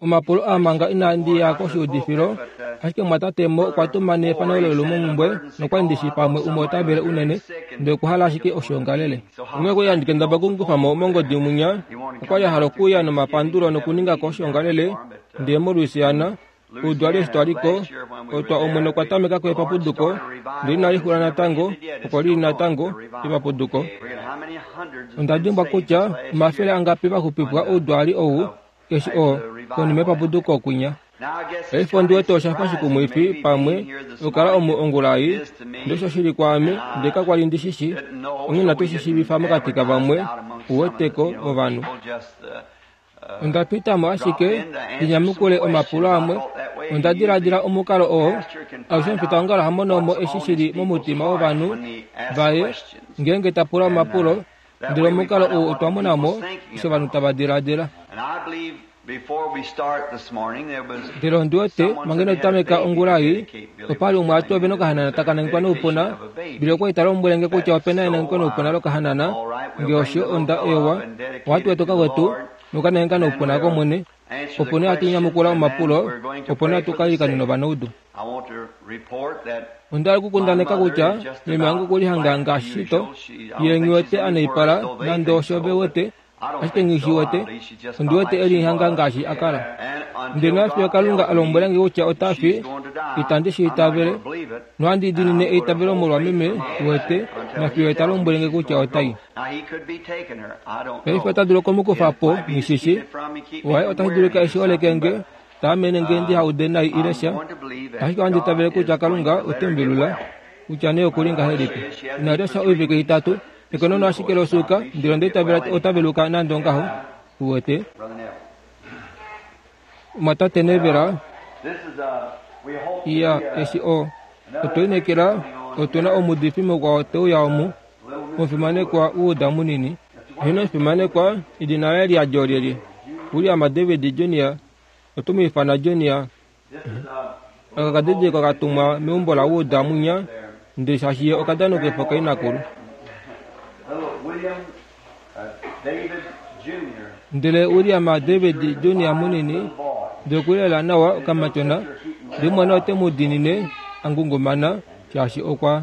Omapulo aa manga inandi ya koshiudifilo, ashike mumwatate Mo okwa tuma neefano lolumomumbwe nokwa li ndi shi pamwe umwe ota vele unene, ndele okwa hala ashike oshiongalele. Onghee okwa li handi kendabala oku mu kufa mo mongodi mwinya, okwa li a hala okuuya nomapandulo nokuninga ko oshiongalele, ndele moLouisiana, Oudwali eshi twa li ko, otwa Omwene okwa tameka ko epapuduko, ndele inali xula natango, oko li li natango, epapuduko. Onda dimbwa kutya omafele angapi va xupifwa oudwali ou, eshi o, konima yepapuduko kwinya. Paife ondi wete osha fa shikumwifi, pamwe, okukala omu ongula ei, ndele osho shi li kwaame, ndele kakwa li ndi shi shi, onghee inatu shi shiivifa mokati kavamwe, uweteko, ovanhu. Onda pita mo ashike ndi nyamukule omapulo amwe. Onda diladila omukalo oo alushe omufitaongalo ha mono mo eshi shi li momutima wovanhu vaye ngeenge ta pula omapulo, ndele omukalo ou otwa mona mo eshi ovanhu tava diladila. Ndele ondi wete manga ino tameka ongula ei, opa li umwe a ti ove nokahanana taka nangekwa noupuna. Billy okwa li ta lombwele nge kutya ope na enangeko noupuna lokahanana. Nge osho, onda ewa. Ohatu eta okakwetu nokanangeka noupuna kOmwene. Opo nee hatu nyamukula omapulo, opo nee hatu ka ilikanena ovanaudu. Onda hala okukundaneka kutya meme wange okwe lihanga ngaashi shito, ye nghi wete a naipala nande osho ve wete. Ashike nghi shi wete, ondi wete e lihanga ngaashi a kala. Ndele nafiyo Kalunga a lombwela nge kutya ota fi, itandi shi itavele, nohandi diinine eitavelo molwa meme, uwete, nafiyo Ye ta lombwele nge kutya ota i. Paife ota dulu oku mu kufa po, nghi shi shii. Waye otashi dulika eshi holeke nge, ta amene nge ndiha ude nai ile sha. Ashike ohandi itavele kutya Kalunga ote mu velula, kutya nee oku li ngahelipi. Ina lya sha oivike itatu. Ekonono ashike losuuka, ndele onda itavela ota veluka nande ongaho. Uwete? Omwatate Neville, iya, eshi o, otwe lineekela otu na omuudifi mukwao te uya omu, omufimanekwa Wood munini. Heno omufimanekwa, edina laye liyadi olyelye? William David Junior. Oto mu ifana Junior. Aka kadidilikwa ka tumwa meumbo laWood mwinya, ndele shaashi ye okadanukifo kainakulu. Ndele William David Junior munini, ndele okuli lela nawa okamatyona, ndele mumwaina ote mu diinine a ngungumana, shaashi okwa.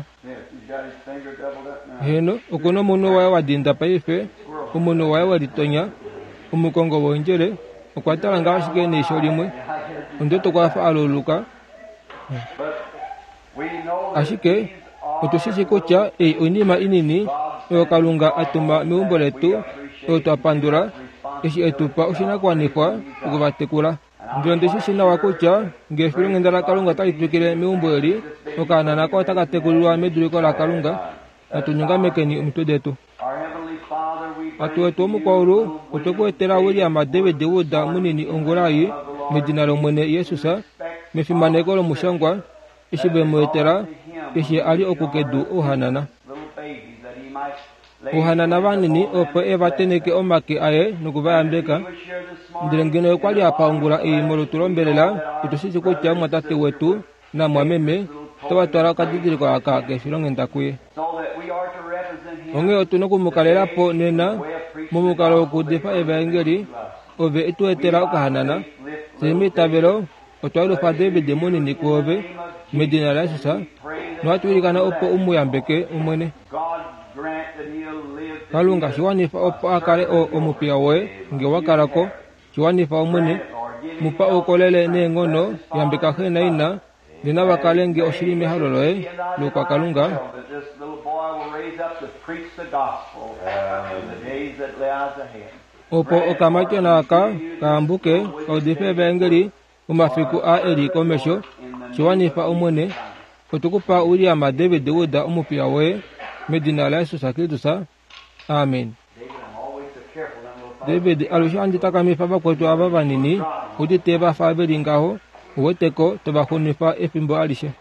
Heeno, oku na omunwe waye wa dinda paife, omunwe waye we litonya. Omukongo woondjele okwa tala ngaho ashike neisho limwe. Ondi wete okwa fa a luluka. Ashike otu shi shii kutya ei oinima inini oyo Kalunga a tuma meumbo letu, oyo twa pandula eshi e tu pa oshinakuwanifwa oku va tekula. Ndele ondi shi shii nawa kutya nge efilonghenda laKalunga otali twikile meumbo eli, okaana nako otaka tekulilwa meduliko laKalunga. Natu nyongamekeni omitwe detu. Tate wetu womukwaulu, otwe ku etela William David Wood munini ongula ei, medina lOmwene Jesus, mefimaneko lomushangwa, eshi ve mu etela, eshi a li oku kedu ouhanana. Ouhanana vanini opo e va tenheke omake aye noku va yambeka. Ndele ngeno okwa li a pa ongula ei molutu lombelela, otu shi shii kutya omumwatate wetu namwameme otava twala okadidiliko aka kefilonghenda kuye. Onghee otu noku mu kalela po nena momukalo wokuudifa evaengeli. Ove e tu etela okahanana. Fye meitavelo otwa yelufa David munini kuove medina laJesus nohatu ilikana opo u mu yambeke, Omwene. Kalunga, shi wanifa opo a kale o, omupiya woye nge wa kala ko. Shi wanifa, Omwene. Mu pa oukolele neenghono, yambeka xe naina, nge nava kale nge oshili mehalo loye loukwakalunga. Opo okamatyona aka ka yambuke ka udife evaengeli momafiku aa e li komesho, shi wanifa Omwene, otwe ku pa William David Wood omupiya woye, medina laJesus Kristus. Amen. David, alushe handi takamifa vakwetu ava vanini, udite va fa ve li ngaho, uwete ko, to va xunifa efimbo alishe.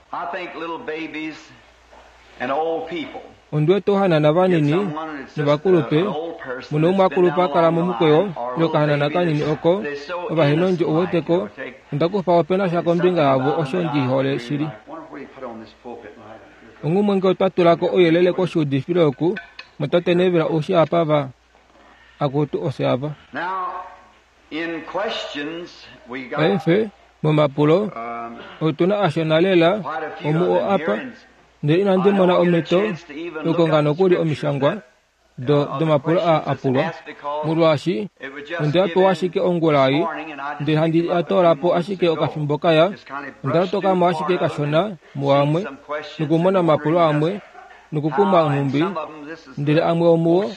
Ondi wete ouhanana vanini novakulupe, mu na umwe a kulupa a kala momukweyo, ile okahanana kanini oko, ovahenondjo, uwete ko, onda kufa opena sha kombinga yavo osho ndi hole shili. Onghumwe nge otwa tula ko ouyelele koshiudifilo oku, motate Neville oushi apa va, akutu, ofye ava. Paife, momapulo, otu na ashona lela omuo apa, ndele inandi mona omhito yokukonga nokuli omishangwa do domapulo aa a pulwa, molwaashi onde a pewa ashike ongula ei, ndele handi a toola po ashike okafimbo kaya, onda lotoka mo ashike kashona muamwe, nokumona omapulo amwe, nokukumwa nhumbi, ndele amwe omuo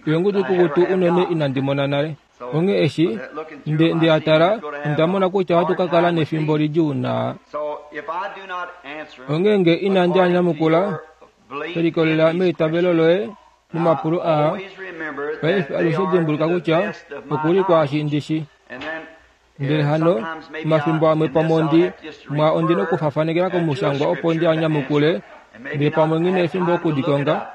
oengudu ikukutu unene inandi mona nale. Onghee eshi nde nde a tala, onda mona kutya ohatu ka kala nefimbo lidjuu naa. Onghee nge inandi a nyamukula, she likolelela meitavelo loye momapulo aa, paife alushe dimbuluka kutya oku li kwaashi ndi shi. Ndele hano, omafimbo amwe pamwe ondi, mwa ondi nokufafanekela komushangwa opo ndi a nyamukule, ndele pamwe nghi na efimbo oku di konga.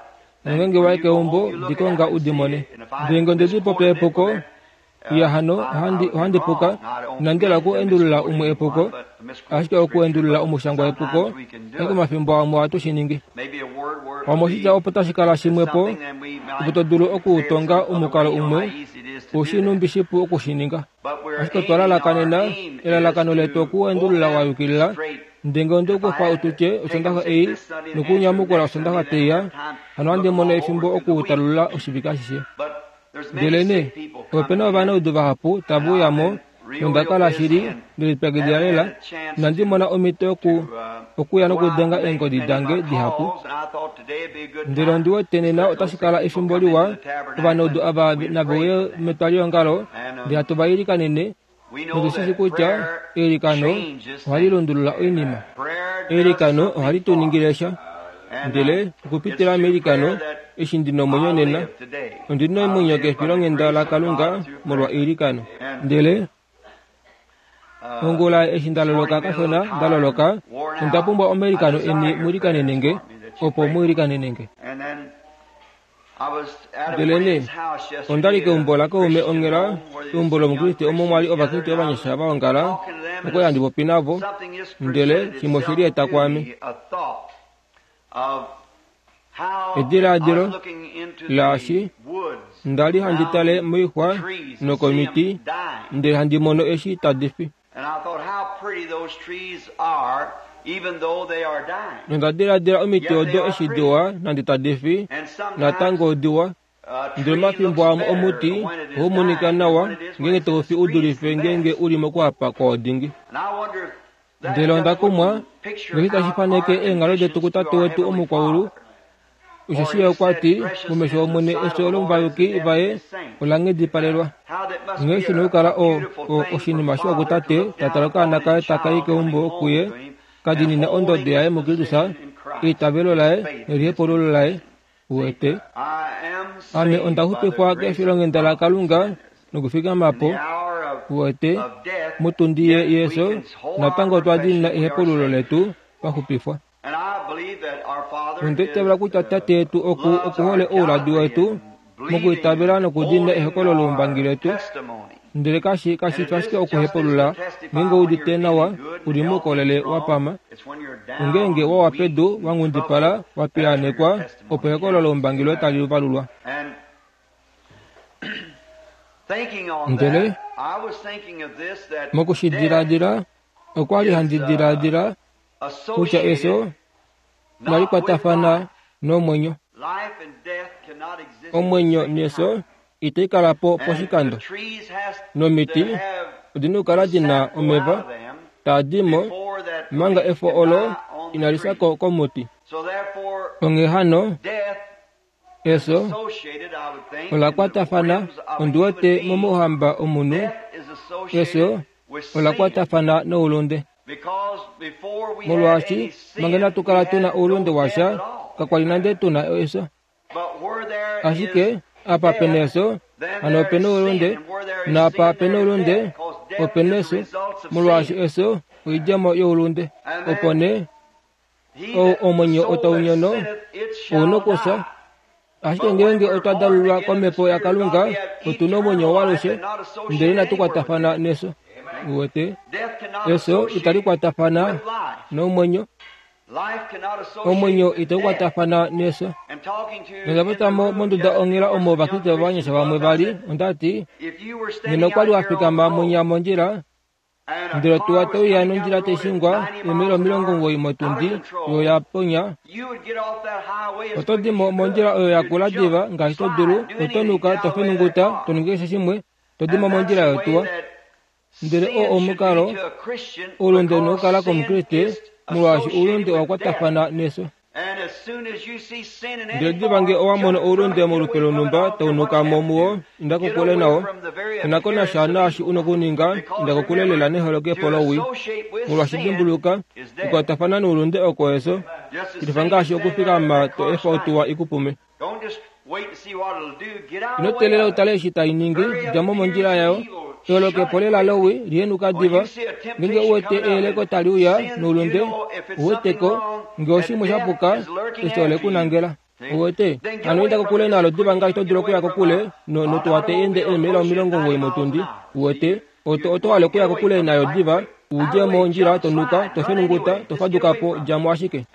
Nongeenge wa i keumbo, di konga u di mone. Ndele nge onde di popya epuko, iya hano ohandi, ohandi puka, inandi hala oku endulula umwe epuko, ashike oku endulula omushangwa epuko, ashike omafimbo amwe ohatu shi ningi. Pamwe oshitya opo tashi kala shimwe po, opo to dulu okuutonga omukalo umwe, ushi nhumbi shipu oku shi ninga. Ashike otwa lalakanena, elalakano letu oku endulula wa yukilila, ndele nge onde kufa u tye Osondaxa ei nokunyamukula Osondaxa tai ya, hano ohandi mono efimbo okuutalulula oshivike ashishe. Ndelenee, ope na ovanaudu vahapu tave uya mo, nonda kala shili nde lipyakidila lela, inandi mona omhito yoku, okuya nokudenga eengodi dange dihapu. Ndele ondi wete nena otashi kala efimbo liwa, ovanaudu ava nave uye metwaliongalo, ndele hatu va ilikanene, notu shi shii kutya eilikano ohali lundulula oinima. Eilikano ohali tu ningile sha. Ndele okupitila meilikano, eshi ndi nomwenyo nena, ondi na omwenyo kefilonghenda laKalunga molwa eilikano. Ndele ongula eshi nda loloka kashona, nda loloka, onda pumbwa omailikano eni mu ilikanene nge, opo mu ilikanene nge. Ndelenee, onda li keumbo lakaume onghela, eumbo lOmukriste omo mwa li Ovakriste ovanyasha va ongala, okwa li handi popi navo, ndele shimwe oshe lieta kwaame. Ediladilo laashi nda li handi tale moixwa nokomiti, ndele handi mono eshi tadi fi. Nonda diladila omiti odo eshi diwa nande tadi fi, natango odiwa. Ndele omafimbo amwe omuti ohau monika nawa ngeenge tau fi u dulife ngeenge u li mokuhapa kwao dingi. Ndele onda kumwa, ngeshi tashi faneke eenghalo detu kuTate wetu omukwaulu, Osheshi ye okwa ti, Momesho Omwene efyo lomuvayuki vaye ola nghedipalelwa. Nghee shi na okukala o, o, oshinima shiwa kutate, ta tale okaana kaye taka i keumbo kuye, ka diinina ondodo yaye muKristus, eitavelo laye nelihepululo laye. Uwete? Ame onda xupifwa kefilonghenda laKalunga nokufikama po, uwete, motundi ye, yeso, natango otwa diinina ehepululo letu, twa xupifwa. Onda itavela kutya Tate yetu oku oku hole ouladi wetu mokuitavela nokudiinina ehokololo loumbangi letu. Ndele kashi kashi fi ashike okuhepulula ngeenge u udite nawa, u li moukolele wa pama. Ongeenge wa wa pedu, wa nghundipala, wa piyaanekwa, opo ehokololo loumbangi loye tali valulwa. Ndele moku shi diladila, okwa li handi diladila kutya efyo inali kwatafana nomwenyo. Omwenyo nefyo itai kala po poshikando, nomiti odi na okukala di na omeva taa di mo manga efo olo inali fya ko komuti. Onghee hano, Efyo ola kwatafana, ondi wete, momauhamba omunhu. Efyo ola kwatafana noulunde. Molwaashi manga inatu kala tu na oulunde washa, kakwa li nande tu na efyo. Ashike apa pe na efyo, hano ope na oulunde, naapa pe na oulunde, ope na efyo, molwaashi efyo oidjemo youlunde. Opo nee Ou omwenyo otau nyono, ou nokufya. Ashike ngeenge otwa dalulwa komhepo yaKalunga, otu na omwenyo waalushe, ndele inatu kwatafana nefyo. Uwete? Efyo itali kwatafana nomwenyo. Omwenyo itau kwatafana nefyo. Nonda popya mo monduda onghela omo Ovakriste vovanyasha vamwe va li, onda ti, Ngeno okwa li wa fikama mwinya mondjila, ndele otuwa tai uya nondjila tai shingwa eemaila 90 motundi oyo ya ponya, oto di mo mondjila oyo ya kula diva ngaashi to dulu, oto nuka, to fenunguta, to ningi keshe shimwe, to di mo mondjila yotuwa. Ndele oo omukalo oulunde u na okukala kOmukriste, molwaashi oulunde owa kwatafana nefyo. Ndele diva nge owa mono oulunde molupe lonhumba tau nuka mo muwo, inda kokule nawo. Ke na ko nasha naashi u na okuninga, inda kokule lela neholokepo lowii. Molwaashi dimbuluka, okukwatafana noulunde oko efyo, shilifa ngaashi okufikama to efa otuwa i ku pume. Ino teelela u tale eshi tai ningi, dja mo mondjila yayo. Eholokepo lela lowii, lihenuka diva. Ngeenge u wete eyeleko tali uya noulunde, u wete ko, nge oshimwe sha puka, efyo ole ku nangela. U wete? Hano inda kokule nalo diva ngaashi to dulu okuya kokule no, notuwa tai ende eemaila 90 motundi. U wete? Oto, oto hale okuya kokule nayo diva, u dje mondjila, to nuka, to fenunguta, to faduka po, dja mo ashike.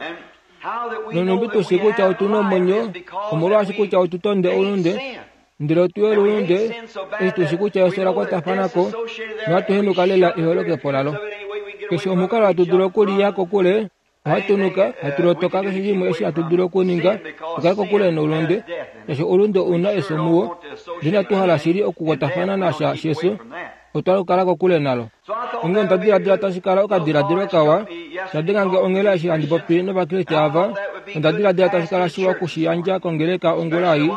Nonhumbi tu shii kutya otu na omwenyo, omolwaashi kutya otu tonde oulunde, ndele otu yole oulunde, eshi tu shii kutya efyo la kwatafana ko, nohatu henuka lela eholokepo lalo. Keshe omukalo hatu dulu okuliya kokule, ohatu nuka, hatu lotoka keshe shimwe eshi hatu dulu okuninga, tu kale kokule noulunde, shaashi oulunde ou na efyo muwo. Ndele inatu hala shili okukwatafana nasha shefyo, otwa hala okukala kokule nalo. Onghee onda diladila tashi kala okadiladilo kawa, sha denga nge onghela eshi handi popi nOvakriste ava, onda diladila tashi kala shiwa oku shi yandja kongeleka ongula ei,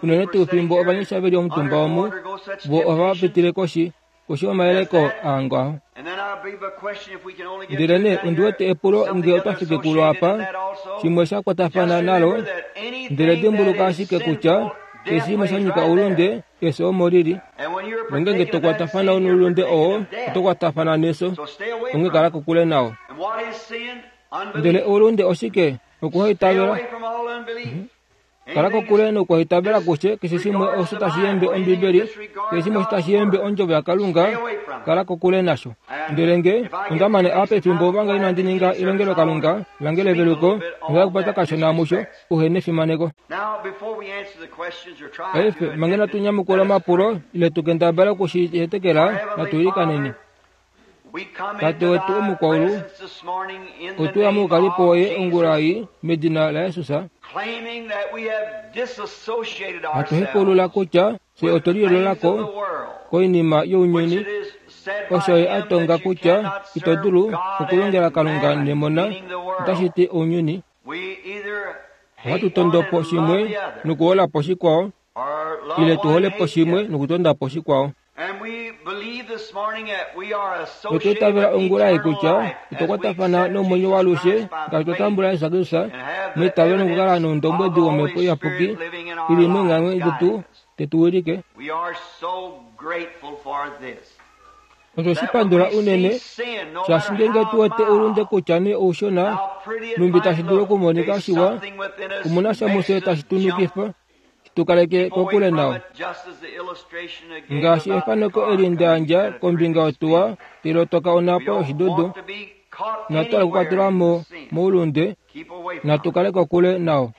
unene tuu fimbo ovanyasha ve li omutumba omu, vo ohava pitile koshi, koshi yomayeleko aa ngaho. Ndele nee ondi wete epulo nge otwa fike kulo apa, shimwe sha kwatafana nalo, ndele dimbuluka ashike kutya keshe shimwe sha nyika oulunde, Efyo omo li li. Nongeenge to kwatafana noulunde oo, oto kwatafana nefyo. Onghee kala kokule nao. Ndele oulunde oshike? Okuhaitavela. Kala kokule nokuhaitavela kushe keshe shimwe osho tashi yembe Ombibeli, keshe shimwe osho tashi yembe Ondjovo yaKalunga, kala kokule nasho. Ndele nge onda mane apa efimbo omanga inandi ninga elongelokalunga lange leveluko, onda kupata kashona musho, uhe nefimaneko. Paife, manga inatu nyamukula omapulo, ile tu kendabale oku shi hetekela, natu ilikaneni. Tate wetu omukwaulu, otwe uya moukalipo woye ongula ei, medina laJesus, hatu hepaulula kutya fye otwe liyoolola ko koinima younyuni, osho ye a tonga kutya ito dulu okulongela Kalunga nemona, otashi ti ounyuni. Ohatu tondo po shimwe nokuhola po shikwao, ile tu hole po shimwe nokutonda po shikwao. Notwa itavela ongula ei kutya otwa kwatafana nomwenyo waalushe ngaashi twa tambula Jesus Kristus meitavelo nokukala noundombwedi wOmhepo Iyapuki i li meenghamwe detu te tu wilike. Otwe shi pandula unene, shaashi ngeenge tu wete oulunde kutya nee oushona, nhumbi tashi dulu okumonika shiwa, omu na sha mufye tashi tu nukifa, shi tu kaleke kokule nao. Ngaashi efaneko eli nda yandja kombinga yotuwa tai lotoka onhapo yoshidudu, inatu hala okukwatelwa mo moulunde, natu kale kokule nao.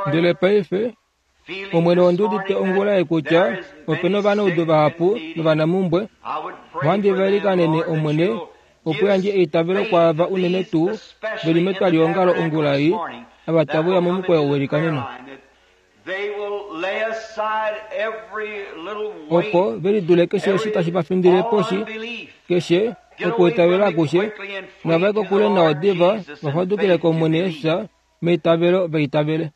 Ndele paife, Omwene ondi udite ongula ei kutya ope na ovanaudu vahapu novanamumbwe. Ohandi va ilikanene, Omwene, opo u yandje eitavelo kwaava unene tuu ve li metwaliongalo ongula ei, ava tave uya momukweyo welikaneno. Opo ve lidule keshe eshi tashi va findile poshi, keshe okuitavela akushe, nava ye kokule nao diva va fadukile kOmwene Jesus, meitavelo va itavele.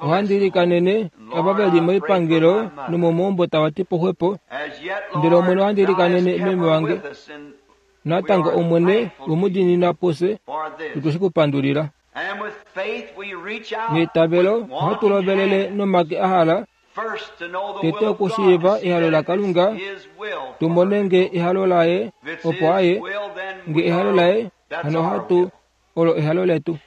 Ohandi ilikanene ava ve li moipangelo nomomaumbo tava ti po xwepo, ndele Omwene ohandi ilikanene meme wange. Natango Omwene, we mu diinina pufye, notwe shi ku pandulila. Meitavelo ohatu lovelele nomake a hala tete okushiiva ehalo laKalunga, tu mone nge ehalo laye, opo aye. Nge ehalo laye, hano ohatu. Olo ehalo letu.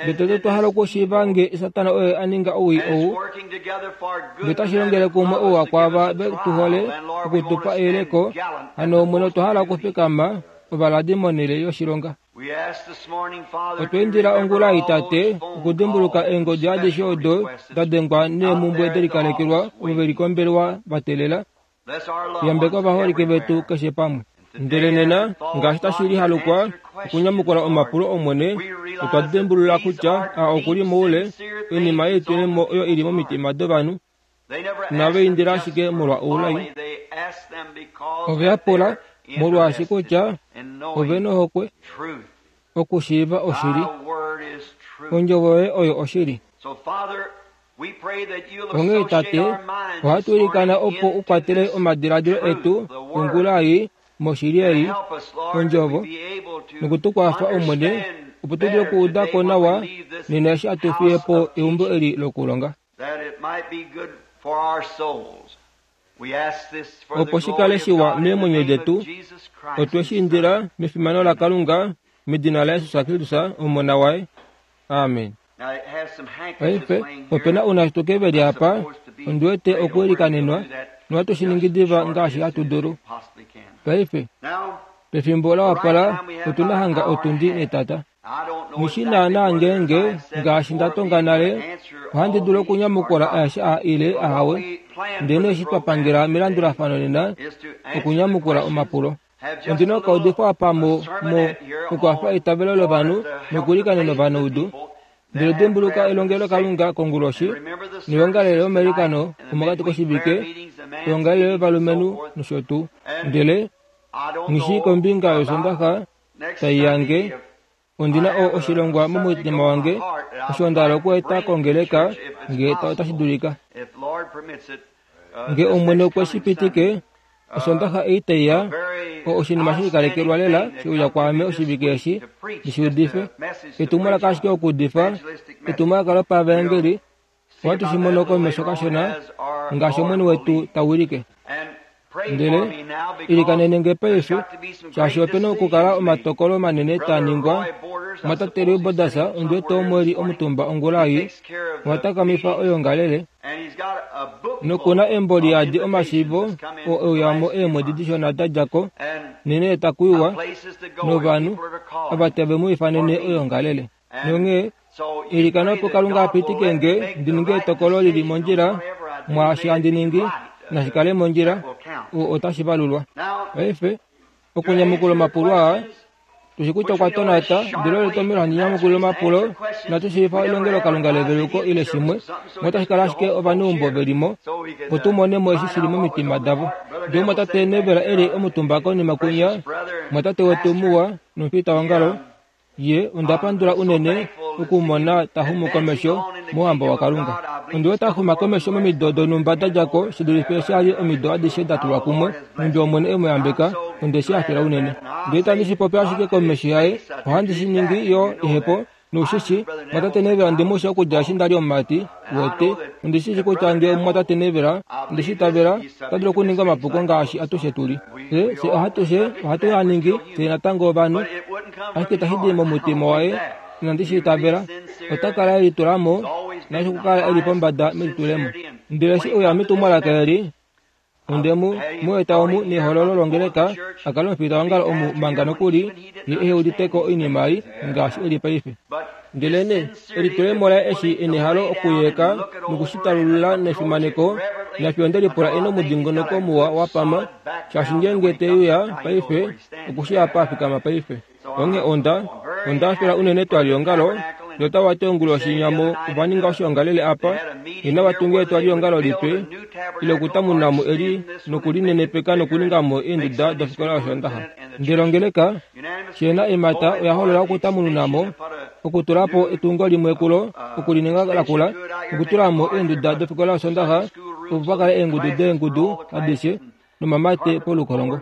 Ndele tete otwa hala okushiiva nge Satana oye a ninga owii ou, nge otashi longele kumwe ouwa kwaava ve tu hole oku tu pa eyeleko, hano Omwene otwa hala okufikama ovaladi monhele yoshilonga. Otwa indila ongula ei, Tate, okudimbuluka eengodi adishe odo da dengwa neemhumbwe delikalekelwa ovo ve li kombelewa va teelela. Yambeka ovaholike vetu keshe pamwe. Ndele nena, ngaashi tashi lihalukwa okunyamukula omapulo Omwene, otwa dimbulula kutya a oku li moule, oinima yeitulemo oyo i li momitima dovanhu. Inava indila ashike molwa oulai. Ove a pula molwaashi kutya ove nohokwe okushiiva oshili. Ondjovo yoye oyo oshili. Onghee Tate, ohatu ilikana opo u kwatele omadiladilo etu ongula ei moshili ei, Ondjovo, noku tu kwafa, Omwene, opo tu dule okuuda ko nawa nena eshi hatu fiye po eumbo eli lokulonga. Opo shi kale shiwa meemwenyo detu, otwe shi indila mefimano laKalunga, medina laJesus Kristus, Omona waye. Amen. Paife, ope na ounashituke ve li apa, ondi wete okuilikanenwa, nohatu shi ningi diva ngaashi hatu dulu. Paife, pefimbo la wapala, otu na hanga otundi netata. Nghi shi naanaa ngeenge, ngaashi nda tonga nale, ohandi dulu okunyamukula aeshe aa ile ahawe, ndele eshi twa pangela melandulafano nena, okunyamukula omapulo. Ondi na okaudifo apa mo, mo, okwafa eitavelo lovanhu nokuilikanena ovanaudu. Ndele dimbuluka elongelokalunga konguloshi, noyongalele yomailikano omokati koshivike, oyongalele yovalumenhu nosho tuu. Ndele nghi shii kombinga yOsondaxa tai ya nge ondi na o, oshilongwa momutima wange osho nda hala okueta kongeleka nge otashi dulika. Nge Omwene okwe shi pitike, Osondaxa ei tai ya, o, oshinima she likalekelwa lela she uya kwaame oshivike eshi, ndi shi udife. Etumwalaka ashike okuudifa, etumwalaka lopavaengeli, Ohatu shi mono komesho kashona ngaashi Omwene wetu ta wilike. Ndele ilikanene nge paife, shaashi ope na okukala omatokolo manene taa ningwa. Mwatate Roy Borders, ondi wete omo e li omutumba ongula ei, oha takamifa oyoongalele, noku na embo li yadi omashiivo oo e uya mo eemwedi dishona da dja ko, neenhele taku iwa, novanhu ava tave mu ifanene oyoongalele. Nonghee, ilikana opo Kalunga a pitike nge ndi ninge etokolo li li mondjila mwaashi handi ningi, nashi kale mondjila, o, otashi valulwa. Paife, okunyamukula omapulo aa, tu shi kutya okwa tonata, ndele olo etomhelo handi nyamukulile omapulo, inatu shiiva elongelokalunga leveluko ile shimwe, notashi kala ashike ovaneumbo ve li mo, opo tu mone mo eshi shi li momitima davo. Ndele omumwatate Neville e li omutumba konima kwinya, omumwatate wetu muwa nomufitaongalo, Ye onda pandula unene okumona ta xumu komesho mOuhamba waKalunga. Ondi wete a xuma komesho momido donhumba da dja ko shi dulife eshi a li omido adishe da tulwa kumwe. Nhumbi Omwene e mu yambeka, onde shi hafela unene. Ndele itandi shi popi ashike komesho yaye, ohandi shi ningi yo ehepo, noushishi, Mumwatate Neville ondi mu shi okudja eshi nda li omumati, uwete. Ondi shi shii kutya nge Omumwatate Neville, onde shi itavela, ota dulu okuninga omapuko ngaashi atushe tu li. Fye, fye ohatushe, ohatu a ningi, fye natango ovanhu. Ashike itashi di momutima waye, inandi shi itavela. Ota kala e litula mo, naashi okukala e li pombada melitulemo. Ndele eshi e uya metumwalaka eli, onde mu, mu eta omu nehololo longeleka, a kale omufitaongalo omu manga nokuli ye ehe udite ko oinima ei ngaashi e li paife. Ndelenee elitulemo laye eshi e nehalo okuyeeka noku shi talulula nefimaneko, nafye onde lipula e nomudingonoko muwa wa pama, shaashi ngeenge te uya paife, oku shii apa a fikama paife. Onghee onda, onda hafela unene etwaliongalo, notava ti onguloshi nyamo ova ninga oshiongalele apa, inava tunga etwaliongalo lipe, ile okutamuna mo eli nokulinenepeka nokuninga mo eenduda dofikola yOshoondaxa. Ndele ongeleka, Shena emata oya holola okutamununa mo, okutula po etungo limwe kulo, okulininga lakula, nokutula mo eenduda dofikola yOsondaxa, opo pa kale eengudu deengudu adishe nomamate polukolongo,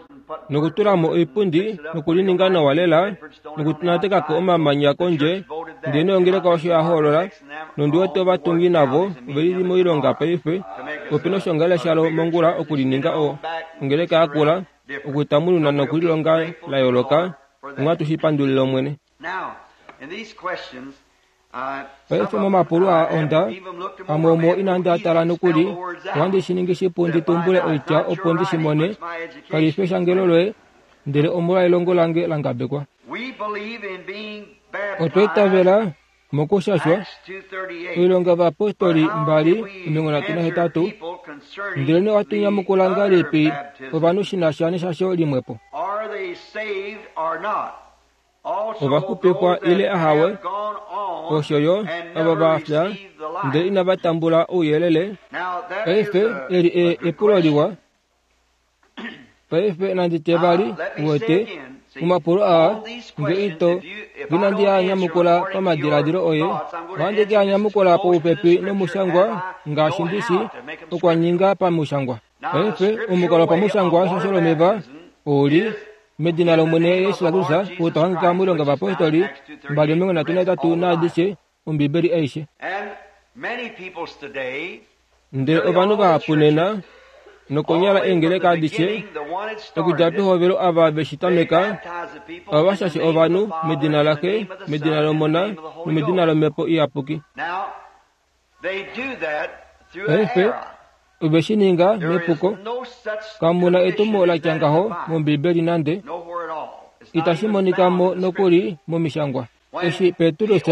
nokutula mo oipundi nokulininga nawa lela, nokunateka ko omamanya kondje. Ndele nongeleka osho ya hoolola, nondi wete ovatungi navo ove li moilonga paife. Ope na oshoongalele shalo mongula okulininga ongeleka yakula. okutamununa nokulilonga la yooloka. Onghee ohatu shi pandulile Omwene. Paife momapulo aa onda, amwe omuo inandi a tala nokuli, ohandi shi ningi shipu ndi tumbule oitya opo ndi shi mone, kali fi eshangelo loye, ndele omolwa elongo lange la ngabekwa. Otwa itavela mokushashwa, Oilonga yOvayapostoli 2:38, Ndelenee ohatu nyamukula ngahelipi ovanhu shi na sha neshasho limwepo? Ova xupifwa ile ahawe, osho yo ava va fya ndele inava tambula ouyelele. Paife eli e, epulo liwa. Paife nandi tye vali, uwete, omapulo aa, nge ito, inandi a nyamukula pamadiladilo oye, ohandi ke a nyamukula poupepi nomushangwa ngaashi ndi shi okwa ninga pamushangwa. Paife omukalo wopamushangwa weshasho lomeva ou li medina lOmwene Jesus Kristus, ou tau hangika mOilonga yOvayapostoli 2:38 naadishe, Ombibeli aishe. Ndele ovanhu vahapu nena, nokonyala eengeleka adishe, okudja pehovelo ava ve shi tameka, ova shashe ovanhu medina laXe, medina lOmona nomedina lOmhepo Iyapuki. Paife, ove shi ninga mepuko. Kamu na etumo la tya ngaho mOmbibeli nande. Itashi monika mo nokuli mOmishangwa. Eshi Petrus,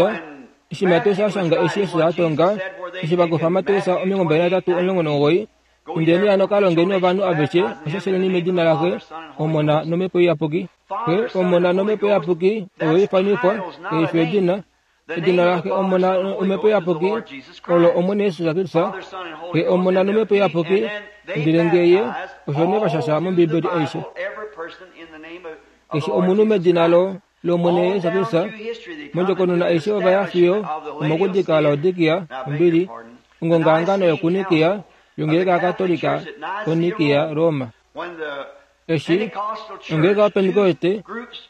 eshi Mateus a shanga eshi Jesus a tonga, eshi va kufa Mateus 23:19, Indeni hano ka longeni ovanhu aveshe, vashasheleni medina laXe, Omona nOmhepo Iyapuki. Xe, Omona nOmhepo Iyapuki oyo ifanifwa, ei fi edina. Edina laXe, Omona nOmhepo Iyapuki olo Omwene Jesus Kristus. Xe, Omona nOmhepo Iyapuki, ndele nge Ye, osho nee va shasha mOmbibeli aishe. Keshe omunhu medina lo lOmwene Jesus Kristus, mondjokonona aishe ova ya fiyo omokudika Laodikia, ombili, ongongahangano yokuNikia, yongeleka yaKatolika koNikia, Roma. Eshi ongeleka yoPentekoste,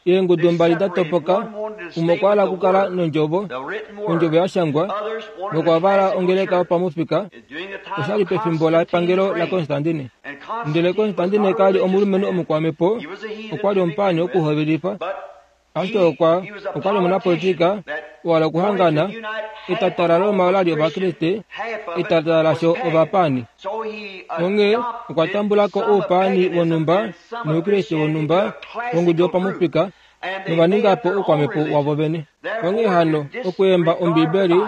eengudu mbali da topoka, umwe okwa hala okukala nOndjovo, Ondjovo ya shangwa, nokwa vala ongeleka yopamufika. Osha li pefimbo lepangelo laKonstantine. Ndele Konstantine ka li omulumenhu omukwamhepo, okwa li omupaani wokuhovelifa. Ashike okwa, okwa li omunapolitika, wa hala okuhangana, etata laRoma ola li Ovakriste, etata lasho ovapaani. Onghee okwa tambula ko oupaani wonhumba nOukriste wonhumba wongudu yopamufika, nova ninga po oukwamhepo wavo vene. Onghee hano, okweemba Ombibeli,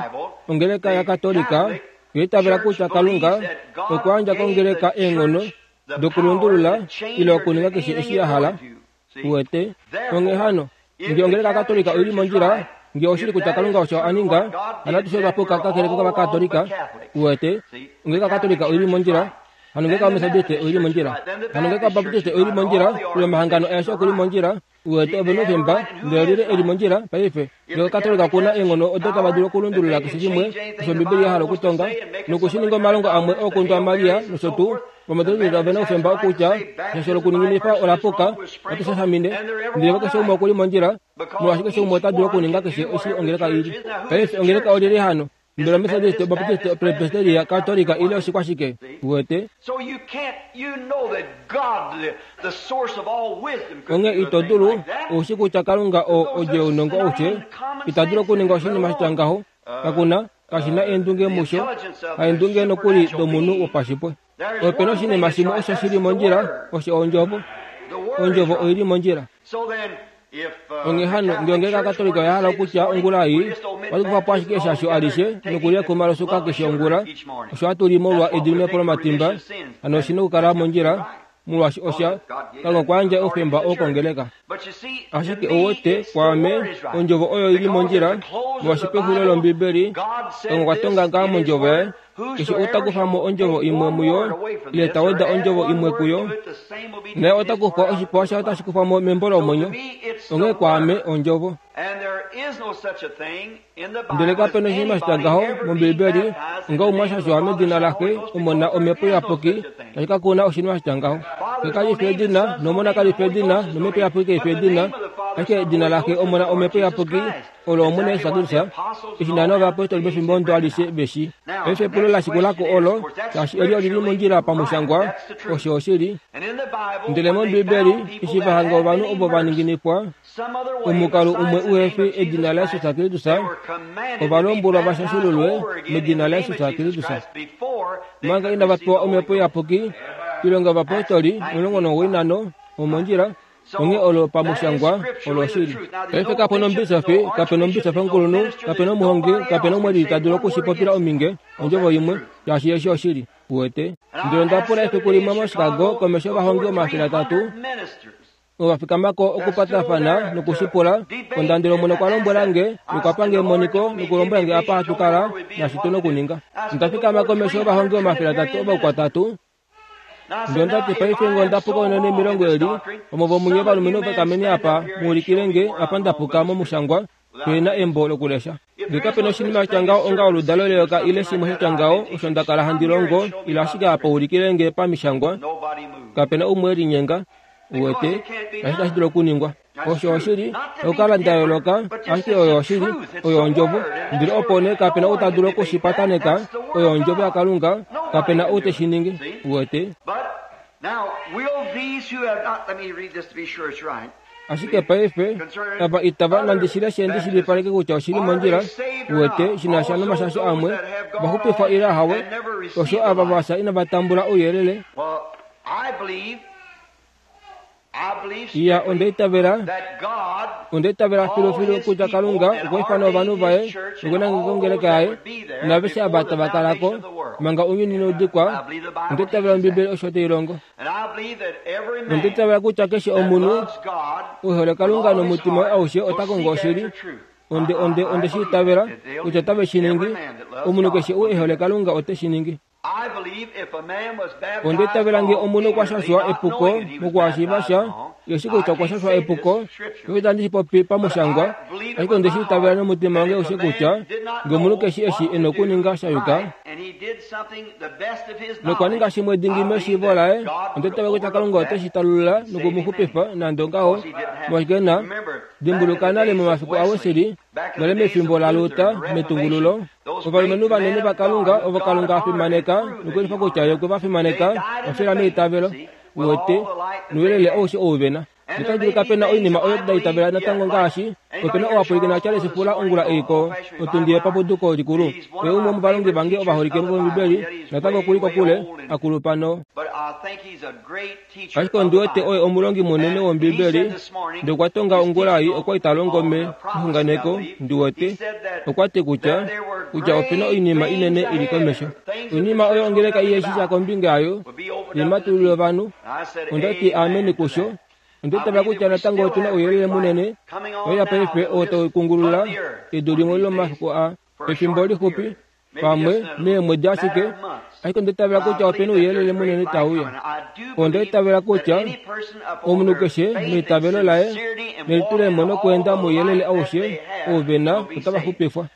ongeleka yaKatolika oya itavela kutya Kalunga okwa yandja kongeleka eenghono dokulundulula ile okuninga keshe eshi ya hala. Uwete? Onghee hano, nge ongeleka yaKatolika oi li mondjila, nge oshili kutya Kalunga osho a ninga, hano atushe otwa puka kakele kOvakatolika. Uwete? Ongeleka yaKatolika oi li mondjila, hano ongeleka yOmetodiste oi li mondjila, hano ongeleka yObaptiste oi li mondjila, ile omahangano aeshe oku li mondjila. Uwete, ove noufemba, ndele olyelye e li mondjila paife? Nge Okatolika oku na eenghono odo tava dulu okulundulula keshe shimwe osho Ombibeli ya hala okutonga, noku shi ninga omalongo amwe ookundwa aMaria nosho tuu, Ovametodiste ove na oufemba okutya eshasho lokuninginifa ola puka, ohatu shashamine, ndele keshe umwe oku li mondjila, molwaashi keshe umwe ota dulu okuninga keshe eshi ongeleka i li. Paife ongeleka olyelye hano? Mbela Ometodiste, Obaptiste, Opresbiteria, Katolika ile oshikwashike? Uwete? Onghee ito dulu, ou shi kutya Kalunga oo odjo younongo aushe, ita dulu okuninga oshinima sha tya ngaho. Kaku na, kashi na eendunge musho, haendunge nokuli domunhu wopashipwe. Ope na oshinima shimwe osho shi li mondjila, osho Ondjovo. Ondjovo oi li mondjila. Onghee hano, nge ongeleka yaKatolika oya hala okutya ongula ei, ohatu kufa po ashike eshasho alishe nokulya ekuma losuka keshe ongula, osho hatu li molwa ediminepo lomatimba, hano oshi na okukala mondjila, molwaashi osha, Kalunga okwa yandja oufemba oo kongeleka. Ashike ou wete, kwaame, Ondjovo oyo i li mondjila, molwaashi pexulilo lOmbibeli, Kalunga okwa tonga ngaha mOndjovo Yaye, Keshe ou ta kufa mo ondjovo imwe muyo, ile ta weda ondjovo imwe kuyo, naye ota kufwa oshipewa shaye otashi kufwa mo membo lomwenyo. Onghee kwaame, Ondjovo. Ndele kape na oshinima sha tya ngaho mOmbiibeli, onga umwe a shashwa medina laXe, Omona, Omhepo Iyapuki, tashi ka kuna oshinima sha tya ngaho. Xe kali fi edina, nOmona kali fi edina, nOmhepo Iyapuki kai fi edina. Ashike edina laXe, Omona, Omhepo Iyapuki olo Omwene Jesus Kristus, eshi naana ovayapostoli pefimbo ondo alishe ve shi. Paife epulo la shikula ko olo, shaashi eli oli li mondjila pamushangwa, osho oshili. Ndele mOmbibeli, eshi va hanga ovanhu ovo va ninginifwa, omukalo umwe uhe fi edina laJesus Kristus, ova lombwelwa va shashululwe medina laJesus Kristus. Manga inava pewa Omhepo Iyapuki, Oilonga yOvapostoli 95, omondjila, Onghee olo pamushangwa olo oshili. Paife kape na omubisofi, kape na omubisofi omukulunhu, kape na omuhongi, kape na umwe lili ta dulu oku shi popila ominge, ondjovo imwe, shaashi eshi oshili. Uwete? Ndele onda pula efiku limwe moChicago komesho yovahongi 300, ova fikama ko okupatafana noku shi pula, onda ndele Omwene okwa lombwela nge, nokwa pa nge emoniko, nokulombwela nge apa hatu kala, naashi tu nokuninga. Onda fikama komesho yovahongi 300 ovaukwatatu, Ndele onda ti, Paife nge onda puka unene milongo eli, omo vomunye ovalumenhu vakameni apa, mu ulikile nge apa nda puka momushangwa, pe na embo lokulesha. Nge kape na oshinima sha ngaho onga oludalo leyoka ile shimwe sha tya ngaho osho nda kala handi longo, ile ashike apa ulikile nge pamishangwa, kape na umwe e linyenga. Uwete, kashi tashi dulu okuningwa. Osho oshili, okukala nda yooloka, ashike oyo oshili, oyo ondjovo. Ndele opo nee kape na ou ta dulu oku shi pataneka, oyo ondjovo yaKalunga, kape na ou te shi ningi. Uwete? Ashike paife, ava itava nande shi leshe ndi shilipaleke kutya oshi li mondjila, uwete, shi na sha nomashasho amwe, va xupifwa ile ahawe, osho ava va fya inava tambula ouyelele. Iya, onda itavela, onda itavela filufilu kutya Kalunga okwa ifana ovanhu vaye nokunangeka ongeleka yaye naaveshe ava tava kala ko manga ounyuni inau dikwa. Onda itavela Ombibeli osho tai longo. Onda itavela kutya keshe omunhu e hole Kalunga nomutima waye aushe ota kongo oshili. Onde, onde, onde shi itavela kutya otave shi ningi. Omunhu keshe ou e hole Kalunga ote shi ningi. Onda itavela nge omunhu okwa shashwa epuko mokuhashiiva sha, ye shi kutya okwa shashwa epuko, paife itandi shi popi pamushangwa, ashike onde shi itavela nomutima wange aushe kutya nge omunhu keshi eshi e nokuninga sha yuka, nokwa ninga shimwe dingi meshiivo laye, onda itavela kutya Kalunga ote shi talulula noku mu xupifa nande ongaho, molwaashi na dimbuluka nale momafiku aWesley, Nale mefimbo laLuther, metungululo, ovalumenhu vanene vaKalunga ovo Kalunga a fimaneka nokuulifa kutya Ye okwe va fimaneka, va fila meitavelo, uwete, nouyelele aushe ou ve na. Notashi dulika pe na oinima oyo nda itavela natango ngaashi, ope na owapwilikina Charles Fuller ongula ei ko, otundi yepapuduko likulu. Oye umwe womovalongi vange ovaholike vOmbibeli, natango oku li kokule, a kulupa no. Ashike ondi wete oye omulongi munene wOmbibeli, ndele okwa tonga ongula ei okwa li ta longo me, mexunganeko, ndi wete. Okwa ti kutya, kutya ope na oinima inene i li komesho. Oinima oyo ongeleka ihe shi sha kombinga yayo, yematulilo ovanhu. Onda ti ameni kusho. Onda itavela kutya natango otu na ouyelele munene, oya paife oo tau kungulula edu limwe lomafiku aa. Pefimbo lixupi, pamwe meemwedi ashike, ashike onda itavela kutya ope na ouyelele munene tau uya. Onda itavela kutya omunhu keshe meitavelo laye nelitulemo nokweenda mouyelele aushe ou ve na otava xupifwa.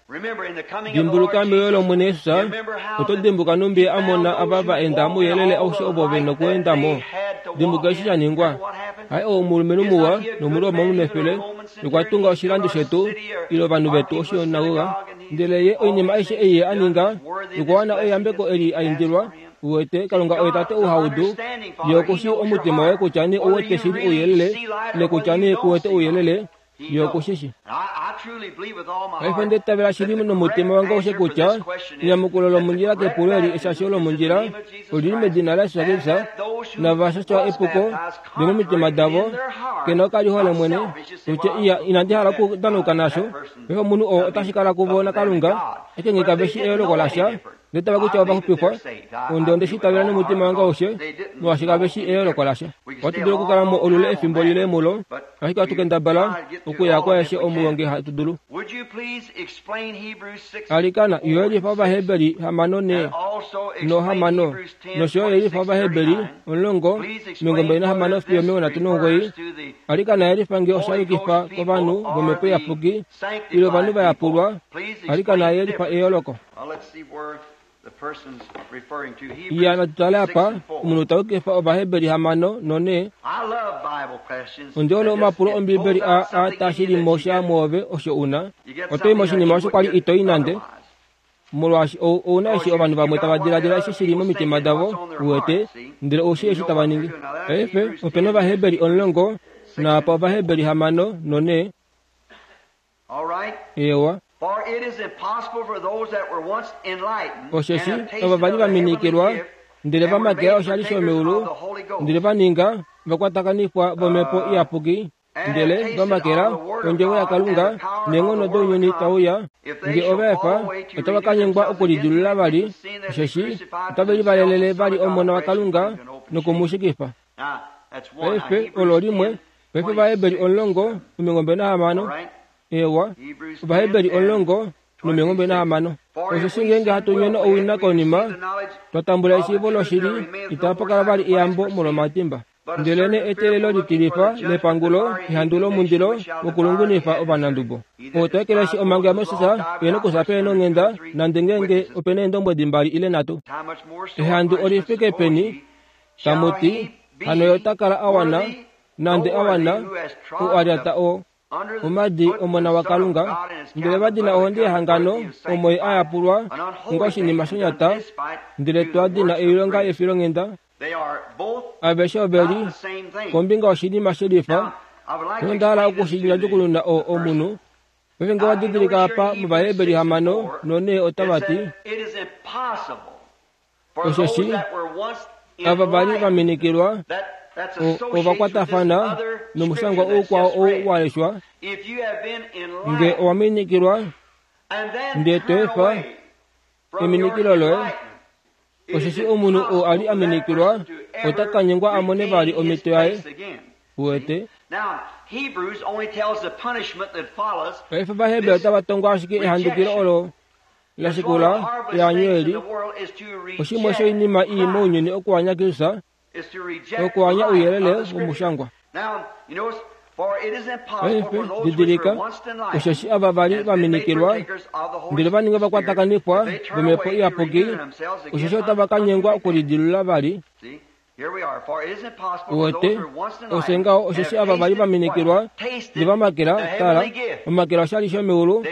Dimbuluka meuyo lOmwene Jesus, oto dimbuka nhumbi a mona ava va enda mouyelele aushe ovo ve nokweenda mo. Dimbuka eshi sha ningwa. Haye ou omulumenhu muwa nOmuroma omunefele nokwa tunga oshilando shetu ile ovanhu vetu oshinagoga. Ndele ye oinima aishe ei ye a ninga, nokwa wana eyambeko eli a indilwa, uwete, Kalunga oye Tate ou ha udu, Ye oku shii omutima woye kutya nee ou wete shili ouyelele, ile kutya nee ku wete ouyelele, Ye oku shi shii. Paife onda itavela shili nomutima wange aushe kutya enyamukulo lomondjila kepulo eli eshasho lomondjila oli li medina laJesus Kristus, nava shashwa epuko lomomitima davo, ke na okalihole mwene, kutya iya inandi hala okudanauka nasho. Paife omunhu oo otashi kala kuvo naKalunga, ashike nge kave shi eyooloko lasha, ndele tava kutya ova xupifwa, onde onde shi itavela nomutima wange aushe, molwaashi kave shi eyooloko lasha. Ohatu dulu okukala mo olule efimbo lile mulo, ashike ohatu kendabala okuya kwaeshe omuyo nge hatu dulu. Alikana, yelifa Ovaheberi hamano ne nohamano, nosho yo yelifa Ovaheberi 10, 26 fiyo 39. Alikana yelifa nge osha yukifa kovanhu vOmhepo Iyapuki ile ovanhu va yapulwa. Alikana yelifa eyooloko. Iya, natu tale apa, omunhu ta yukifa Ovaheberi 6 no-4. Ondi hole omapulo Ombibeli a a taa shili mo sha mwoove osho u na. Oto i moshinima osho kwa li ito i nande. Molwaashi ou, ou na eshi ovanhu vamwe tava diladila eshi shi li momitima davo, uwete, ndele ou shii eshi tava ningi. Paife, ope na Ovaheberi omulongo, naapa Ovaheberi hamano nonhe. Eewa. Osheshi ovo va li va minikilwa, ndele va makela oshali shomeulu, ndele va ninga vakwatakanifwa vOmhepo Iyapuki, ndele va makela ondjovo yaKalunga neenghono dounyuni tau uya, nge ova efa, otava ka nyengwa okulidilulula vali, osheshi otave livalelele vali Omona waKalunga noku mu shikifa. Paife, olo limwe. Paife Ovaheberi 16. Eewa, Ovaheberi 16. Osheshi ngeenge hatu nyono owina konima twa tambula eshiivo loshili, itapa kala vali eyambo molwomatimba. Ndelenee eteelelo litilifa lepangulo ehandu lomundilo wokulungunifa ovanandubo. Oo ta ekeleshi omhango yaMoses e nokufya pehe nonghenda, nande ngeenge ope na eendombwedi mbali ile nhatu. Ehandu oli fike peni, tamu ti, hano ye ota kala a wana, nande a wana, ou a lyata o omadi Omona waKalunga, ndele va dina ohonde yehangano omo ye a yapulwa onga oshinima shonyata, ndele twa dina oilonga yefilonghenda. Aveshe ove li kombinga yoshinima she lifa, nonda hala oku shi ndjadjukununa o, omunhu. Paife nge wa didilika apa mOvaheberi 6 no-4 otava ti, Osheshi ava va li va minikilwa ova kwatafana nomushangwa oukwao ou wa leshwa, Nge owa minikilwa ndee to efa eminikilo loye, osheshi omunhu ou a li a minikilwa ota ka nyengwa a mone vali omhito yaye. Uwete? Paife Ovaheberi otava tongo ashike ehandukilo olo la shikula eanyo eli, oshimwe shoinima ii mounyuni okuanya Kristus, okuanya ouyelele womushangwa. Paife, didilika, osheshi ava va li va minikilwa, ndele va ninga vakwatakanifwa vOmhepo Iyapuki, osheshi otava ka nyengwa okulidilula vali. Uwete, ofye ngaho, osheshi ava va li va minikilwa, ndele va makela, tala, omakela oshali shomeulu,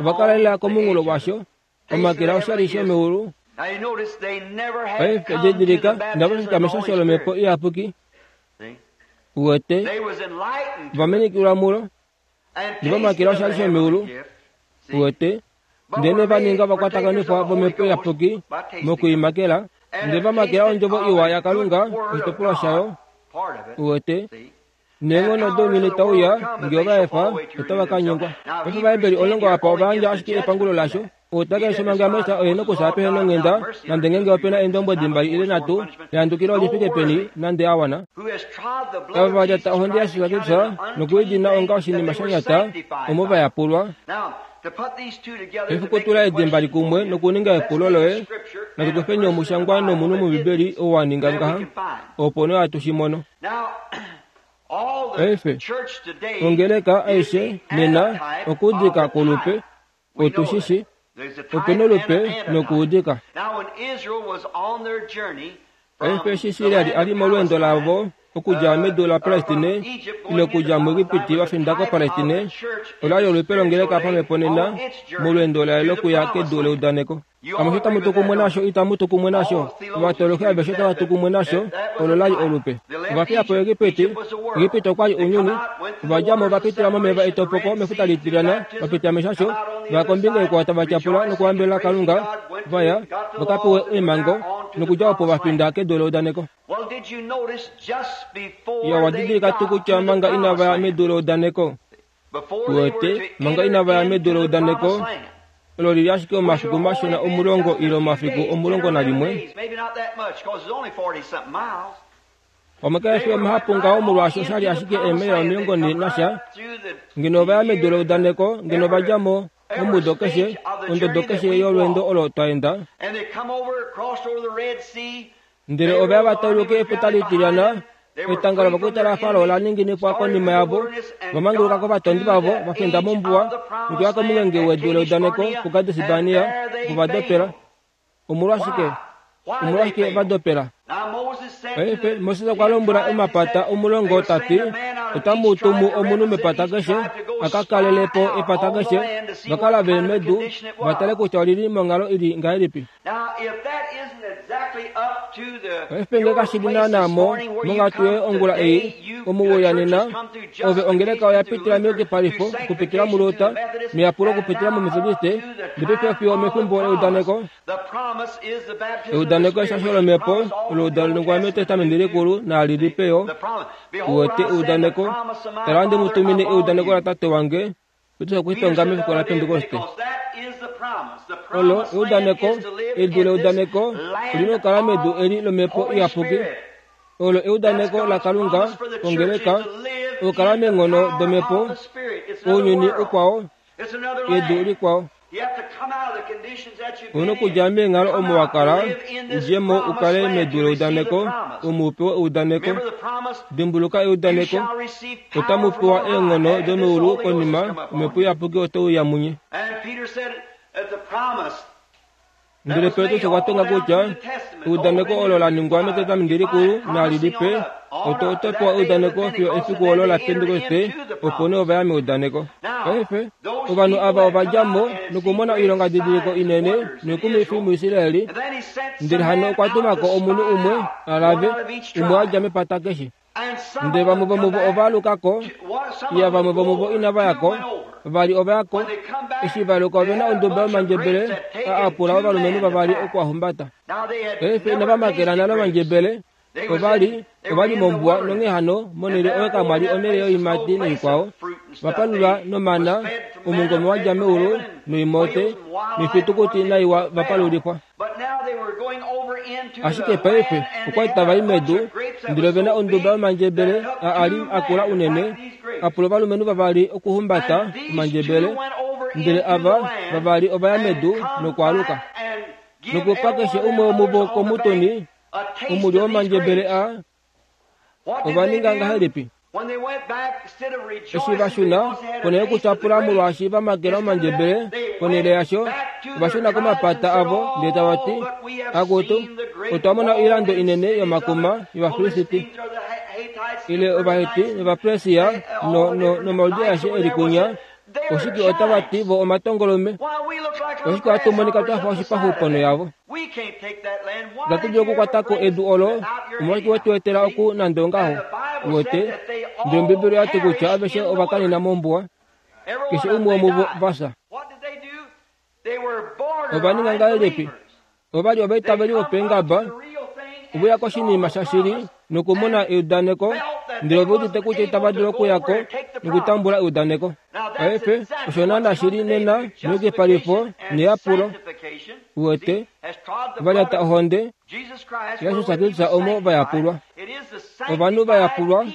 ova kala lela komunghulo washo, omakela oshali shomeulu. Paife, didilika, inava fika meshasho lOmhepo Iyapuki. Uwete, va minikilwa mulo, ndele va makela oshali shomeulu. Uwete, Ndele va ninga vakwatakanifwa vOmhepo Iyapuki mokuimakela, ndele va makela ondjovo iwa yaKalunga oshitopolwa shayo. Uwete? Neenghono dounyuni tau uya, nge ova efa, otava ka nyengwa. Paife Ovaheberi omulongo apa ova yandja ashike epangulo lasho. Ou ta keshe manga Moses oye nokufya pehe nonghenda, nande ngeenge ope na eendombwedi mbali ile nhatu, ehandukilo oli fike peni, nande a wana. Ava va lyata ohonde yaJesus Kristus noku i dina onga oshinima sha nyata, omo va yapulwa. Paife tula edi mbali kumwe nokuninga epulo loye, natu kufeni omushangwa nomunhu mOmbibeli ou wa ninga ngaha, opo nee hatu shi mono. Paife, ongeleka aishe nena okuudika kwolupe, otu shi shi, ope nolupe nokuudika. Paife eshi Israel a li molweendo lavo okudja medu laPalestine ile okudja muEgipiti va finda koPalestine, ola li olupe longeleka pamhepo nena molweendo laye lokuya kedu leudaneko. Amushe tamu tu kumwe nasho, itamu tu kumwe nasho? Ovatoloki aveshe otava tu kumwe nasho, olo la li olupe. Ova fiya po Egipiti, Egipiti okwa li ounyuni, ova dja mo va pitila momeva etopoko mefuta litilyana, va pitila meshasho, va ya kombinga ikwao tava tyapula nokuhambelela Kalunga, va ya va ka pewe eemhango, nokudja opo va finda kedu leudaneko. Ya wa didilika tuu kutya manga inava ya medu leudaneko, uwete, manga inava ya medu leudaneko, olo li li ashike omafiku mashona omulongo ile omafiku 11, Pamwe kae fi omahapu ngaho molwaashi osha li ashike eemaila 40 nasha. Ngeno ova ya medu leudaneko, ngeno ova dja mo momudo keshe, ondodo keshe yolweendo olo twa enda. Ndele ova ya va tauluke Efuta Litilyana, etanga lovakwaita laFarao la ninginifwa konima yavo, va manguluka kovatondi vavo, va finda mombuwa, nokuya komungenge wedu leudaneko puKades-Barnea, opo va dopela. Omolwashike? Omolwashike va dopela? Paife Moses okwa lombwela omapata 10 ta ti, Otamu tumu omunhu mepata keshe a ka kalele po epata keshe, va ka lave medu va tale kutya oli li monghalo i li ngahelipi. Paife nge kashi li naanaa mo monghatu yoye ongula ei, omu we uya nena, ove ongeleka oya pitila meyukipalifo okupitila muLuther, meyapulo okupitila muMethodiste, ndele paife fiyo omefimbo leudaneko, Eudaneko eshasho lomhepo olo la ningwa mEtestamenti Likulu naali Lipe yo. Uwete eudaneko, tala ohandi mu tumine eudaneko laTate wange, Petrus okwe shi tonga mefiku laPentekoste. Olo eudaneko, edu leudaneko, oli na okukala medu eli lOmhepo Iyapuki. Olo eudaneko laKalunga kongeleka, okukala meenghono dOmhepo, ounyuni ukwao, edu likwao. Ou na okudja meenghalo omo wa kala, u dje mo u kale medu leudaneko, omo u pewe eudaneko. Dimbuluka eudaneko, otamu pewa eenghono domeulu konima Omhepo Iyapuki ote uya munye. Ndele Petrus okwa tonga kutya eudaneko olo la ningwa mEtestamenti Likulu nali Lipe, oto oto pewa eudaneko fiyo efiku olo laPentekoste, opo nee ova ya meudaneko. Paife, ovanhu ava ova dja mo nokumona oilongadidiliko inene noikumwifi muIsrael, ndele hano okwa tuma ko omunhu umwe a lave, umwe a dja mepata keshe. Ndele vamwe vomuvo ova aluka ko, iya vamwe vomuvo inava ya ko, vavali ova ya ko. Eshi va aluka ove na onduba yomandjebele a apula ovalumenhu vavali oku a humbata. Paife inava makela nale omandjebele, ova li, ova li mombuwa nonghee hano monhele oyo kamwa li onhele yoiimati noikwao. Va palula nomana, omungome wa dja meulu, noimote, noifitukuti naiwa va palulifwa. Ashike paife okwa li tava i medu, ndele ove na onduba yomandjebele a a li a kula unene, a pula ovalumenhu vavali okuhumbata omandjebele, ndele ava vavali ova ya medu nokwaaluka. Nokupa keshe umwe womuvo komutuni omulyo womandjebele a Ova ninga ngahelipi? Eshi va shuna, ponhele yokutyapula molwaashi va makela omandjebele, ponhele yasho, ova shuna komapata avo ndele tava ti, Akutu, otwa mona oilando inene yomakuma yOvafilisti, ile Ovaheti nOvapersia no, no, nomaudi aeshe e li kunya, oshike otava ti vo omatongolume? Oshike ohatu monika twa fa oshipaxu ponho yavo? Itatu dulu okukwata ko edu olo, omolwashike we tu etela oku nande ongaho? Uwete? Ndele Ombibeli oya ti kutya aveshe ova kanena mombuwa, keshe umwe womuvo va fya. Ova ninga ngahelipi? Ova li ovaitaveli vopeengaba, ove uya koshinima shashili nokumona eudaneko, ndele ove udite kutya itava dulu okuya ko nokutambula eudaneko. Paife, osho naana shi li nena meyukipalifo neyapulo. Uwete, va lyata ohonde yaJesus Kristus omo va yapulwa. Ovanhu va yapulwa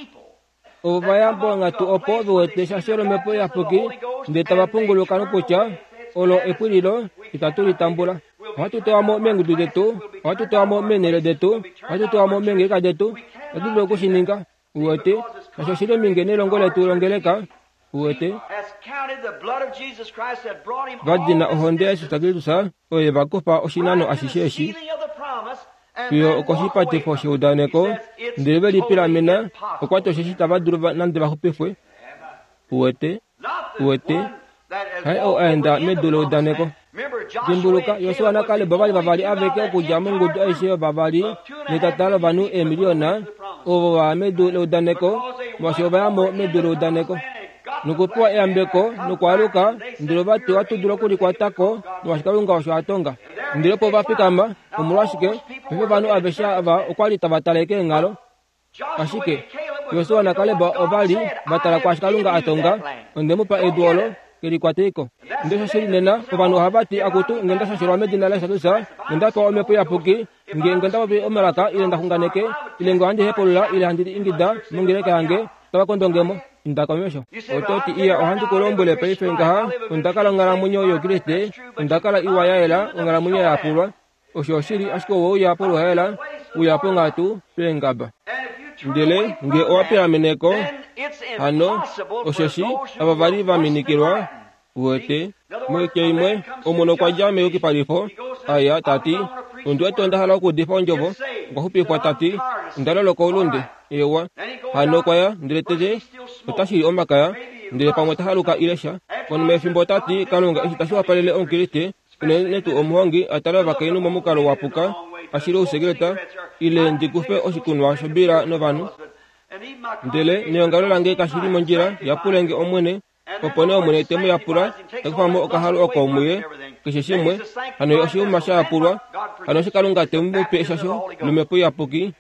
ovo va ya ponghatu opo ve wete eshasho lOmhepo Iyapuki ndele tava punguluka nokutya olo epwililo itatu li tambula. Ohatu tewa mo meengudu detu, ohatu tewa mo meenhele detu, ohatu tewa mo meengeleka detu. Itatu dulu oku shi ninga. Uwete, osho oshi li ominge nelongo letu longeleka. Uwete, va dina ohonde yaJesus Kristus oyo ye va kufa oshinano ashishe eshi fiyo okoshipatifo sheudaneko, ndele ve lipilamena, okwa ti osheshi itava dulu nande va xupifwe. Uwete, Uwete, haye ou a enda medu leudaneko. Dimbuluka, Josua naKaleb ova li vavali aveke okudja mongudu aishe yovavali netata lovanhu eemiliyona ovo va ya medu leudaneko, molwaashi ova ya mo medu leudaneko nokupewa eyambeko nokwaaluka, ndele ova ti ohatu dulu okulikwata ko molwaashi Kalunga osho a tonga. Ndele opo va fikama, omolwashike, paife ovanhu aveshe ava okwa li tava tale keenghalo. Ashike Josua naKaleb ova li va tala kwaashi Kalunga a tonga, Onde mu pa edu olo, ke li kwatei ko. Ndele osho shi li nena, ovanhu ohava ti, Akutu, nge nda shashelwa medina laJesus, nge nda pewa Omhepo Iyapuki, nge nge nda popi omalaka, ile nda xunganeke, ile nge ohandi hepulula, ile handi ingida mongeleka yange, otava kondo nge mo. Inda komesho. Oto ti, Iya, ohandi ku lombwele paife ngaha, onda kala onghalamwenyo youKriste, onda kala iwa ya yela, onghalamwenyo ya yapulwa. Osho oshili, ashike owe uya poluhaela, uya ponghatu peengaba. Ndele nge owa pilamene ko, hano, osheshi ava va li va minikilwa, uwete, moitya imwe, omunhu okwa dja meyukipalifo, a ya, ta ti, Ondi wete onda hala okuudifa ondjovo. okwa xupifwa ta ti, Onda loloka oulunde. Eewa. Hano okwa ya, ndele tete ota shili omakaya, ndele pamwe ta haluka ile sha. Konima yefimbo ota ti, Kalunga, eshi tashi wapalele Omukriste, unene tuu omuhongi, a tale ovakainhu momukalo wa puka, a shile ousekeleta, ile ndi kufe oshikunwa shobila novanhu. Ndele neongalo lange kashi li mondjila, yapule nge Omwene, Opo nee Omwene te mu yapula, ta kufa mo okahalu oko muye, keshe shimwe, hano ye oshiuma sha yapulwa, hano eshi Kalunga te mu pe eshasho lOmhepo Iyapuki,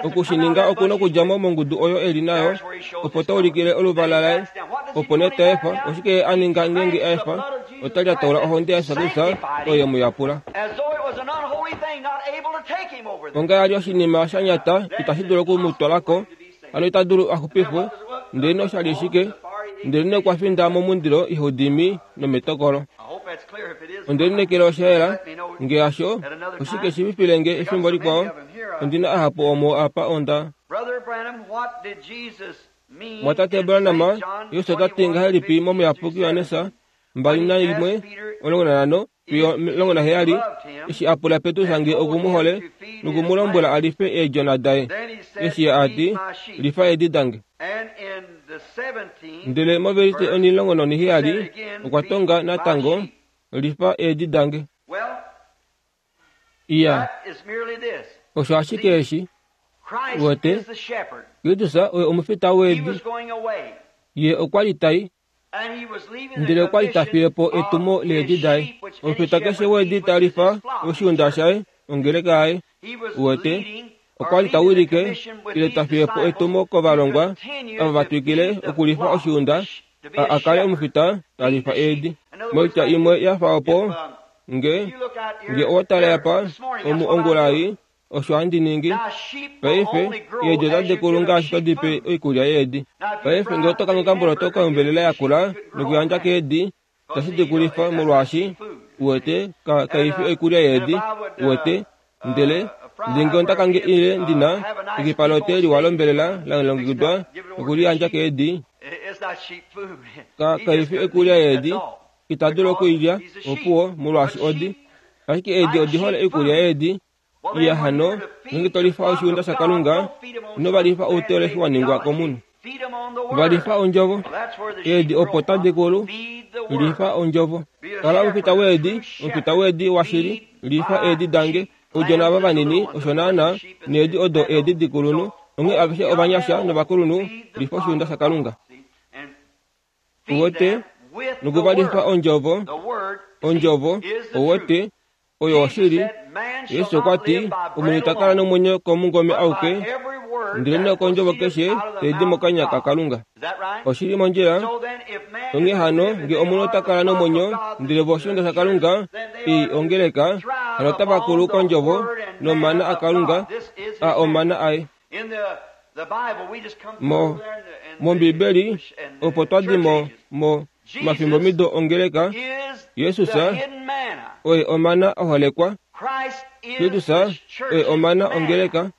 oku shi ninga oku nokudja mo mongudu oyo e li nayo, opo ta ulikile oluvala laye, opo nee ta efa. Oshike ye a ninga ngeenge a efa? Ota lyataula ohonde yaJesus Kristus oyo ye mu yapula. Onga ya li oshinima sha nyata itashi dulu oku mu twala ko, hano ita dulu a xupifwe. Ndelenee osha li shike? Ndelenee okwa finda momundilo ihau dimi nometokolo. Onde lineekela osha yela. Nge hasho, oshike shi fifile nge efimbo likwao? Ondi na ahapu omo apa onda. Mwatate Branham, Jesus ota ti ngahelipi mOmuyapuki Johannes 21, 15 fiyo 17, eshi a pula Petrus nge oku mu hole noku mu lombwela a life eedjona daye, eshi ye a ti, Lifa eedi dange. Ndele movelise onhilongo nonhiheyali okwa tonga natango, Lifa eedi dange. Iya, osho ashike eshi. Uwete, Kristus oye omufita weedi. Ye okwa li tai Ndele okwa li ta fiye po etumo leedi daye. Omufita keshe weedi ta lifa oshiunda shaye, ongeleka yaye. Uwete, okwa li ta wilike ile ta fiye po etumo kovalongwa ava va twikile okulifa oshiunda, a, a kale omufita ta lifa eedi. Moitya imwe ya fa opo, nge, nge owa tale apa, omu ongula ei, Osho handi ningi. Paife, eedi otadi kulu ngaashi to di pe oikulya yeedi. Paife, ngee oto kange okamboloto kombelela yakula nokuyandja keedi, itashi di kulifa, molwaashi, uwete, ka, kai fi oikulya yeedi, uwete. Ndele, ndele ngee onda kange ile ndi na ekipa lote liwa lombelela la longekidwa noku li yandja keedi, ka, kai fi oikulya yeedi, ita dulu oku i lya, opuwo, molwaashi odi. Ashike eedi odi hole oikulya yeedi. Iya hano, ngeenge to lifa oshiunda shaKalunga, ino va lifa outeolohi wa ningwa komunhu. Va lifa ondjovo. Eedi opo tadi kulu, lifa ondjovo. Kala omufita weedi, omufita weedi washili, lifa eedi dange. Oudjona ava vanini, osho naanaa, needi odo eedi dikulunhu. Onghee aveshe ovanyasha novakulunhu, lifa oshiunda shaKalunga. Uwete, nokuvalifa ondjovo, ondjovo, uwete, oyo oshili. Yesu okwa ti, Omunhu ita kala nomwenyo komungome auke, ndelenee okondjovo keshe tai di mokanya kaKalunga. Oshi li mondjila. Onghee hano, nge omunhu ota kala nomwenyo, ndele vo oshiunda shaKalunga, i ongeleka, hano otava kulu kondjovo nomana aKalunga, a omana aye. Mo, mOmbibeli, opo twa di mo, mo mafimbomido ongeleka, Jesus oye omana a holekwa. Kristus oye omana ongeleka.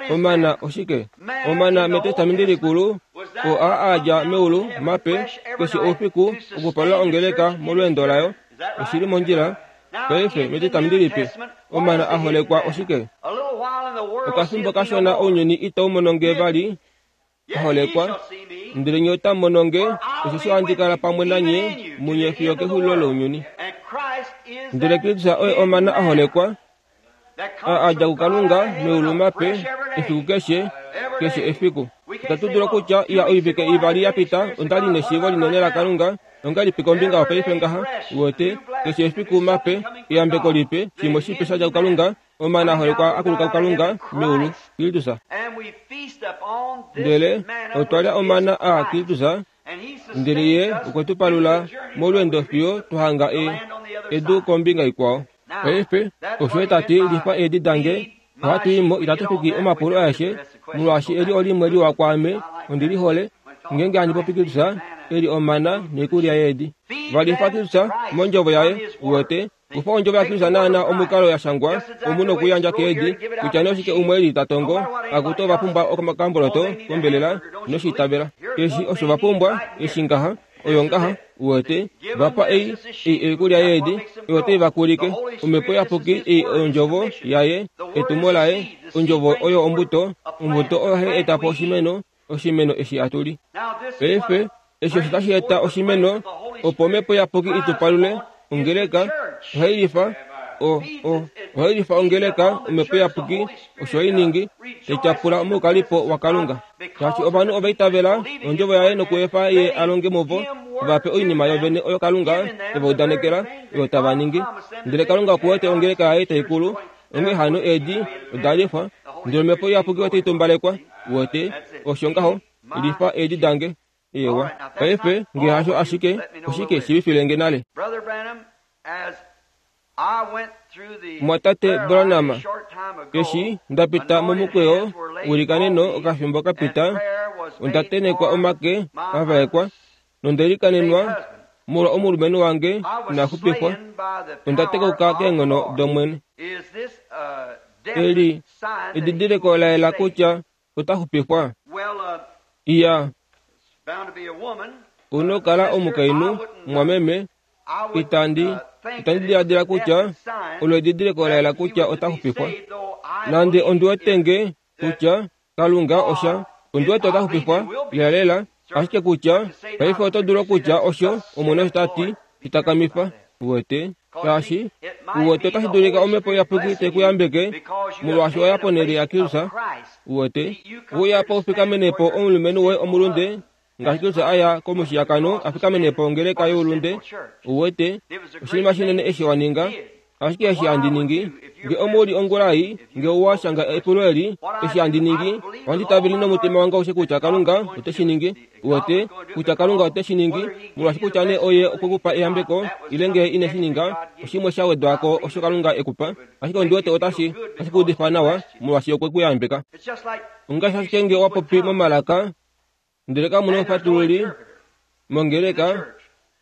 Omana oshike? Omana mEtestamenti Likulu, oo a a dja meulu, mape, keshe oufiku, okupalula ongeleka molweendo layo. Oshi li mondjila. Paife, mEtestamenti Lipe, omana a holekwa oshike? Okafimbo kashona ounyuni itau mono nge vali, a holekwa, ndele nye otamu mono nge, osheshi ohandi kala pamwe nanye munye fiyo kexulilo lounyuni. Ndele Kristus oye omana a holekwa, a a dja kuKalunga meulu mape, efiku keshe, keshe efiku. Itatu dulu okutya, Iya, oivike ivali ya pita onda li neshiivo linene laKalunga, Ongahelipi kombinga yopaife ngaha, uwete, keshe efiku mape, eyambeko lipe, shimwe shipe sha dja kuKalunga, omana a holekwa a kuluka kuKalunga, meulu, Kristus. Ndele otwa lya omana a Kristus, ndele Ye okwe tu palula molweendo fiyo twa hanga e, edu kombinga ikwao. Paife, osho Ye ta ti, Lifa eedi dange, ohatu i mo, itatu fiki omapulo aeshe, molwaashi eli olimwe liwa kwaame, ondi li hole. Ngeenge handi popi Kristus, e li omana noikulya yeedi. Va lifa Kristus mondjovo yaye, uwete, kufa ondjovo yaKristus naana omukalo ya shangwa, omu nokuyandja keedi, kutya nee oshike umwe eli ta tongo, akutu ova pumbwa okamboloto kombelela, ino shi itavela. Eshi osho va pumbwa, eshi ngaha. Oyo ngaha, uwete, va pa ei, ei oikulya yeedi, oyo otai va kulike. Omhepo Iyapuki ei Ondjovo Yaye, etumo Laye, Ondjovo oyo ombuto, ombuto oyo hai eta po oshimeno, oshimeno eshi hatu li. Paife, eshi osho tashi eta oshimeno, opo Omhepo Iyapuki i tu palule, ongeleka, ohai lifa, o, o, ohai lifa ongeleka, Omhepo Iyapuki, osho hai ningi, tai tyapula omoukalipo waKalunga. Shaashi ovanhu ova itavela ondjovo yaye nokuefa ye a longe muvo, va pe oinima yovene oyo Kalunga e va udanekela, oyo tava ningi. Ndele Kalunga oku wete ongeleka yaye tai kulu, onghee hano eedi oda lifwa, ndele Omhepo Iyapuki otai tumbalekwa. Uwete, osho ngaho, lifa eedi dange. Eewa. Paife, nge hasho ashike, oshike shiivifile nge nale? Mumwatate Branham, eshi nda pita momukweyo welikaneno okafimbo ka pita, onda tenhekwa omake a vaekwa, nonde likanenwa molwa omulumenhu wange ina xupifwa. Onda tekauka keenghono dOmwene. Eli edidiliko la yela kutya ota xupifwa? Iya. Ou kala omukainhu, mumwameme, itandi, itandi diladila kutya olo edidiliko la yela kutya ota xupifwa. Nande ondi wete nge kutya Kalunga osha, ondi wete ota xupifwa lelalela, ashike kutya paife oto dulu okutya osho Omwene osho ta ti, shitakamifa. Uwete? Shaashi, uwete otashi dulika Omhepo Iyapuki te ku yambeke, molwaashi oya ponhele yaKristus. Uwete? Uya po ufikamene po omulumenhu woye omulunde, ngaashi Kristus a ya komushiyakano a fikamene po ongeleka youlunde. Uwete? Oshinima shinene eshi wa ninga. Ashike eshi handi ningi, nge omu li ongula ei, nge owa shanga epulo eli, eshi handi ningi, ohandi tavele nomutima wange aushe kutya Kalunga ote shi ningi. Uwete, kutya Kalunga ote shi ningi, molwaashi kutya nee Oye okwe ku pa eyambeko, ile nge ine shi ninga, oshimwe sha wedwa ko osho Kalunga e ku pa. Ashike ondi wete otashi, otashi ku udifa nawa, molwaashi okwe ku yambeka. Ongaashi ashike nge owa popi momalaka, Ndele kamu na omufatululi mongeleka,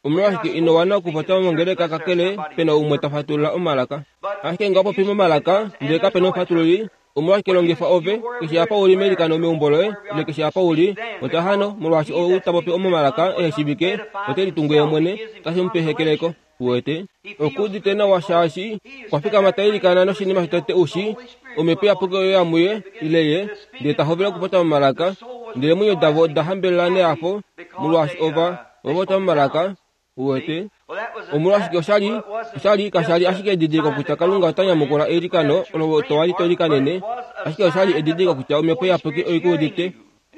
omolwashike ino wana okupopya mongeleka kakele pe na umwe ta fatulula omalaka? Ashike nge owa popi momalaka ndele kape na omufatululi, omolwashike longifa ove, keshe apa u li meilikano meumbo loye ile keshe apa u li, popya hano, molwaashi ou ta popi momalaka ehe shiivike ote litungu ye mwene, otashi mu pe ehekeleko. Uwete, oku udite nawa shaashi okwa fikama ta ilikana noshinima shotete u shi, Omhepo Iyapuki oyo ya muye, ile ye, ndele ta hovele okupopya momalaka. Ndele eemwenyo davo oda hambelela nehafo molwaashi ova, ova popya momalaka. Uwete? Omolwashike osha li, osha li, kasha li ashike edidiliko kutya Kalunga ota nyamukula eilikano olo to wali to ilikanene, ashike osha li edidiliko kutya Omhepo Iyapuki oi ku udite.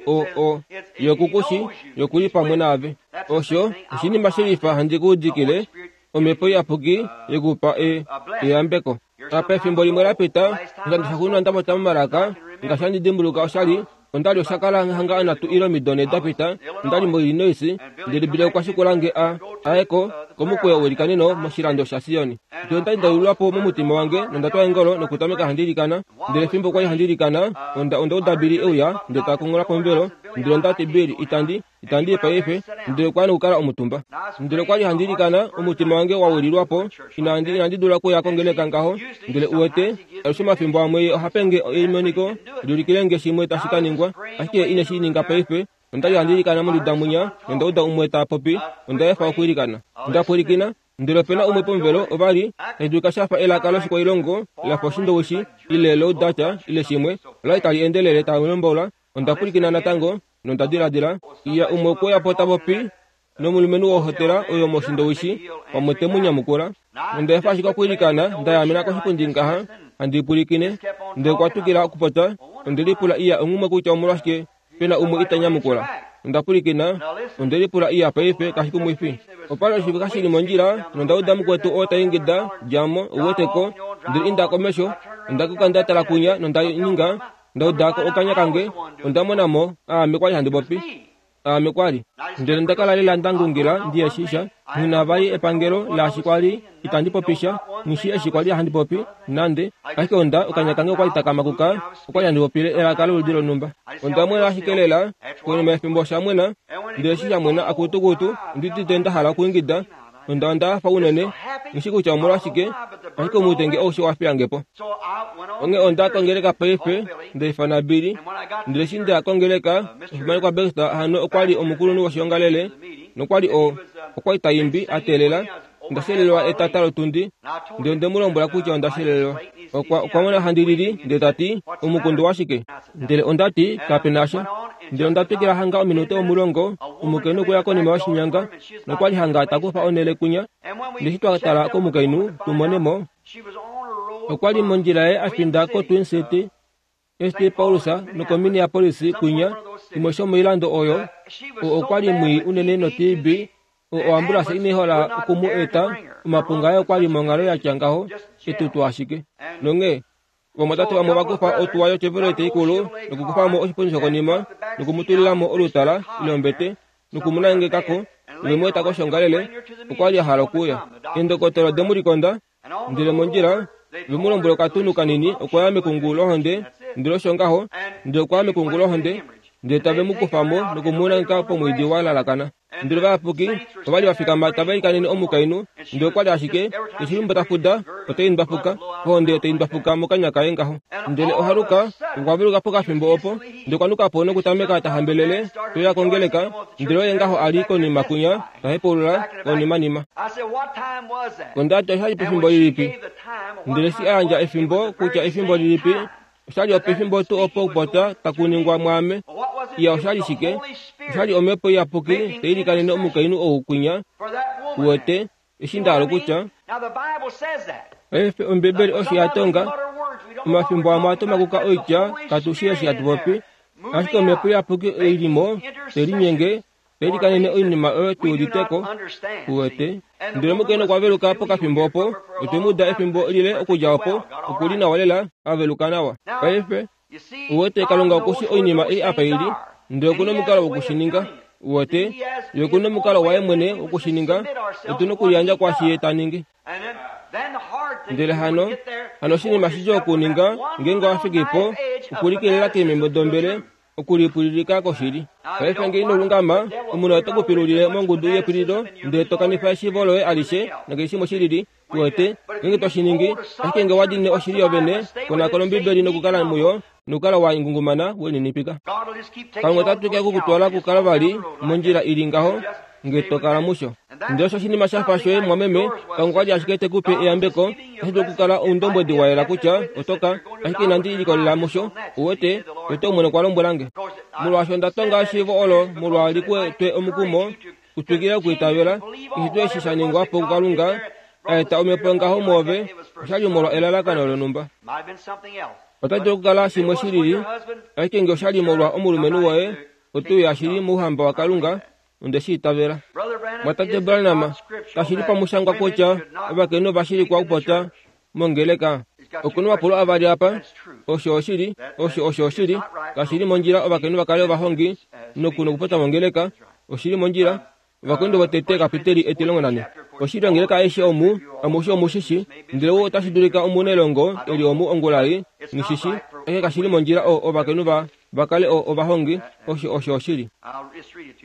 O, o, Ye oku ku shi, Ye oku li pamwe naave. Osho oshinima shelifa handi ku udikile, Omhepo Iyapuki ye ku pa e, eyambeko. Apa efimbo limwe la pita, oshikando shaxuuninwa nda popya momalaka, ngaashi handi dimbuluka osha li, onda li osha kala hanga anatu ile omido nhe da pita, onda li moIllinois, ndele Bill okwa shikula nge a, a ye ko, komukweyo welikaneno moshilando shaSion. Ndele onda li nda yululwa po momutima wange nonda twa eengolo nokutameka handi ilikana. Ndele fimbo kwa li handi ilikana, onda, onda uda Billy e uya, ndele ta konghola pomuvelo, ndele onda ti, Billy, itandi, itandi i paife. Ndele okwa ya nokukala omutumba. Ndele okwa li handi ilikana, omutima wange wa wililwa po, inandi, inandi dula okuya kongeleka ngaho. Ndele uwete, alushe omafimbo amwe ye oha pe nge emoniko, li ulikile nge shimwe tashi ka ningwa, ashike ye ine shi ninga paife. Onda li handi ilikana monduda mwinya, nonda uda umwe ta popi. Onda efa okwiilikana. Onda pwilikina, Ndele ope na umwe pomuvelo, ova li, tashi dulika sha fa elaka loshikwailongo, la fa Oshindowishi, ile Loudacha, ile shimwe, ola li tali endelele tali lombola. Onda pwilikina natango, nonda diladila, Iya, umwe okwe uya po ta popi nomulumenhu wohotela oyo mOshindowishi, pamwe te mu nyamukula. Nonda efa ashike okwiilikana, nda yaamena koshipundi ngaha, handi pwilikine. Ndele okwa twikila okupopya. Onde lipula, Iya, onghumwe kutya omolwashike Pe na umwe ita nyamukula. Onda pwilikina, onde lipula iya paife kashi kumwifi. Opa li oshivika shi li mondjila, nonda uda mukwetu oo ta ingida, Dja mo, u wete ko. Ndele inda komesho. Onda kuka nda tala kwinya nonda ninga, nda uda ko okanya kange, onda mona mo, aame kwa li handi popi. Aame kwa li. Ndele onda kala lela nda ngungila ndi eshi sha, nghi na vali epangelo laashi kwa li itandi popi sha, nghi shii eshi kwa li handi popi, nande. Ashike onda, okanya kange okwa li taka makuka, okwa li handi popile elaka loludi lonhumba. Onda mwena ashike lela, konima yefimbo osha mwena, ndele eshi sha mwena akutukutu, ondi udite nda hala okwiingida. Onda, onda hafa unene, nghi shii kutya omolwashike, ashike omutenge aushe owa fiya nge po. Onghee onda kongeleka paife, nda ifana Billy. Ndele eshi nda kongeleka, omufimanekwa Baxter hano okwa li omukulunhu woshiongalele. Nokwa li o, okwa li ta imbi, a teelela. Onda shelelwa etata lotundi, ndele onde mu lombwela kutya onda shelelwa. Okwa, okwa mona handi lili, ndele ta ti, Omukundu washike? Ndele onda ti, Kape na sha. Ndele onda twikila hanga ominute omulongo, omukainhu okwe ya konima yoshinyanga, nokwa li hanga ta kufa onhele kwinya. Ndele eshi twa tala komukainhu, tu mone mo, okwa li mondjila yaye a finda koTwin City, ST. Paulus nokoMinneapolis kwinya, shimwe shomoilando oyo, oo okwa li mwii unene noTB, oo oambulasa inai hola oku mu eta, omapunga aye okwa li monghalo ya tya ngaho, etutu ashike. Nonghee, ovamwatate vamwe ova kufa otuwa yoChevrolet ikulu nokukufa mo oshipundi shokonima noku mu tulila mo olutala ile ombete noku mu nangeka ko, nove mu eta koshoongalele. Okwa li a hala okuuya. Eendokotola ode mu likonda, Ndele mondjila, ve mu lombwela okatunhu kanini okwa ya mekungu lohonde, ndele osho ngaho, ndele okwa ya mekungu lohonde, ndele tave mu kufa mo noku mu nangeka pomwiidi wa lalakana. Ndele ovayapuki ova li va fikama tava ilikanene omukainhu, ndele okwa li ashike, keshe fimbo ta fuda, otai ndwafuka, ohonde tai ndwafuka mokanya kaye ngaho. Ndele ohaluka, okwa veluka pokafimbo opo, ndele okwa nuka po nokutameka ta hambelele, te uya kongeleka, ndele oye ngaho a li konima kwinya, ta hepaulula konimanima. Onda ti, Osha li pefimbo lilipi? Ndele eshi a yandja efimbo, kutya efimbo lilipi, osha li opefimbo tuu opo okupopya taku ningwa mwaame. Iya, osha li shike? Osha li Omhepo Iyapuki tai ilikanene omukainhu ou kwinya, uwete, eshi nda hala okutya. Paife, Ombibeli osho ya tonga. Omafimbo amwe ohatu makuka oitya katu shii eshi hatu popi, ashike Omhepo Iyapuki oi li mo, te linyenge, Ilikanene oinima oyo tu udite ko, uwete. Ndele omukainhu okwa veluka pokafimbo opo, otwe mu uda efimbo lile okudja opo, oku li nawa lela, a veluka nawa. Paife, uwete, Kalunga oku shi oinima ei apa i li, ndele oku nomukalo woku shi ninga. Uwete, Ye oku nomukalo waye mwene woku shi ninga, otu nokuliyandja kwaashi Ye ta ningi. Ndele hano, hano oshinima shidjuu okuninga, ngeenge owa fiki po, okulikelela keememo dombele, okulipwililika koshili. Paife nge ino lungama, omunhu ote ku pilulile mongudu yepwililo, ndele to kanifa eshiivo loye alishe nakeshe shimwe shi lili. Uwete, ngeenge to shi ningi, ashike nge wa dine oshili yovene, konakona Ombibeli nokukala muyo, nokukala wa ngungumana, we lininipika. Kalunga ota twikile oku ku twala okukala vali mondjila i li ngaho, nge to kala musho. Ndele osho oshinima sha fa shoye, mumwameme, Kalunga okwa li ashike te ku pe eyambeko, otashi dulu okukala oundombwedi wa yela kutya oto ka, ashike inandi likolelela musho, uwete, uwete Omwene okwa lombwela nge. Molwaashi onda tonga eshiivo olo molwa li ku twe omukumo u twikile okwiitavela, keshe tuu eshi sha ningwa po kuKalunga, a eta omhepo yongaho mwoove, osha li molwa elalakano lonhumba. Ota dulu okukala shimwe shi lili, ashike nge osha li molwa omulumenhu woye, oto uya shili mOuhamba waKalunga, Onde shi itavela. Mwatate Branham, kashi li pamushangwa kutya ovakainhu ova shilikwa okupopya mongeleka. Oku na omapulo avali apa. Osho oshili, osho osho oshili. Kashi li mondjila ovakainhu va kale ovahongi noku nokupopya mongeleka. Oshi li mondjila. Ovakorinto votete kapiteli etilongo nane. Oshili ongeleka aishe omu, amushe omu shi shi, ndele ou otashi dulika omunailongo e li omu ongula ei, nghi shi shi, ashike kashi li mondjila o, ovakainhu va va kale o, ovahongi, osho osho oshili.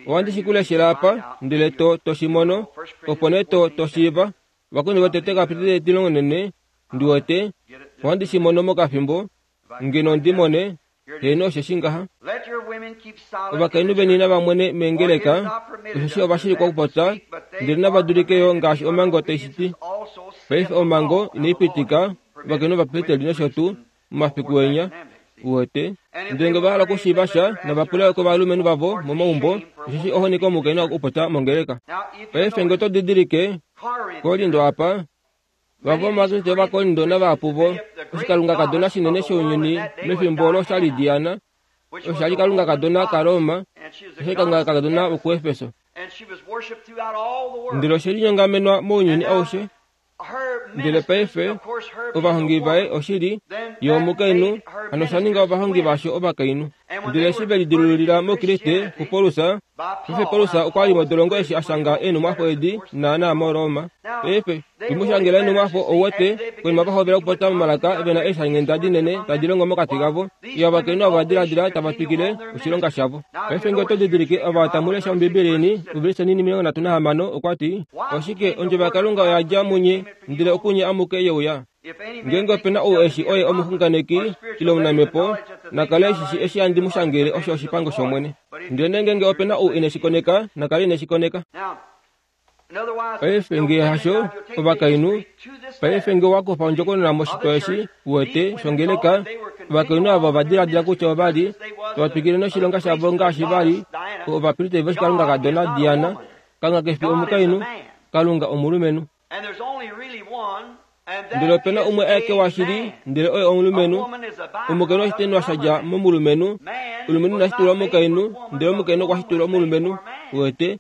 Ohandi shi ku leshela apa, ndele to, to shi mono, opo nee to, to shiiva. Ovakorinto votete kapiteli etilongo nane, ndi wete, ohandi shi mono mokafimbo, ngeno ndi mone, Heeno, osheshi ngaha, ovakainhu veni nava mwene meengeleka, osheshi ova shilikwa okupopya, ndele nava dulike yo ngaashi omhango tai shi ti. Paife omhango inai pitika ovakainhu ovapristeli nosho tuu momafiku enya, uwete. Ndele nge ova hala okushiiva sha, nava pule yo kovalumenhu vavo momaumbo, osheshi ohoni komukainhu okupopya mongeleka. Paife nge oto didilike, Korinto apa, Vamwe vOvakriste Ovakorinto navahapu vo oshikalungakadona shinene shounyuni mefimbo olo osha li Diana, osha li kalungakadona kaRoma, osha li kalungakadona wokuEfeso. Ndele oshe linyongamenwa mounyuni aushe. Ndele paife ovahongi vaye oshili ye omukainhu, hano osha ninga ovahongi vasho ovakainhu. Ndele eshi ve lidilululila muKriste kuPaulus, Paife Paulus okwa li modolongo eshi a shanga eenhumwafo edi naanaa moRoma. Paife, tu mu shangela eenhumwafo, ou wete, konima va hovela okupopya momalaka ve na eeshanghenda dinene tadi longo mokati kavo. Iya, ovakainhu ava diladila tava twikile oshilonga shavo. Paife nge oto didilike, ava tamu lesha Ombibeli yeni, ovelise inini 36, okwa ti, Oshike, ondjovo yaKalunga oya dja munye, ndele okunye amuke ye uya. Ngeenge ope na ou eshi oye omuxunganeki ile omunamhepo, na kale e shi shii eshi handi mu shangele osho oshipango shOmwene. Ndele ngeenge ope na ou ine shi koneka, na kale ine shi koneka. Paife nge hasho, ovakainhu, paife nge owa kufa ondjokonona moshitwa eshi, uwete, shongeleka, ovakainhu ava ova diladila kutya ova li tava twikile noshilonga shavo ngaashi va li ovapristeri voshikalungakadona Diana. Kalunga ke fi omukainhu, Kalunga omulumenhu. Ndele ope na umwe aeke washili, ndele oye omulumenhu. Omukainhu oshitenwa sha dja momulumenhu. Omulumenhu ina shitulwa omukainhu, ndele omukainhu okwa shitulwa omulumenhu. Uwete?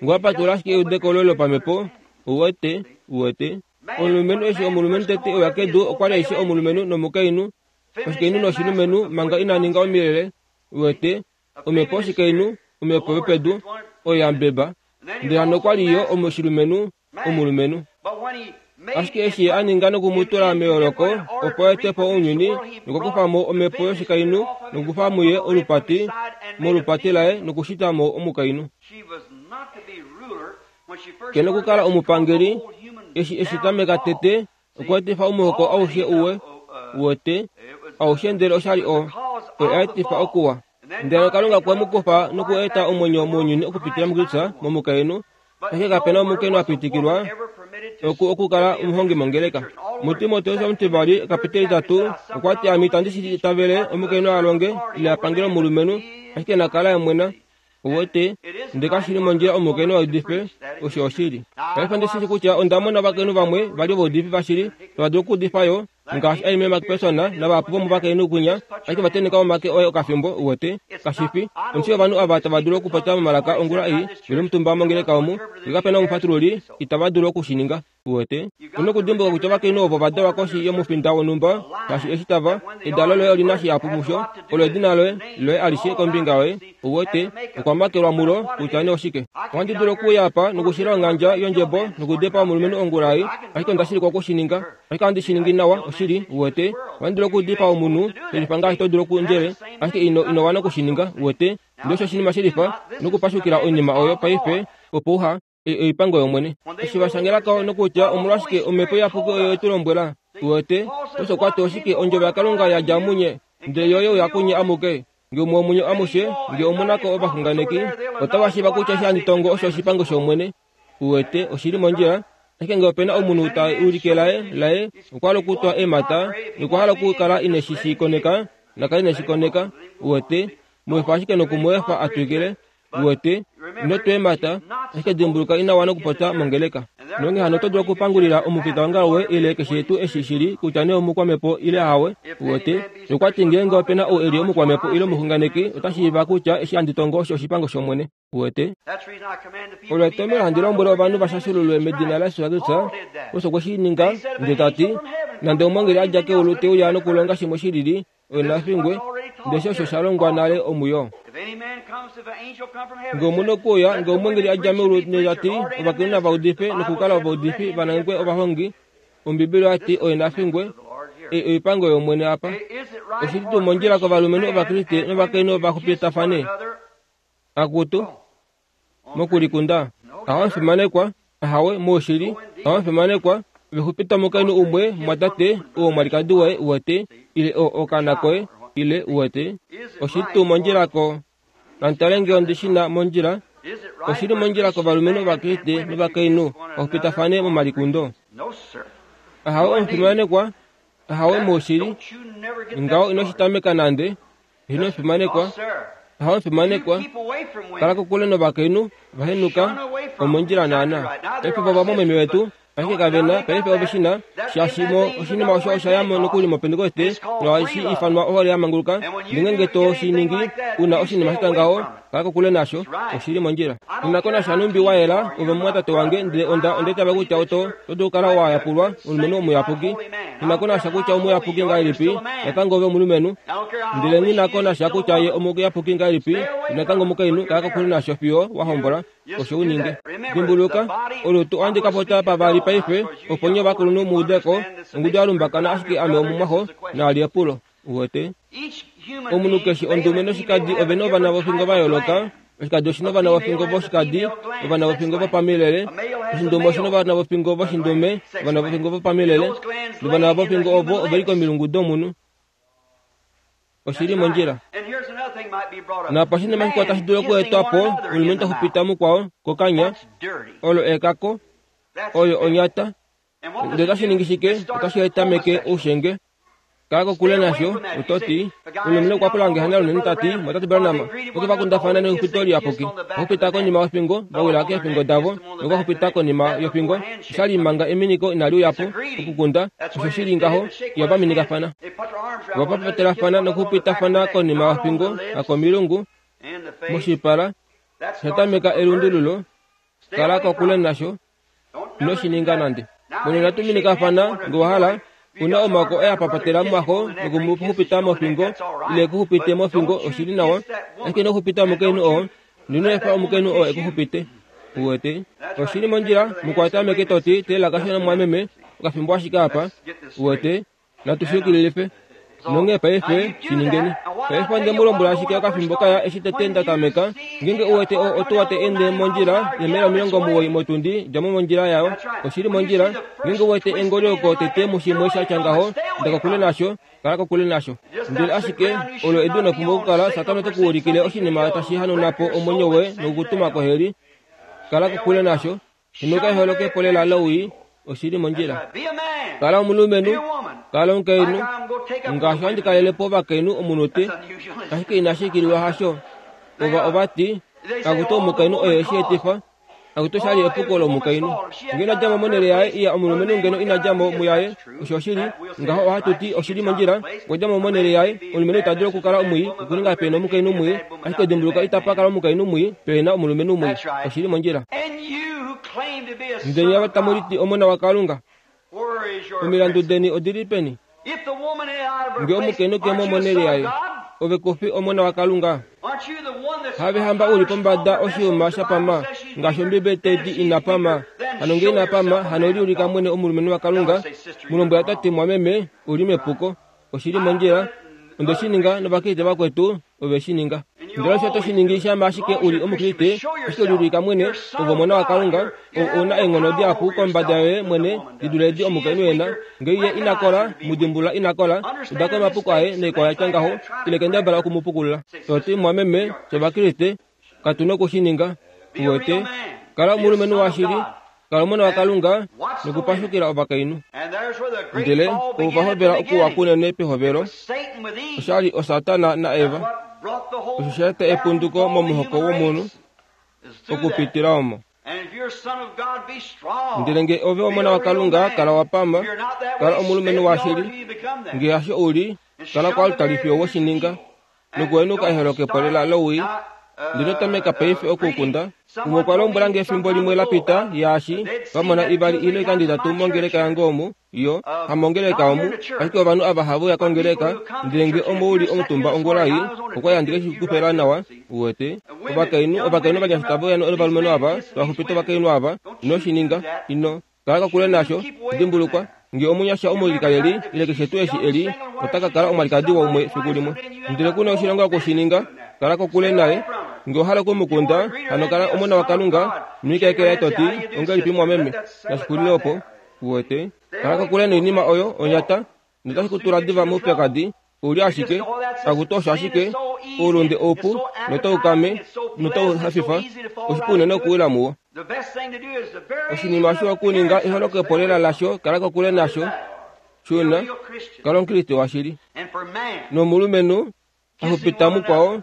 Nge owa patulula ashike eudeko loye lopamhepo, uwete, uwete. Omulumenhu eshi omulumenhu tete e uya kedu okwa li aishe omulumenhu nomukainhu, oshikainhu noshilumenhu manga ina ninga omilele, uwete, omhepo yoshikainhu, omhepo yopedu, oyo ya mbeba. Ndele hano okwa li yo oshilumenhu, omulumenhu. Ashike eshi ye a ninga noku mu tula meyooloko, opo a ete po ounyuni, nokwa kufa mo omhepo yoshikainhu nokukufa muye olupati, molupati laye nokushita mo omukainhu. Ke nokukala omupangeli, eshi e shi tameka tete, okwa etifa omuhoko aushe uwe, uwete, aushe ndele osha li o, oye a etifa okuwa. Ndele Kalunga okwe mu kufa noku eta omwenyo mounyuni okupitila muKristus momukainhu, ashike kape na omukainhu a pitikilwa oku okukala omuhongi mongeleka. MuTimoteus omutivali ekapiteli 3 okwa ti ame itandi shi itavele omukainhu a longe ile a pangele omulumenhu, ashike na kala emwena. Uwete, ndele kashi li mondjila omukainhu a udife, osho oshili. Paife ondi shi shii kutya onda mona ovakainhu vamwe va li ovaudifi vashili, tava dulu okuudifa yo, ngaashi Aimee McPherson navahapu vomovakainhu kwinya, ashike va tenheka omake oye okafimbo, uwete. Kashi fi. Ondi shii ovanhu ava tava dulu okupopya momalaka ongula ei, ve li omutumba mongeleka omu, nge kape na omufatululi, itava dulu oku shi ninga. Uwete? U nokudimbuluka kutya ovakainhu ovo va dalwa koshi yomufinda wonhumba, shaashi eshi tava, edalo loye oli na shihapu musho, olo edina loye, loye alishe kombinga yoye. Uwete, okwa makelwa mulo, kutya nee oshike. Ohandi dulu okuuya apa nokushila onghandja yondjebo nokudepa omulumenhu ongula ei, ashike onda shilikwa oku shi ninga. Ashike ohandi shi ningi nawa, oshili, uwete. Ohandi dulu okudipaa omunhu, shelifa ngaashi to dulu okundjele, ashike ino, ino wana oku shi ninga, uwete. Ndele osho oshinima shelifa, nokupashukila oinima oyo paife, opo uha, oipango yOmwene. Eshi va shangela ko nokutya omolwashike Omhepo Iyapuki oyo ye tu lombwela, uwete, osho kwa ti oshike ondjovo yaKalunga ya dja munye, ndele yo ye uya kunye amuke. Nge umwe womunye amushe, nge omu na ko ovaxunganeki, otava shiiva kutya eshi handi tongo osho oshipango shOmwene. Uwete, oshi li mondjila. Ashike nge ope na omunhu ta ulike laye, laye, okwa hala okutwa eemhata, nokwa hala okukala ine shi shi koneka, na kale ine shi koneka. Uwete, mu efa ashike noku mu efa a twikile. Uwete, ino tweemata, ashike dimbuluka ina wana okupopya mongeleka. Nonghee hano oto dulu okupangulila omufitaongalo woye ile keshe tuu eshi shi li, kutya nee omukwamhepo ile hawe. Uwete? Okwa ti ngeenge ope na ou e li omukwamhepo ile omuxunganeki, ota shiiva kutya eshi handi tongo osho oshipango shOmwene. Uwete? Olo etomhelo handi lombwele ovanhu va shashululwe medina laJesus Kristus, osho okwe shi ninga, ndele ta ti, Nande omwengeli a dja keulu te uya nokulonga shimwe shi lili, Oye na fingwe, ndele osho sha longwa nale omuyo. Nge omu nokuuya, nge omweengeli a dja meulu nota ti, Ovakainhu nava udife nokukala ovaudifi, va nangekwe ovahongi, Ombibeli oya ti, Oye na fingwe. Ei oipango yOmwene apa. Oshi li tuu mondjila kovalumenhu Ovakriste novakainhu va xupitafane? Akutu, mokulikunda, Ahawe fimanekwa, ahawe, moushili, ahawe fimanekwa, ove xupita omukainhu umwe, mumwatate, oo omwalikadi waye, uwete, ile o, okaana koye, ile, uwete. Oshi tuu mondjila ko. Nantale nge ondi shi na mondjila. Oshi li mondjila kovalumenhu Ovakriste novakainhu va xupitafane momalikundo. Ahawe omufimanekwa, ahawe, moushili. Ngaho ino shi tameka nande. Ino fimanekwa, Ahawe fimanekwa, kala kokule novakainhu, va henuka, omondjila naana. Paife vo vamwameme wetu, ashike kave na, paife ove shi na, shaashi mo oshinima osho osha ya mo nokuli mOpentekoste, nohashi ifanwa ohole ya manguluka. Ngeenge to shi ningi, u na oshinima sha tya ngaho, kala kokule nasho. Oshi li mondjila. Nghi ko nasha nhumbi wa yela, ove omumwatate wange, ndele onda, onda itavela kutya oto, oto dulu okukala wa yapulwa, omulumenhu omuyapuki. Nghi na ko nasha kutya omuyapuki ngahelipi, natango ove omulumenhu. Ndele nghi na ko nasha kutya ye omuyapuki ngahelipi, natango omukainhu, kala kokule nasho fiyo wa hombola. Osho u ninge. Dimbuluka, olutu ohandi ka popya pavali paife, opo nye ovakulunhu mu ude ko, ongudu ya lumbakana ashike ame omumwaxo, naali epulo. Uwete? Omunhu keshe ondume noshikadi ove na ovana vofingo va yooloka. Oshikadi oshi na ovana vofingo voshikadi, ovana vofingo vopamilele. Oshindume oshi na ovana vofingo voshindume, ovana vofingo vopamilele. Novana vofingo ovo ove li komilungu domunhu. Oshi li mondjila. Napa oshinima shikwao tashi dulu okuetwa po, omulumenhu ta xupita mukwao kokanya, olo ekako, oyo onyata. Ndele otashi ningi shike? Otashi etameke oushenge. Kala kokule nasho, oto ti, Omulumenhu okwa pula nge hanga lunene ta ti, Mwatate Branham, oke va kundafana nexupito liyapuki. Va xupita konima yofingo, va wila keefingo davo, nokwa xupita konima yofingo. Osha li manga eminiko inali uya po, okukunda, osho shi li ngaho, ihava minikafana. Ova papatelafana nokuxupitafana konima yofingo, hakomilungu, moshipala, sha tameka elundululo, kala kokule nasho. Ino shi ninga nande. Monena tu minikafana, nge wa hala, u na omaoko e a papatela mumaxo noku mu xupita mofingo, ile e ku xupite mofingo, oshi li nawa. Ashike ino xupita omukainhu oo, Ino efa omukainhu oo e ku xupite. Uwete? Oshi li mondjila, mu kwata meke to ti, Teelela kashona mumwameme, okafimbo ashike apa. Uwete? Natu shi yukililife. Nonghee paife, shi ningeni. Paife onde mu lombwela ashike okafimbo kaya eshi tete nda tameka, ngeenge u wete o, otuwa tai ende mondjila yemaila 90 motundi, dja mo mondjila yayo. Oshi li mondjila. Ngeenge u wete engolioko tete mushimwe sha tya ngaho, inda kokule nasho, kala kokule nasho. Ndele ashike, olo edu ino pumbwa okukala, Satana ote ku ulikile oshinima tashi hanauna po omwenyo woye noku ku tuma koheli. Kala kokule nasho. Henuka eholokepo lela lowii, oshi li mondjila. Kala omulumenhu, kala omukainhu, ngaashi handi kalele po ovakainhu omunute, ashike inashi ikililwa hasho. Ova ova ti, Akutu omukainhu oye eshi etifa, akutu osha li epuko lomukainhu. Ngeno ina dja mo monhele yaye iya omulumenhu ngeno ina dja mo muyaye, osho oshili, ngaho ohatu ti oshi li mondjila, okwa dja mo monhele yaye, omulumenhu ita dulu okukala omwii, okuninga pe na omukainhu mwii, Ashike dimbuluka itapa kala omukainhu mwii pe na omulumenhu mwii. Oshi li mondjila. Ndele nye tamu liti Omona waKalunga. Omilandu deni odi li peni? Nge omukainhu ke mo monhele yaye, ove ku fi Omona waKalunga? Have hamba u li pombada oshiyuma sha pama, ngaashi Ombibeli tai ti ina pama. Hano nge ina pama, hano liulika mwene omulumenhu waKalunga. Mu lombwela ta ti, Mwameme, u li mepuko. Oshi li mondjila. Onde shi ninga nOvakriste vakwetu ove shi ninga. Ndele osho oto shi ningi shama ashike u li Omukriste, ashike liulika mwene, ove omona waKalunga, ou u na eenghono dihapu kombada yoye mwene di dule edi omukainhu e na. Ngee ye ina kola, mu dimbulula ina kola, uda ko omapuko aye naikwao ya tya ngaho, ile kendabala oku mu pukulula. To ti, Mumwameme, fye Ovakriste, Katu noku shi ninga. Uwete? Kala omulumenhu washili, kala omona waKalunga, nokupashukila ovakainhu. Ndele ovo va hovela okuwa kunene pehovelo, osha li oSatana naEva. Osho sha eta epunduko momuhoko womunhu okupitila omo. Ndele nge ove omona waKalunga, kala wa pama, kala omulumenhu washili. Nge hasho u li, kala koaltari fiyo we shi ninga. nokuhenuka eholokepo lela lowii. Ndino tameka paife okukunda. Umwe okwa lombwela nge efimbo limwe la pita, yaashi, va mona ivali ile oikando itatu mongeleka yange omu, yo, hamongeleka omu, ashike ovanhu ava have uya kongeleka, ndele nge omo u li omutumba ongula ei, okwa li handi ke shi kufela nawa, uwete. Ovakainhu, ovakainhu ovanyasha tave uya novalumenhu ava, tava xupita ovakainhu ava. Ino shi ninga. Ino. Kala kokule nasho. Dimbulukwa, nge omunyasha omulikaleli, ile keshe tuu eshi e li, ota ka kala omwalikadi waumwe fiku limwe. Ndele ku na oshilonga oku shi ninga. Kala kokule naye. Nge owa hala oku mu kunda, hano kala omona waKalunga, noikeke yaye to ti, Ongahelipi mumwameme? Nashi xulile opo. Uwete? Kala kokule noinima oyo, onyata, notashi ku tula diva moupyakadi. U li ashike, akutu osho ashike, oulunde oupu notau kame notau hafifa, oshipu unene okuwila muwo. Oshinima shiwa okuninga eholokepo lela lasho, kala kokule nasho. Shuna, kala Omukriste washili. Nomulumenhu a xupita mukwao,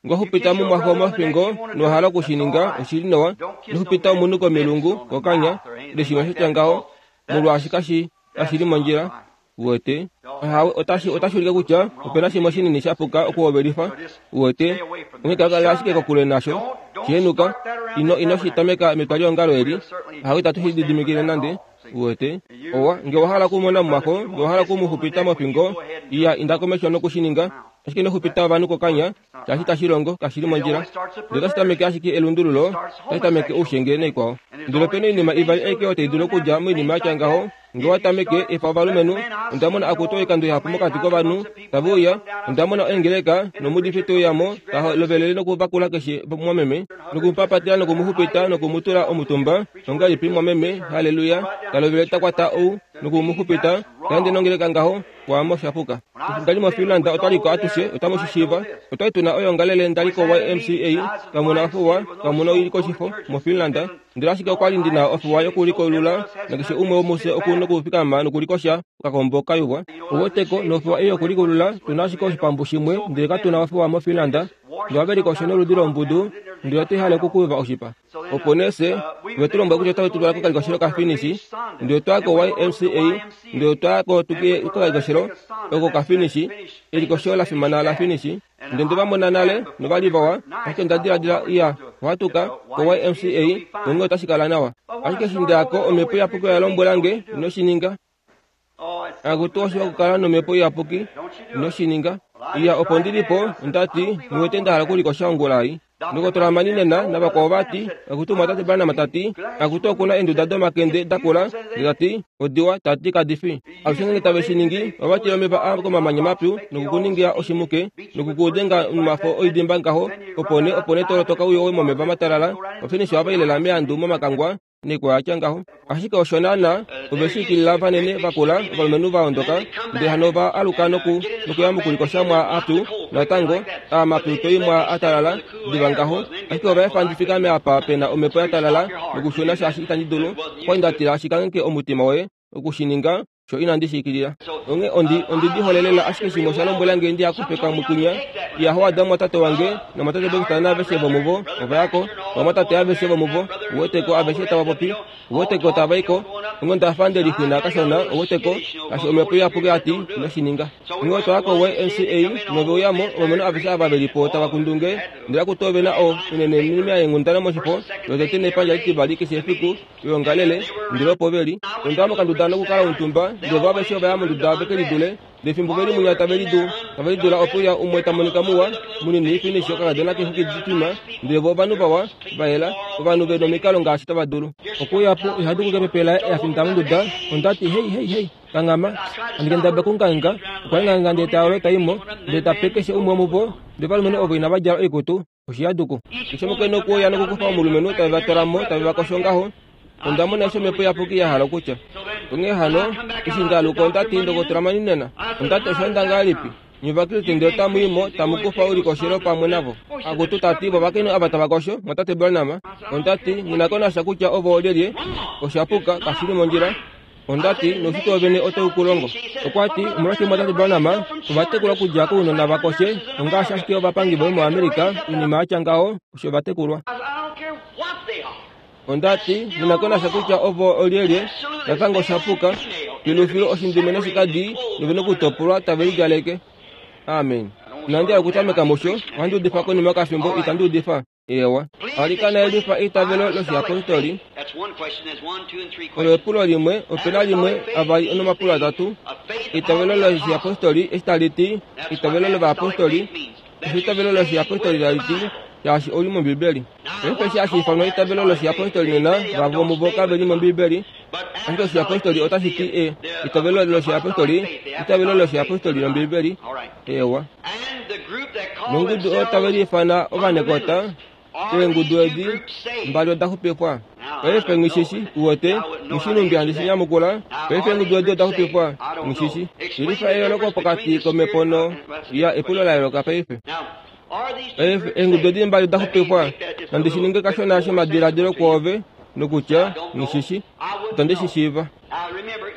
ngo xupita mumwaxo mofingo nowa hala oku shi ninga, oshi li nawa. Ino xupita omunhu komilungu, kokanya, ile shimwe sha tya ngaho, molwaashi kashi, kashi li mondjila. Uwete? Ahawe, otashi, otashi ulike kutya ope na shimwe shinini sha puka okuhovelifa. Uwete? Onghee kala ashike kokule nasho. Shi henuka. Ino, ino shi tameka metwaliongalo eli. Ahawe, itatu shi lididimikile nande. Uwete? Owa, nge owa hala okumona mumwaxo, nge owa hala oku mu xupita mofingo, iya, inda komesho noku shi ninga. Ashike ino xupita ovanhu kokanya, shaashi itashi longo, kashi li mondjila. Ndele otashi tameke ashike elundululo, otashi tameke oushenge naikwao. Ndele ope na oinima ivali aike oyo tai dulu okudja moinima ya tya ngaho, Nge wa tameke, efa ovalumenhu, onda mona akutu oikando ihapu mokati kovanhu, tave uya, onda mona oengeleka, nomuudifi te uya mo, ta lovelele nokuvakula keshe mumwameme, noku mu papatela noku mu xupita noku mu tula omutumba, ongahelipi mumwameme, halleluya, ta lovelele ta kwata ou. noku mu xupita, ta ende nongeleka ngaho, kwaamo sha puka. Eshi nda li moFinland otwa li ko atushe, otamu shi shiiva. Otwa li tu na oyoongalele nda li ko-YMCA, kamu na ofuwa, kamu na oilikoshifo, moFinland. Ndele ashike okwa li ndi na ofuwa yokulikolula, nakeshe umwe womufye oku nokufikama nokulikosha okakombo ka yuvwa. Ouweteko, nofuwa ei yokulikulula, tu na ashike oshipambu shimwe, ndele katu na ofuwa moFinland. Ndele ove likoshe noludi lombudu, ndele otai hale okukuyuva oshipa. Opo nee fye ove tu lombwela kutya otave tu twala kokalikoshelo kaFinnish, ndele otwa ya ko-YMCA, ndele otwa ya ko tu ye kokalikoshelo oko kaFinnish, elikoshelo la fimana laFinnish. Ndele nde va mona nale, nova li vawa, ashike onda diladila, Iya, ohatu ka, ko-YMCA, onghee otashi kala nawa. Ashike eshi nda ya ko, Omhepo Iyapuki oya lombwela nge, Ino shi ninga. Akutu oshiwa okukala nomhepo iyapuki ino shi ninga. Iya opo ndi li po, onda ti, Nghi wete nda hala okulikosha ongula ei. Ndokotola Mani nena navakwao va ti, Akutu omwatate Branham ta ti, Akutu oku na eenduda domakende da kula, ndele ta ti, odiwa, ta ti kadi fi. Alushe ngeenge tave shi ningi, ova tila omeva aa komamanya mapyu noku ku ninga oshimuke, noku ku denga nomafo oidimba ngaho, opo nee, opo nee to lotoka u yowe momeva matalala. Ofinisha ova i lela meandu momakangwa. Nekwa ya tya ngaho. Ashike osho naanaa, ove shi ikilila vanene vakula, ovalumenhu va ondoka, ndele hano ova aluka noku, nokuya mokulikosha mwa apyu, natango, aa mapyu toi mwa a talala, diva ngaho. Ashike ova efa ndi fikame apa pe na omhepo ya talala, nokushuna shaashi itandi dulu. Okwali nda tila shi kangheke omutima woye, oku shi ninga, sho inandi shi ikilila. Onghee ondi, ondi di hole lela ashike shimwe osha lombwela nge ndi hakufe kamwe kwinya. Iya Howard omumwatate wange, nomwatate Baxter naaveshe vomuvo, ova ya ko. Ovamwatate aveshe vomuvo, uwete ko, aveshe tava popi, uwete ko, tava i ko. Onghee onda fa nde lixwina kashona, uwete ko, ngaashi Omhepo Iyapuki ya ti, ino shi ninga. Onghee otwa ya ko-YMCA, nove uya mo, ovalumenhu aveshe ava ve li po tava kundu nge, ndele akutu ove na o, unene oinima yeenghundana moshifo, lotete nepandja litivali keshe efiku, yoongalele, ndele opo ve li. Onda ya mokanduda nokukala omutumba, ndele vo aveshe ova ya monduda ve ke lidule. Ndele fimbo ve li munya tave lidu, tave lidula ope uya umwe ta monika muwa, munini, finish, okakadona keexwiki ditwima, ndele vo ovanhu vawa, va yela, ovanhu ve nomikalo ngaashi tava dulu. Okuuya po, iha duku kepepe laye a finda monduda. Onda ti, Hei, hei, hei, kanghama! Handi kendabala okungangheka. Okwa ngangheka ndele ta yolo ta i mo, ndele ta pe keshe umwe womuvo, ndele ovalumenhu ovo inava djala oikutu. Oshihaduku. Keshe omukainhu okwe uya nokukufa omulumenhu, tave va twala mo, tave va kosho ngaho. Onda mona eshi Omhepo Iyapuki ya hala okutya. Onghee hano, eshi nda aluka onda ti, Ndokotola Maninena, onda ti, osha enda ngahelipi? Nye Ovakriste ndele otamu i mo, tamu kufa oulikoshelo pamwe navo. Akutu, ta ti, vovakainhu ava tava kosho, Mwatate Branham. Onda ti, Nghi na ko nasha kutya ovo oolyelye. Osha puka, kashi li mondjila. Onda ti, Noushitwe wovene otau ku longo. Okwa ti, Omolwashike Mwatate Branham, ova tekulwa okudja kounona va koshe, ongaashi ashike ovapangi voye moAmerica, oinima ya tya ngaho, osho va tekulwa. Onda ti, Nghi na ko nasha kutya ovo olyelye, natango osha puka. Filufilu oshindume noshikadi nove nokutopolwa tave lidjaleke. Amen. Inandi hala okutameka musho, ohandi udifa konima yokafimbo, itandi udifa. Eewa. Alikana yelifa eitavelo loshiyapostoli. Olo epulo limwe, ope na limwe, avali nomapulo atatu. Eitavelo loshiyapostoli eshi tali ti, eitavelo lovayapostoli, osho eitavelo loshiyapostoli tali ti, shaashi oli mOmbibeli. Paife eshi hashi ifanwa eitavelo loshiyapostoli nena, vamwe vomuvo kave li mOmbibeli. Ashike oshiyapostoli otashi ti e, eitavelo loshiyapostoli, eitavelo loshiyapostoli lOmbibeli. Eewa. Nongudu oyo tave liifana ovanekota, eengudu edi mbali oda xupifwa. Paife nghishishi, uwete, nghi shi nhumbi handi shi nyamukula. Paife eengudu edi oda xupifwa, nghishishi. Yelifa eyooloko pokati komhepo no. Ya, epulo la yooloka paife. Paife eengudu edi mbali oda xupifwa. Nandi shi ninge kashona shomadiladilo kwoove, nokutya, nghishishi. Itandi shi shiiva.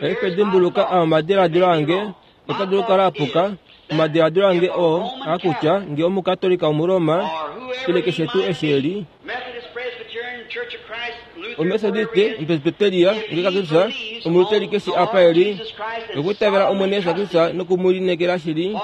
Paife dimbuluka, aa omadiladilo ange. Ota dulu okukala a puka. Omadiladilo ange oo aa kutya nge Omukatolika Omuroma ile keshe tuu eshi e li, Omethodiste, Omupresbiteria, nge Kakristus, Omuluteri keshe apa e li, okwiitavela Omwene Jesus Kristus noku mu lineekela shili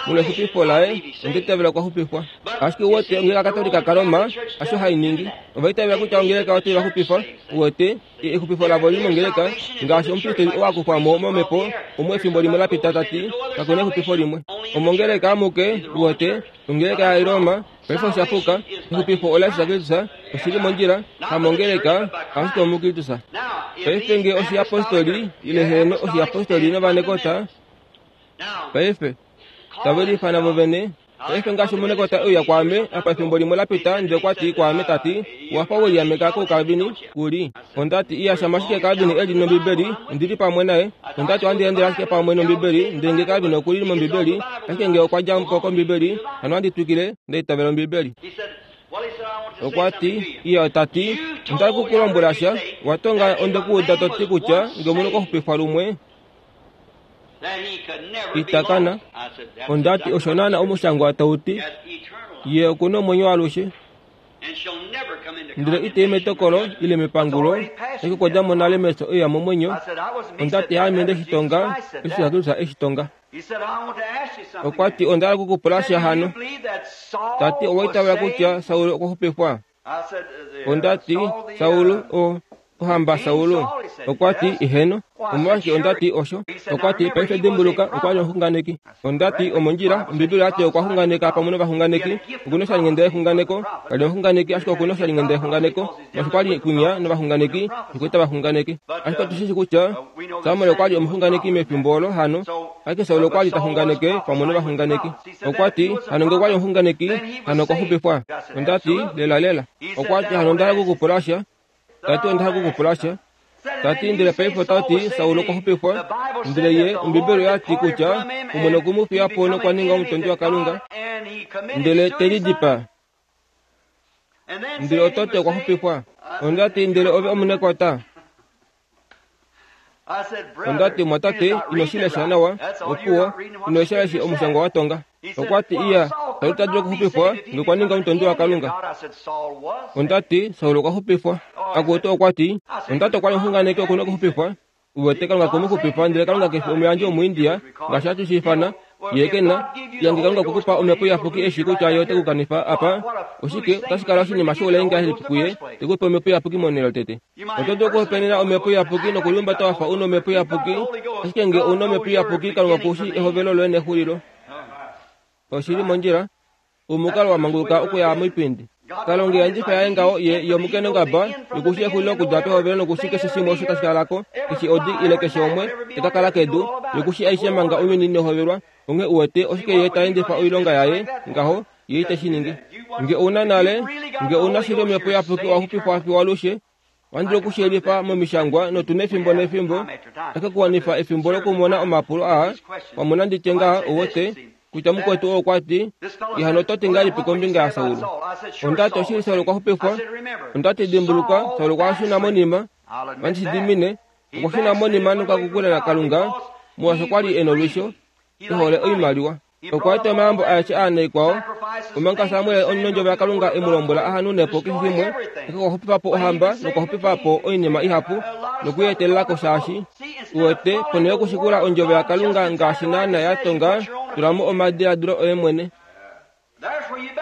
molwexupifo laye, onda itavela okwa xupifwa. Ashike uwete, ongeleka Katolika kaRoma hasho hai ningi. Ova itavela kutya ongeleka otai va xupifa, uwete. Exupifo lavo oli mongeleka, ngaashi omupristeli oo a kufwa mo momhepo omo efimbo limwe la pita ta ti, Kaku na exupifo limwe. Omongeleka amuke, uwete, ongeleka yaRoma, paife osha puka. Exupifo olaJesus Kristus, oshi li mondjila, hamongeleka, ashike omuKristus. Paife nge oshiyapostoli, ile heeno oshiyapostoli novanekota, paife, tave liifana vovene. Paife ngaashi omunekota e uya kwaame apa efimbo limwe la pita ndele okwa ti kwaame ta ti, Owa fa we liameka kouKalvini, ku li. Onda ti, Iya, shama ashike Kalvin e li nOmbibeli, ondi li pamwe naye. Onda ti, Ohandi endele ashike pamwe nOmbibeli, ndele nge Kalvin oku li mOmbibeli, ashike nge okwa dja po kOmbibeli, hano ohandi twikile nda itavela Ombibeli. Okwa ti, Iya, ta ti, onda ku ku lombwela sha, wa tonga onde ku uda to ti kutya nge omunhu okwa xupifwa lumwe, ita kana. Onda ti, Osho naana omushangwa tau ti, Ye oku na omwenyo waalushe. Ndele ite i metokolo ile mepangulo, ashike okwa dja mo nale mefyo e uya momwenyo. Onda ti, Haame nde shi tonga, eshi Jesus e shi tonga. Okwa ti, Onda hala oku ku pula sha hano. Ta ti, Owa itavela kutya Saul okwa xupifwa? Onda ti, Saul, o, ohamba Saul. Okwa ti, Eheno. Omolwashike onda ti osho? Okwa ti, Paife dimbuluka, okwa li omuxunganeki. Onda ti, Omondjila, Ombibeli oya ti okwa xunganeka pamwe novaxunganeki. Oku na oshalinghenda yexunganeko. Ka li omuxunganeki, ashike oku na oshalinghenda yexunganeko. Molwaashi okwa li kunya novaxunganeki, nokwa ita ovaxunganeki. Ashike otu shi shii kutya Samuel okwa li omuxunganeki mefimbo olo hano. Ashike Saul okwa li ta xunganeke pamwe novaxunganeki. Okwa ti, Hano nge okwa li omuxunganeki, hano okwa xupifwa. Onda ti, Lelalela. Okwa ti, Hano onda hala oku ku pula sha. Ta ti, Onda hala oku ku pula sha. Ta ti, Ndele paife ota ti, Saul okwa xupifwa. Ndele ye, Ombibeli oya ti kutya Omwene okwe mu fiya po nokwa ninga omutondi waKalunga, ndele te lidipaa. Ndele oto ti okwa xupifwa. Onda ti, Ndele ove omunekwata. Onda ti, Mwatate, ino shi lesha nawa. Opuwo, ino lesha eshi omushangwa wa tonga. Okwa ti, Iya, Saul ota dulu okuxupifwa nge okwa ninga omutondi waKalunga. Onda ti, Saul okwa xupifwa. Akutu, okwa ti, Onda ti okwa li omuxunganeki oku na okuxupifwa. Uwete, Kalunga kwe mu xupifa, ndele Kalunga ke fi omuyandji Omuindia, ngaashi hatu shi ifana. Ye ke na. Iya, nge Kalunga okwe ku pa Omhepo Iyapuki e shii kutya Ye ote ku kanifa apa, oshike, otashi kala oshinima shoulai ngahelipi kuye te ku pe Omhepo Iyapuki monhele yotete? Oto dulu okuhopaenena Omhepo Iyapuki nokulihumbata wa fa u na Omhepo Iyapuki, ashike nge ou na Omhepo Iyapuki, Kalunga oku shii ehovelo loye nexulilo. Oshi li mondjila. Omukalo wa manguluka okuya moipindi. Kalunga yandjifa yaye ngaho ye ye omukenongaba yokushi exulilo okudja pehovelo nokushi keshe shimwe osho tashi kala ko, keshe odi ile keshe umwe te ka kala kedu, yokushi aishe manga ounyuni inau hovelwa. Onghee uwete oshike ye ta endifa oilonga yaye ngaho, ye ite shi ningi. Nge ou na nale, nge ou na shili Omhepo Iyapuki owa xupifwa fiyo alushe, Ohandi dulu okushiyelifa momishangwa notu nefimbo nefimbo taka kuwanifa efimbo lokumona omapulo aa. Wamona ndi tye ngaha, uwete, kutya mukwetu oo okwa ti, Ihano oto ti ngahelipi kombinga yaSaul? Onda ti, Oshili Saul okwa xupifwa. Onda ti, Dimbuluka, Saul okwa shuna monima. Ohandi shi dimine. Okwa shuna monima nokwa kukula naKalunga, molwaashi okwa li e nolwisho, e hole oimaliwa. Okwa eta omayambo aeshe aa naikwao, omanga Samuel omunondjovo yaKalunga e mu lombwela a hanune po keshe shimwe, ashike okwa xupifa po ohamba nokwa xupifa po oinima ihapu noku i etelela ko shaashi, uwete, ponhele yokushikula ondjovo yaKalunga ngaashi naana ya tonga, tula mo omadiladilo oye mwene.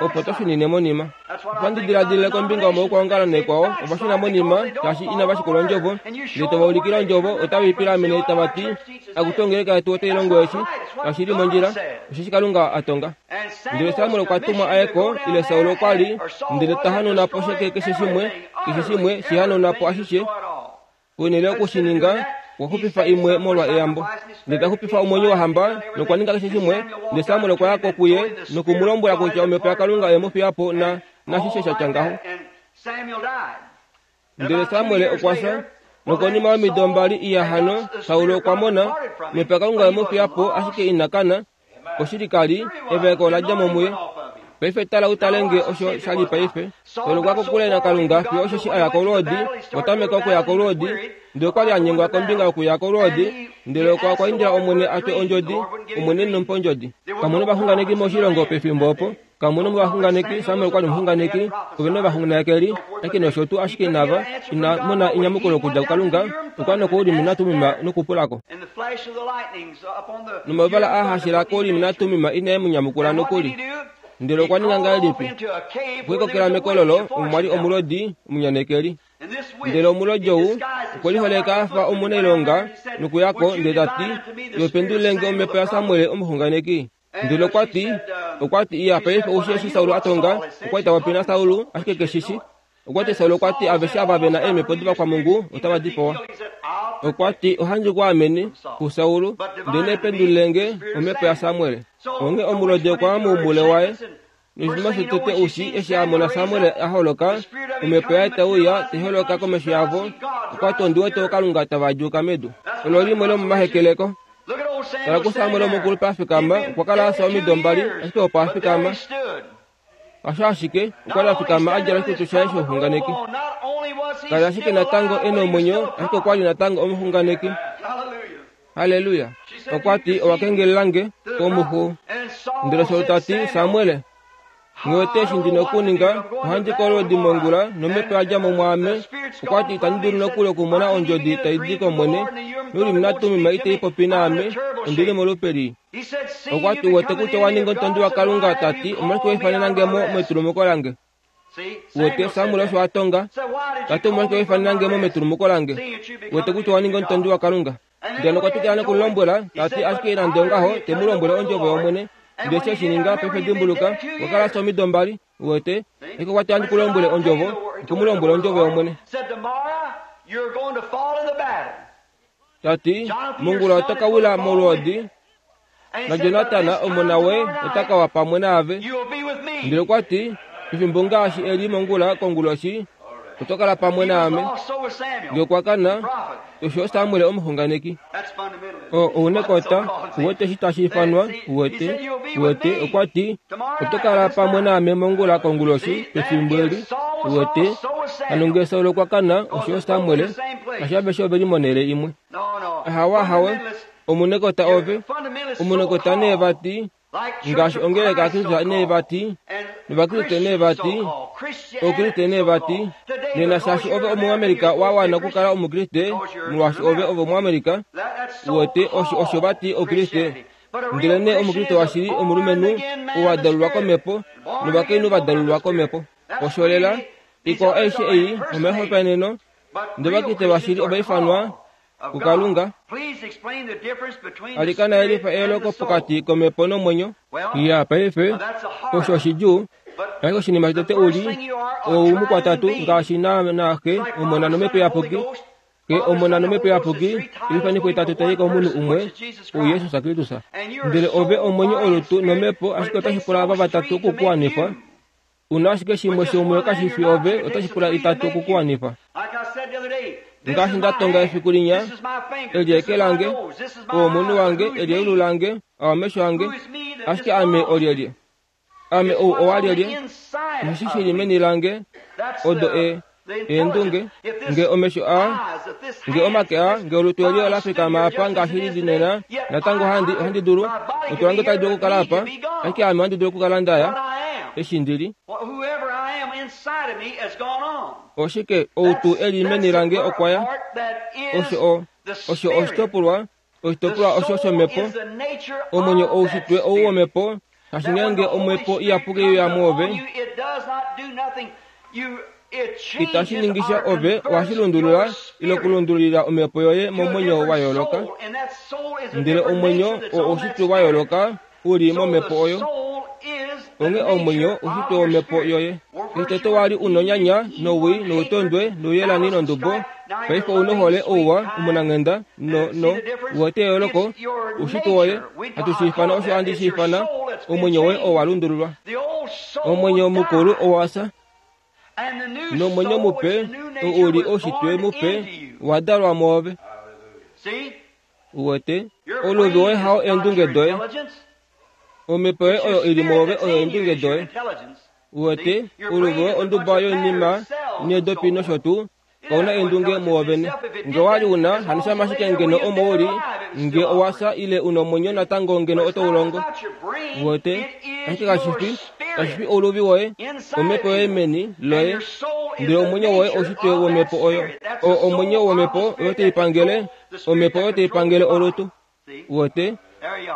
Opo to shunine monima. Ohandi diladilile kombinga yomaukwaongalo naikwao, ova shuna monima shaashi inava shikula ondjovo, ndele tova ulikile ondjovo, otave i pilamene tava ti, Akutu ongeleka yetu otai longo eshi, kashi li mondjila, osheshi Kalunga a tonga. Ndele Samuel okwa tumwa a ye ko, ile Saul okwa li, ndele ta hanauna po sheke keshe shimwe, keshe shimwe, shi hanauna po ashishe. Ponhele yoku shi ninga, okwa xupifa imwe molwa eyambo. Ndele ta xupifa omwenyo wohamba, nokwa ninga keshe shimwe. Ndele Samuel okwa ya ko kuye noku mu lombwela kutya omhepo yaKalunga oye mu fiya po na, nashishe sha tya ngaho. Ndele Samuel okwa fya, nokonima yomido mbali iya hano, Saul okwa mona, omhepo yaKalunga oye mu fiya po, ashike ina kana. Oshili ka li, evaeko ola dja mo muye. Paife tala u tale nge osho sha li paife. Saul okwa kokule naKalunga fiyo osheshi a ya kolwoodi, okwa tameka okuya kolwoodi, ndele okwa li a nyengwa kombinga yokuya kolwoodi, ndele okwa okwa indila Omwene a twe ondjodi, Omwene ine mu pa ondjodi. Kamu novaxunganeki moshilongo pefimbo opo. Kamu novaxunganeki, Samuel okwa li omuxunganeki, ove novaxunganekeli, ashike nosho tuu, ashike inava, ina mona enyamukulo okudja kuKalunga, okwa nokoUrim naTummim nokupula ko. Nomavala a hashila koUrim naTummim inae mu nyamukula nokuli. Ndele okwa ninga ngahelipi? Okwe likokela mekololo, omo mwa li omulodi, omunyanekeli. Ndele omulodi ou okwe liholeka a fa omunailonga nokuya ko, ndele ta ti, Iwe pendulile nge omhepo yaSamuel omuxunganeki. Ndele okwa ti, okwa ti, Iya, paife ou shii eshi Saul a tonga? Okwa li ta popi naSaul, ashike ke shi shi. Okwa ti, Saul okwa ti, aveshe ava ve na eemhepo dovakwamungu otava dipawa. Okwa ti, Ohandi ku amene kuSaul, ndele pendulile nge omhepo yaSamuel. Onghee omulodi okwa ya moumule waye. Noshinima shotete u shii, eshi a mona Samuel a holoka, omhepo yaye tai uya, tai holoka komesho yavo, okwa ti, Ondi wete ookalunga tava djuuka medu. Olo limwe lomomahekeleko. Tala kuSamuel omukulupe a fikama, okwa kala a fya omido mbali, ashike opo a fikama. Hasho ashike, okwa li a fikama a djala oshikutu shaye shouxunganeki. Ka li ashike natango e na omwenyo, ashike okwa li natango omuxunganeki. Halleluya! Okwa ti, Owa kengelela nge komuxu. Ndele Saul ta ti, Samuel, nghi wete eshi ndi na okuninga, ohandi kolwedi mongula, nomhepo ya dja mo mwaame. Okwa ti, Itandi dulu nokuli okumona ondjodi tai di kOmwene, nOurim naTummim itai popi naame, ondi li molupe lii. Okwa ti, Uwete kutya owa ninga omutondi waKalunga, ta ti, omolwashike wa ifanena nge mo metulumuko lange? Uwete, Samuel osho a tonga, ta ti, omolwashike wa ifanena nge mo metulumuko lange? Uwete kutya owa ninga omutondi waKalunga. Ndele okwa twikila noku mu lombwela, ta ti, Ashike nande ongaho, te mu lombwele ondjovo yOmwene. Ndele eshi e shi ninga, paife dimbuluka, okwa kala a fya omido mbali. Uwete? Ashike okwa ti, Ohandi ku lombwele ondjovo, oku mu lombwela ondjovo yOmwene. Ta ti, Mongula oto ka wila molwoodi, naJonatan, omona woye, ota ka wa pamwe naave. Ndele okwa ti, Pefimbo ngaashi eli mongula konguloshi, oto kala pamwe naame. Nge okwa kana, osho Samuel omuxunganeki. O, ounekota, uwete eshi tashi ifanwa, uwete, uwete, okwa ti, Oto kala pamwe naame mongula konguloshi, pefimbo eli, uwete. Hano nge Saul okwa kana, osho Samuel, ashi aveshe ove li monhele imwe. Ahawe, ahawe, omunekota ove, omunekota nee vati, ngaashi ongeleka yaKristus nee vati, nOvakriste nee vati, Okriste nee vati, nena shaashi ove Omuamerika wa wana okukala Omukriste, molwaashi ove ove Omuamerika, uwete, osho, osho vati Okriste. Ndelenee Omukriste washili omulumenhu ou a dalulwa kOmhepo, novakainhu va dalulwa kOmhepo. Osho lela, ikwao aishe ei omaihopaeneno, ndele Ovakriste vashili ova ifanwa kuKalunga. Alikana yelifa eyooloko pokati komhepo nomwenyo. Iya, paife, osho oshidjuu. Ashike oshinima shotete u li, ou mukwatatu, ngaashi naana Xe, Omona nOmhepo Iyapuki. Xe, Omona nOmhepo Iyapuki, oifanifo itatu tai komunhu umwe, uJesus Kristus. Ndele ove omwenyo, olutu nomhepo, ashike otashi pula ava vatatu oku ku wanifa. U na ashike shimwe shomuyo kashi fi ove, otashi pula itatu oku ku wanifa. Ngaashi nda tonga efiku linya, eli eke lange, ou omunhu wange, eli eulu lange, aa omesho ange, ashike ame olyelye? Ame ou owalyelye? Osheshi shi li meni lange, odo e, eendunge, nge omesho aa, nge omake aa, nge olutu eli ola fikama apa ngaashi li li nena, natango ohandi, ohandi dulu, olutu lange otali dulu okukala apa, ashike ame ohandi dulu okukala nda ya, eshi ndi li. Oshike, ou tuu e li meni lange okwa ya. Osho o, osho oshitopolwa, oshitopolwa osho shomhepo, omwenyo oushitwe ou womhepo, kashi ngeenge omhepo iyapuki ya muove, itashi ningi sha ove ohashi lundulula ile okulundululila omhepo yoye momwenyo wa yooloka ndele omwenyo oo oushitwe wa yooloka u li momhepo oyo onghee omwenyo oushitwe womhepo yoye eshi tete wa li u nonyanya nowii noutondwe nouyelani nondubo paife ou nohole ouwa omunanghenda no no uwete eyooloko oushitwe woye hatu shi ifana osho handi shi ifana omwenyo woye owa lundululwa omwenyo mukulu owa fya nomwenyo mupe oo u li oushitwe mupe wa dalwa mwoove Uwete, ouluvi woye hao eendunge doye. Omhepo yoye oyo i li mwoove oyo eendunge doye. Uwete, ouluvi woye onduba yoinima needopi nosho tuu, kau na eendunge muwo vene. Nge owa li u na, hano shama ashike ngeno omo u li, nge owa fya ile u nomwenyo natango ngeno oto u longo. Uwete, ashike kashi fi, kashi fi ouluvi woye, omhepo yoye meni loye, ndele omwenyo woye oushitwe womhepo oyo. O, omwenyo womhepo oyo tai pangele Omhepo oyo tai pangele olutu. Uwete?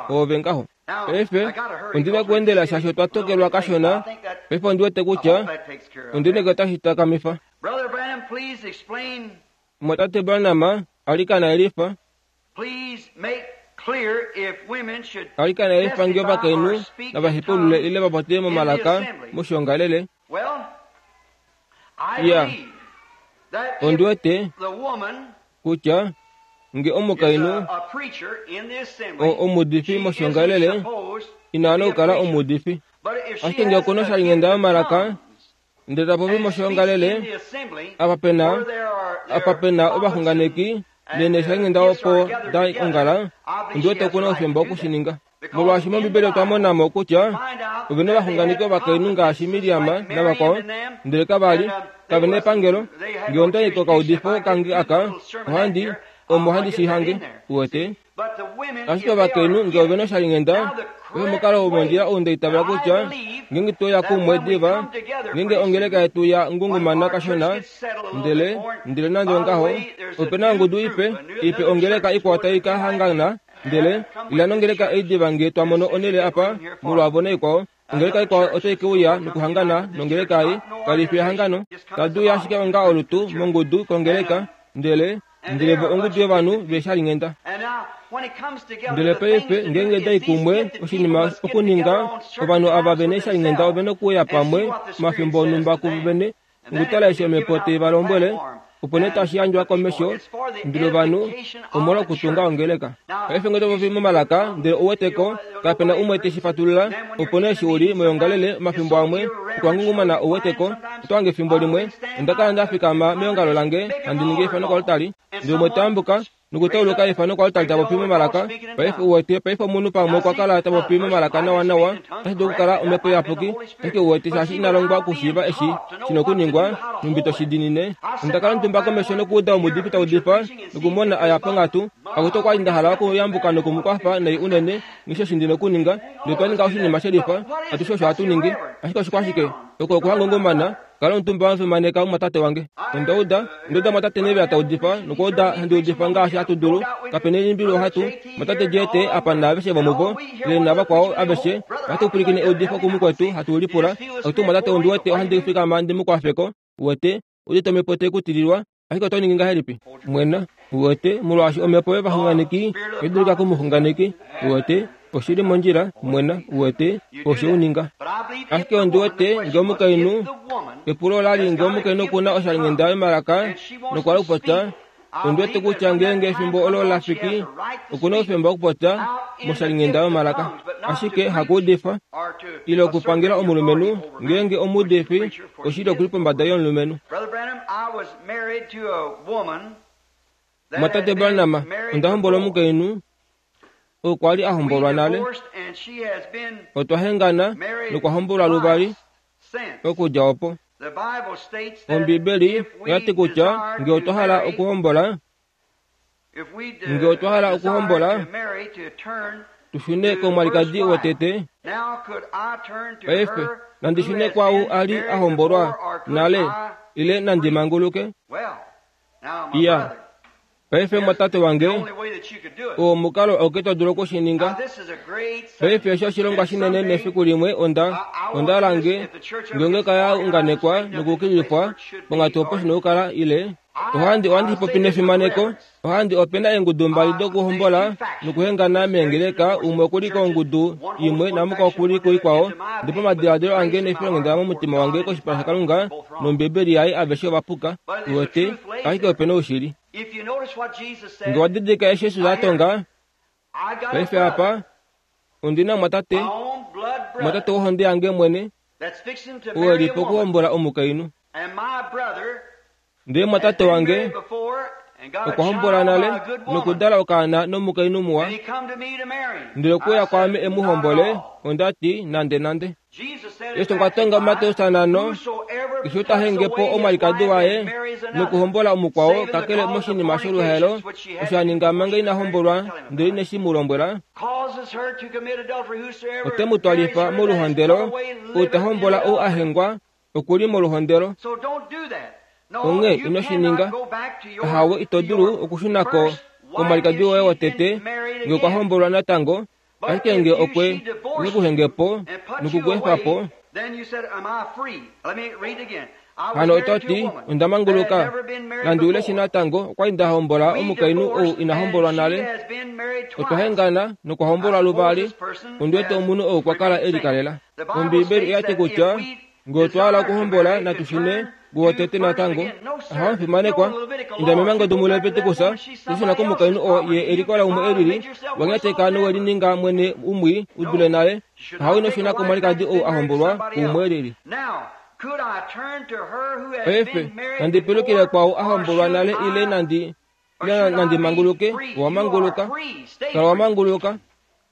Oove ngaho. Paife, ondi na okuendela shaashi otwa tokelwa kashona. Paife ondi wete kutya ondi neke otashi takamifa. Mumwatate Branham, alikana yelifa. Alikana yelifa nge ovakainhu nava hepaulule ile va popye momalaka moshiongalele. Ya, ondi wete kutya Nge omukainhu omuudifi moshiongalele ina wana okukala omuudifi. Ashike nge okuna oshalinghenda yomalaka, ndele ta popi moshiongalele, apa pe na, apa pe na ovaxunganeki neneshalinghenda opo da ongala, ondi wete okuna oufemba oku shi ninga. Molwaashi mOmbibeli otwa mona mo kutya ove na ovaxunganeki ovakainhu ngaashi Miriam navakwao, ndele kava li kave na epangelo. Nge onda i kokaudifo kange aka, ohandi, omo handi shi hange, uwete. Ashike ovakainhu nge ove na oshalinghenda, oyo omukalo womondjila ou nda itavela kutya ngeenge twe uya kumwe diva, ngeenge ongeleka yetu ya ngungumana kashona, ndele, ndele nande ongaho, ope na ongudu ipe, ipe ongeleka ikwao tai ka hangana, Ndele ila nongeleka ei diva nge twa mono onhele apa, molwaavo naikwao. Ongeleka ikwao otai ke uya nokuhangana nongeleka ei. Kali fi ehangano. Tadi uya ashike onga olutu, mongudu, kongeleka. Ndele, ndele vo ongudu yovanhu veeshalinghenda. Ndele paife, ngeenge dai kumwe, oshinima okuninga, ovanhu ava ve neeshalinghenda ove nokuuya pamwe omafimbo onhumba kuvo vene, Okutala eshi omhepo tai va lombwele, opo nee tashi yandjwa komesho ndele ovanhu omolwa okutunga ongeleka. Paife ngee to popi momalaka ndele ou wete ko, kape na umwe te shi fatulula, opo nee eshi u li moyoongalele omafimbo amwe okwa ngungumana ou wete ko, oto hange efimbo limwe onda kala nda fikama meongalo lange handi ningi efano koaltari, ndele umwe ta yambuka nokutauluka efano koaltari ta popi momalaka. Paife uwete, paife omunhu pamwe okwa kala ta popi momalaka nawanawa, otashi dulu okukala omhepo iyapuki, ashike uwete shaashi ina longwa okushiiva eshi shi na okuningwa, nhumbi to shi diinine. Onda kala omutumba komesho nokuuda omuudifi ta udifa, nokumona a ya ponghatu. Akutu okwa li nda hala okuyambuka noku mu kwafa nai unene, nghi eshi ndi na okuninga. Ndele otwa ninga oshinima shelifa, atushe osho hatu ningi. Ashike oshikwashike? Oko okuhangungumana. Kala omutumba wa fimaneka omumwatate wange. Onda uda, onda uda mwatate Neville ta udifa, nokwa uda handi udifa ngaashi hatu dulu. Kape na elimbilo ohatu, mwatate JT apa naaveshe vomuvo, ile navakwao aveshe, ohatu pwilikine eudifo kumukwetu hatu lipula, Akutu mwatate ondi wete ohandi fikama ndi mu kwafeko. Uwete, udite omhepo tai ku tililwa, Ashike oto ningi ngahelipi? Mwena, uwete, molwaashi omhepo yovaxunganeki otai dulika komuxunganeki. Uwete, oshi li mondjila, mwena, uwete, osho u ninga. Ashike ondi wete, nge omukainhu, epulo ola li nge omukainhu oku na oshalinghenda yomalaka nokwa hala okupopya, ondi wete kutya ngeenge efimbo olo la fiki, oku na oufemba wokupopya moshalinghenda yomalaka. Ashike hakuudifa, ile okupangela omulumenhu, ngeenge omuudifi, oshili oku li pombada yomulumenhu. Mwatate Branham, onda hombola omukainhu oo kwa li a hombolwa nale. Otwa hengana nokwa hombolwa luvali okudja opo. Ombibeli oya ti kutya nge otwa hala okuhombola, Nge otwa hala okuhombola, tu shune komwalikadi wotete. Paife, nandi shune kwaau a li a hombolwa nale, ile nandi manguluke? Iya. Paife, mwatate wange, oo omukalo auke to dulu oku shi ninga. Paife, osho oshilongwa shinene nefiku limwe onda, onda hala nge, nge ongeleka ya unganekwa nokukilifwa ponghatu opo shi na okukala, ile Ohandi ohandi popi nefimaneko. Ohandi ope na eengudu mbali dokuhombola nokuhengana meengeleka, umwe oku li kongudu imwe namukwao oku li kuikwao. Ndele pamadiladilo ange nefilonghenda momutima wange koshipala shaKalunga nOmbibeli yaye aveshe ova puka. Uwete? Ashike ope na oushili. Nge wa didilika eshi Jesus a tonga, paife apa, ondi na omwatate, omwatate wohonde yange mwene, oo e li pokuhombola omukainhu. Ndele mwatate wange okwa hombola nale nokudala okaana nomukainhu muwa, ndele okwe uya kwaame e mu hombole, onda ti, Nandenande. Yesu okwa tonga muMateus 5, Keshe ou ta henge po omwalikadi waye nokuhombola omukwao, kakele moshinima sholuhaelo, osho a ninga manga ina hombolwa ndele ine shi mu lombwela, ote mu twalifa moluhondelo. Ou ta hombola ou a hengwa, oku li moluhondelo. Onghee ino shi ninga. Ahawe, ito dulu okushuna ko komwalikadi woye wotete nge okwa hombolwa natango, ashike nge okwe okwe ku henge po noku ku efa po, hano oto ti, Onda manguluka. Nandi ule shi natango, okwa li nda hombola omukainhu ou ina hombolwa nale. Otwa hengana nokwa hombolwa luvali. Ondi wete omunhu ou okwa kala e likalela. Ombiibeli oya ti kutya nge otwa hala okuhombola natu shune Wotete natango, Ahawe omufimanekwa, inda memango domuLeviticus, to shuna komukainhu oo ye elikola umwe elili, wa nyateka nowe lininga mwene umwi u dule nale. Ahawe ino shuna komwalikadi ou a hombolwa kuumwe elili. Paife, nandi pilukile kwaau a hombolwa nale ile nandi ile nandi manguluke? Owa manguluka. Kala wa manguluka.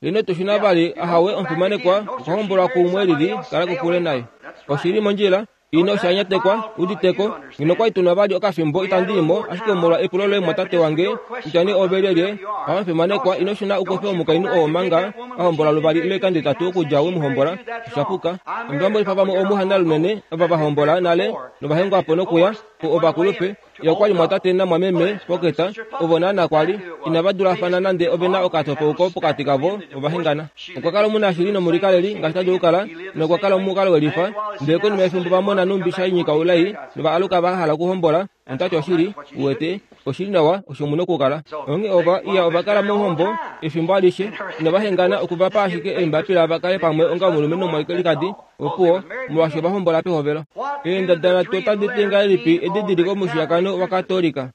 Ino tu shuna vali, ahawe omufimanekwa, okwa hombolwa kuumwe elili, kala kokule naye. Oshi li mondjila. Ino osha nyatekwa, uditeko. Ngeno kwa li tu na vali okafimbo itandi i mo, ashike molwa epulo loye mwatate wange, kutya nee ove lyelye, ahawe omufimanekwa, ino shuna u kofe omukainhu oo manga a hombola luvali ile oikando itatu okudja we mu hombola. Osha puka. Onda monifa vamwe omuhana lunene ava va hombola nale nova hengwa po nokuya ko ovakulupe. Ye okwa li mwatate namwameme Poketa, ovo naana kwa li inava dulafana nande ove na okatopauko pokati kavo, ova hengana. Okwa kala omunashili nomulikaleli ngaashi ta dulu okukala, nokwa kala omukalo welifa. Ndele konima yefimbo va mona nhumbi sha nyika oulai, nova aluka va hala okuhombola. Onda ti oshili, uwete, oshi li nawa, osho mu na okukala. Onghee ova, iya, ova kala mohombo efimbo alishe, inava hengana, okuva pa ashike eembapila va kale pamwe onga omulumenhu nomwalikadi. Opuwo, molwaashi ova hombola pehovelo. Eendada nhatu otadi ti ngahelipi edidiliko momushiyakano waKatolika?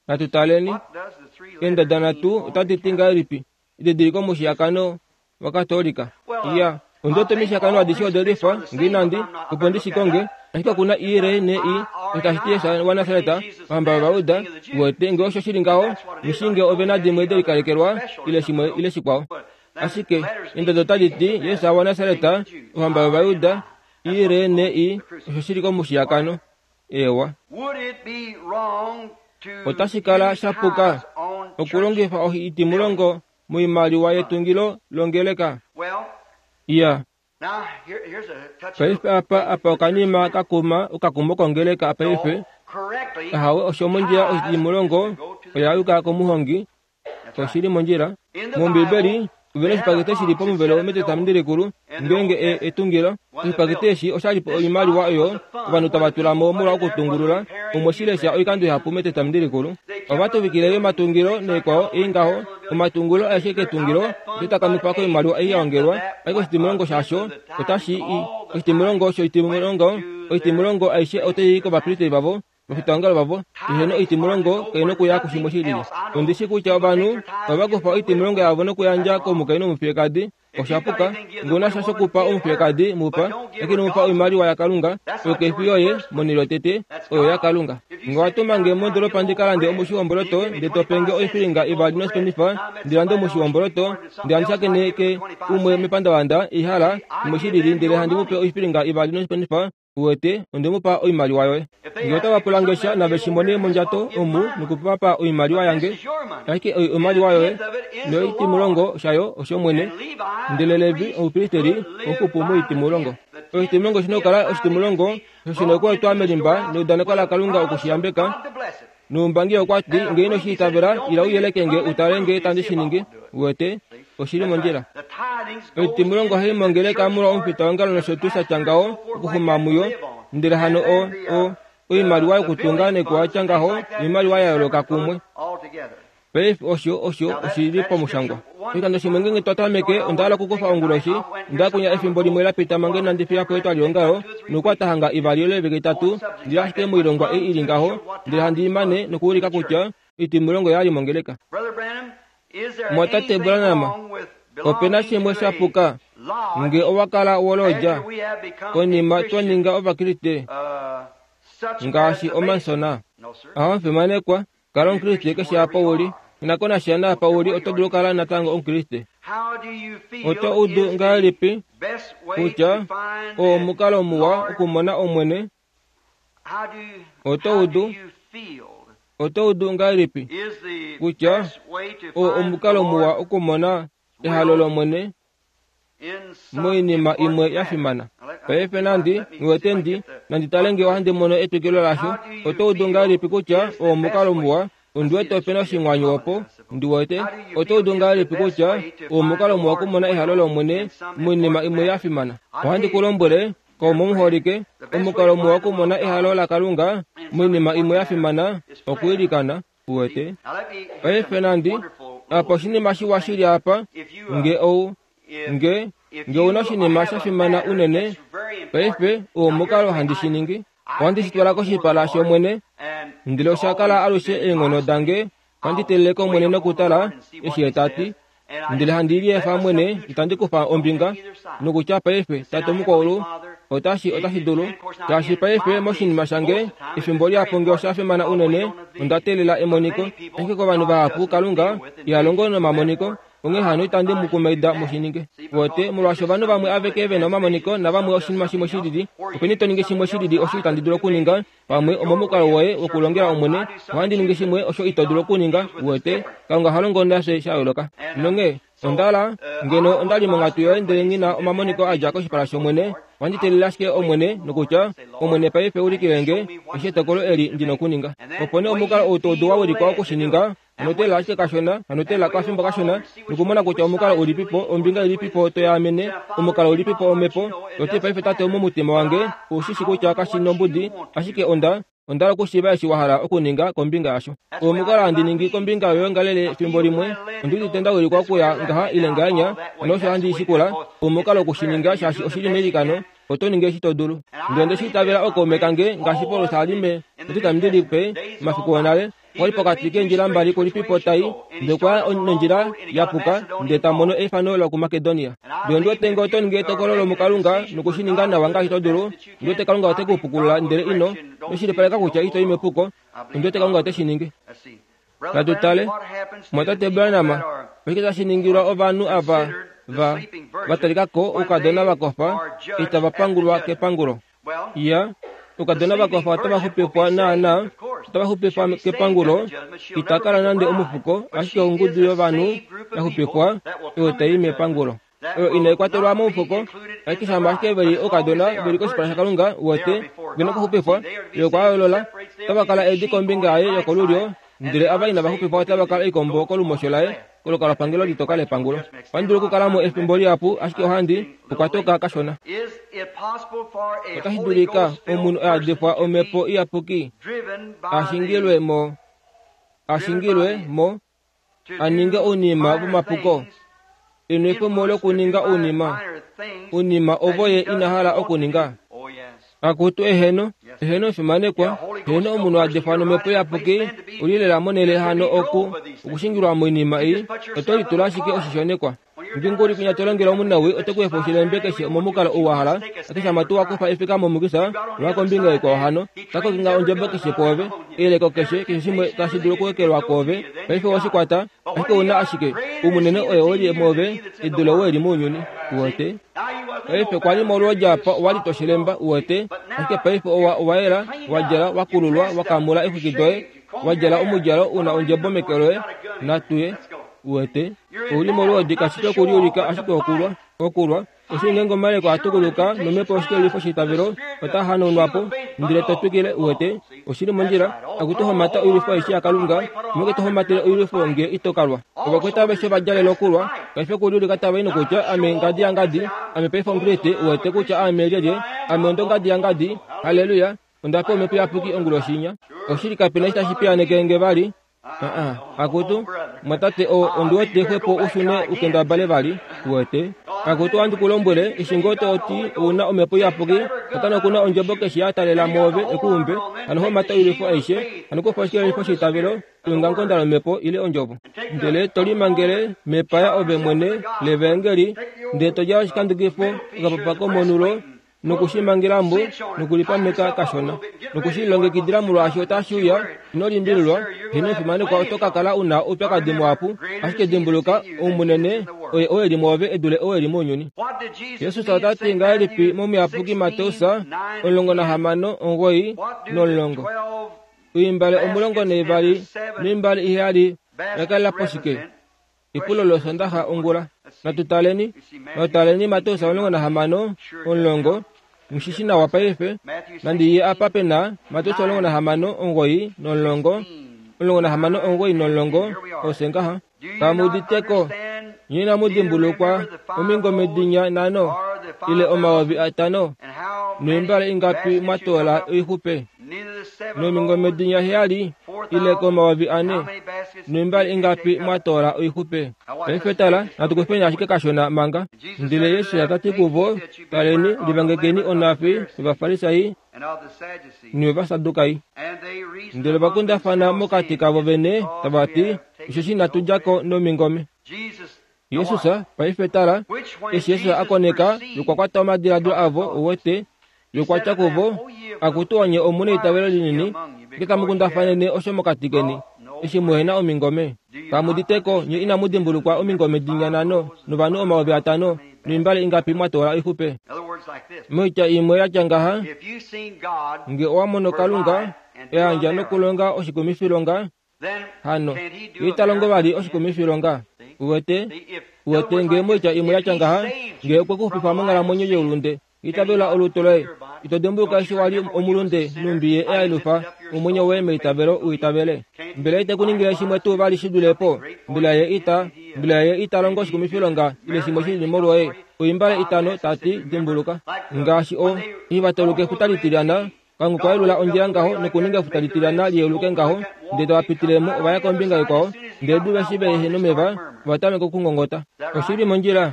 Natu taleni. Eendada nhatu otadi ti ngahelipi edidiliko momushiyakano waKatolika? Iya, ondi wete omishiyakano adishe ode lifa, nge inandi, opo ndi shi konge, ashike oku na I, R, N, I, osho tashi ti Jesus waNasaret, ohamba yOvayuda. Uwete, nge osho shi li ngaho, nghi shii nge ove na dimwe de likalekelwa, ile shimwe ile shikwao. Ashike eendodo otadi ti, Jesus waNasaret, ohamba yOvayuda, I re ne i, osho shi li komushiyakano. Eewa. Otashi kala sha puka okulongifa oitimulongo moimaliwa yetungilo longeleka. Iya. Paife apa, apa okanima ka kuma okakumo kongeleka paife. Ahawe, osho mondjila oshitimulongo oya yuka komuhongi. Oshi li mondjila. MOmbiibeli, ove na oshipakete shi li pomuvelo mEtestamenti Likulu, ngeenge e, etungilo. Oshipakete eshi osha li po oimaliwa oyo ovanhu tava tula mo molwa okutungulula. Omwe shi lesha oikando ihapu mEtestamenti Likulu. Ova tuvikile yo omatungilo naikwao ei ngaho. Omatungilo aeshe ketungilo ote takamifa koimaliwa ei ya ongelwa, ashike oshitimulongo shasho otashi i. Oshitimulongo shoitimulongo, oitimulongo aishe otai i kovapristeri vavo Ovafitaongalo vavo eheno oitimulongo kai nokuya kushimwe shi lili. Ondi shi kutya ovanhu ohava kufa oitimulongo yavo nokuyandja komukainhu omufiyekadi. Osha puka. Nge ou na sha shokupa omufiyekadi, mu pa. Ashike ino mu pa oimaliwa yaKalunga. Oyo kai fi yoye, monhele yotete. Oyo yaKalunga. Nge owa tuma nge mondoolopa ndi ka lande omushi womboloto, ndele to pe nge oifilinga ivali nosipenifa ndi lande omushi womboloto, ndele handi shakeneke umwe mepandavanda, ihala, shimwe shi lili, ndele handi mu pe oifilinga ivali nosipenifa, Uwete, onde mu pa oimaliwa yoye. Nge otava pula nge sha, nave shi mone mondjato omu noku va pa oimaliwa yange. Ashike oi oimaliwa yoye, noitimulongo shayo oshOmwene. Ndele Levi, omupristeli, ohupu moitimulongo. Oshitimulongo oshi na okukala oshitimulongo, osho shi na okuetwa melimba neudaneko laKalunga oku shi yambeka. Noumbangi okwa ti, Nge ino shi itavela, ila u yeleke nge u tale nge tandi shi ningi. Uwete, oshi li mondjila. Oitimulongo ohai mongeleka molwa omufitaongalo nosho tuu sha tya ngaho, okuxuma muyo. Ndele hano o, o, oimaliwa yokutunga noikwayo ya tya ngaho, oimaliwa ya yooloka kumwe. Paife osho, osho oshi li pamushangwa. Oshikando shimwe ngeenge twa tameke, onda hala okukufa onguloshi, onda kunya efimbo limwe la pita manga inandi fiya po etwalihongalo, nokukwata hanga ivali ile oivike itatu, ndi li ashike moilongwa ei i li ngaho, ndele handi i mane nokuulika kutya oitimulongo oya li mongeleka. Mumwatate Branham, ope na shimwe sha puka nge owa kala wolodja konima twa ninga Ovakriste ngaashi Omansona. Aho, Kala Omukriste keshe apa u li. Ina ko nasha naapa u li, oto dulu okukala natango Omukriste. Oto udu ngahelipi kutya oo omukalo muwa okumona Omwene? Oto udu, oto udu ngahelipi kutya oo omukalo muwa okumona ehalo lOmwene? moinima imwe ya fimana. Paife nandi wete ndi nandi tale nge ohandi mono etwikilo lasho. Oto udu ngahelipi kutya oo omukalo muwa? Ondi wete ope na oshinghwanyu opo. Ndi wete. Oto udu ngahelipi kutya oo omukalo muwa okumona ehalo lOmwene moinima imwe ya fimana? Ohandi ku lombwele, kaume omuholike, omukalo muwa okumona ehalo laKalunga moinima imwe ya fimana okwiilikana. Uwete? Paife nandi, apa oshinima shiwa shi li apa, nge ou, nge, nge una oshinima sha fimana unene, paife, oo omukalo handi shi ningi. Ohandi shi twala koshipala shOmwene, ndele osha kala alushe eenghono dange. Ohandi teelele kOmwene nokutala eshi Ye ta ti. Ndele handi liefa mwene, itandi kufa ombinga, nokutya paife, Tate Omukwaulu, otashi, otashi dulu. Shaashi paife moshinima shange, efimbo lihapu nge osha fimana unene, onda teelela emoniko. Ashike kovanhu vahapu Kalunga iha longo nomamoniko, onghee hano itandi mu kumaida mu shi ninge. Wote, molwaashi ovanhu vamwe aveke ve na omamoniko navamwe oshinima shimwe shi lili, openi to ningi shimwe shi lili osho itandi dulu okuninga, Pamwe omomukalo woye wokulongela Omwene, ohandi ningi shimwe osho ito dulu okuninga, uwete. Kalunga oha longo nafye sha yooloka. Nonghee, onda la, ngeno onda li monghatu yoye ndele nghi na omamoniko a dja koshipala shOmwene, ohandi teelele ashike Omwene, nokutya, Omwene paife ulikile nge eshi etokolo eli ndi nokuninga. Opo nee omukalo ou to udu wa wilikwa oku shi ninga, Hano teelela ashike kashona, hano teelela okafimbo kashona, nokumona kutya omukalo ulipipo, ombinga ilipipo to yaamene, omukalo ulipipo omhepo. To ti, Paife, Tate, momutima wange, ou shi shi kutya kashi nombudi, ashike onda, onda hala okushiiva eshi wa hala okuninga kombinga yasho. Oo omukalo handi ningi kombinga yoyoongalele efimbo limwe. Ondi udite nda wilikwa okuya ngaha ile ngahenya, hano osho handi shikula. Omukalo oku shi ninga, shaashi oshi li meilikano. Oto ningi eshi to dulu. Ndele onde shi itavela ookaume kange, ngaashi Paulus a li me, oti tamu di lipe, omafiku onale. Okwa li pokati keendjila mbali kulipipo tai, ndele okwa ya nondjila ya puka, ndele ta mono eifano lokuMakedonia. Ndele ondi wete ngee oto ningi etokolo lomuKalunga noku shi ninga nawa ngaashi to dulu, ondi wete Kalunga ote ku pukulula ndele ino shilipaleka kutya ito i mepuko. Ondi wete Kalunga ote shi ningi. Natu tale. Mumwatate Branham, oshike tashi ningilwa ovanhu ava va, va talika ko oukadona va kofa itava pangulwa kepangulo? Iya, oukadona va kofa otava xupifwa naanaa, otava xupifwa kepangulo. Ita kala nande omufuko, ashike ongudu yovanhu ya xupifwa oyo tai i mepangulo. Oyo inai kwatelwa momufuko, ashike shama ashike ve li oukadona ve li koshipala shaKalunga, uwete, ve na okuxupifwa. Ye okwa yoolola. Otava kala eedi kombinga yaye yokolulyo, ndele ava inava xupifwa otava kala oikombo kolumosho laye. Kolukalwapangelo litoka lepangulo. Ohandi dulu okukala mo efimbo lihapu, ashike ohandi okwa toka kashona. Otashi dulika omunhu a yadifwa Omhepo Iyapuki a shingilwe mo, a shingilwe mo a ninge ounima vomapuko, enwefemo lokuninga ounima, ounima ovo ye ina hala okuninga. Akutu eheno, eheno efimanekwa, eheno omunhu a difwa nomhepo iyapuki, u li lela monhele hano oku, okushingilwa moinima ei, oto litula ashike oshishonekwa. Ngeenge u li kwinya to longele omunawii, ote ku efa oshilembe keshe omomukalo ou wa hala, ashike shama tuu wa kufa efika momukisa, lwa kombinga ikwao hano, ta kokinga ondjebo keshe kwoove, eyeleko keshe, keshe shimwe tashi dulu okuekelwa kwoove, paife owe shi kwata, Ashike ou na ashike, oumunene oye oo li mwoove, e dule oo e li mounyuni. Uwete? Paife, kwa li molwoodi apa, owa li to shilemba, uwete, ashike paife owa, owa yela, wa djala, wa kululwa, wa kamula eexwiki doye, wa djala omudjalo u na ondjebo meke loye. Natu ye. Uwete? Ou li molwoodi, kashi fi okuliulika, ashike okulwa. Okulwa. Osho ngeenge omayeleko a tukuluka nomhepo yoshikelelifo sheitavelo ota hanaunwa po, ndele to twikile, uwete, oshi li mondjila, akutu homata oilwifo aishe yaKalunga, omeke to homatele oilwifo nge ito ka lwa. Ovakwaita aveshe ova djalela okulwa, paife okuliulika tava i nokutya, Ame ngadi yangadi, ame paife Omukriste, uwete kutya aame lyelye, ame ondongadi yangadi, halleluya, onda pewa Omhepo Iyapuki onguloshi inya. Oshili kape na eshi tashi piyaaneke nge vali, Aa, akutu, mwatate, o, ondi wete xwepo u shune u kendabale vali, uwete. Akutu, ohandi ku lombwele, eshi ngoo to ti ou na Omhepo Iyapuki, Satana oku na ondjebo keshe ya talela mwoove e ku umbe, hano homata oilwifo aishe, hano kufa oshikelelifo sheitavelo, eongamukonda lOmhepo, ile Ondjovo. Ndele to limangele mepaya ove mwene lEvaengeli, ndele to djala oshikandekifo, okapapa komonulo, noku shi mangela mo nokulipameka kashona noku shi lilongekidila molwaashi otashi uya. Ino limbililwa, heeno omufimanekwa, oto ka kala u na oupyakadi muhapu, ashike dimbuluka, ou munene oye oo e li mwoove e dule oo e li mounyuni. Jesus ota ti ngahelipi mOmuyapuki Mateus 16, 9 no-10? Oimbale 12 noimbale iheyali oya kalela po shike? Epulo lOsondaxa ongula. Natu taleni, natu taleni Mateus 16, 10, Mushi shi nawa paife. Nandi ye apa pe na Mateus 16, 9 no-10, 16, 9 no-10, ose ngaha. Kamu udite ko? Nye inamu dimbulukwa omingome dinya nhano, ile 5000, noimbale ingapi mwa toola oixupe? Nomingome dinya heyali, ile komayovi ane, noimbale ingapi mwa toola oixupe? Paife tala, natu kufeni ashike kashona manga. Ndele Jesus ta ti kuvo, Taleni, livangekeni onhafi yOvafarisai. novasadukai. Ndele va kundafana mokati kavo vene tava ti, Osheshi inatu dja ko nomingome. Jesus, paife tala, eshi Jesus a koneka nokwa kwata omadiladilo avo, uwete, nokwa tya kuvo, Akutu onye omu neitavelo linini, nge tamu kundafanene osho mokati keni, eshi muhe na omingome. Kamu dite ko, nye inamu dimbulukwa omingome dinya nhano novanhu 5000, noimbale ingapi mwa toola oixupe? Moitya imwe ya tya ngaha, nge owa mono Kalunga eyandja nokulonga oshikumifilonga, hano ye ita longo vali oshikumifilonga. Uwete? Uwete, nge moitya imwe ya tya ngaha, nge okwe ku xupifa monghalamwenyo youlunde, itavela olutu loye. Ito dimbuluka eshi wa li omulunde numbi ye ealufa omwenyo woye meitavelo u itavele. Mbela ite ku ningile shimwe tuu vali shi dule po? Mbela ye ita, mbela ye ita longo oshikumifilonga ile shimwe shi lili molwoye? Oimbale itano, ta ti, dimbuluka. Ngaashi o, eshi va tauluka efuta litilyana, Kalunga okwa yelula ondjila ngaho nokuninga efuta litilyana li yeuluke ngaho, ndele tava pitile mo, ova ya kombinga ikwao, ndele diva eshi vehe nomeva, ova tameka okungongota. Oshi li mondjila.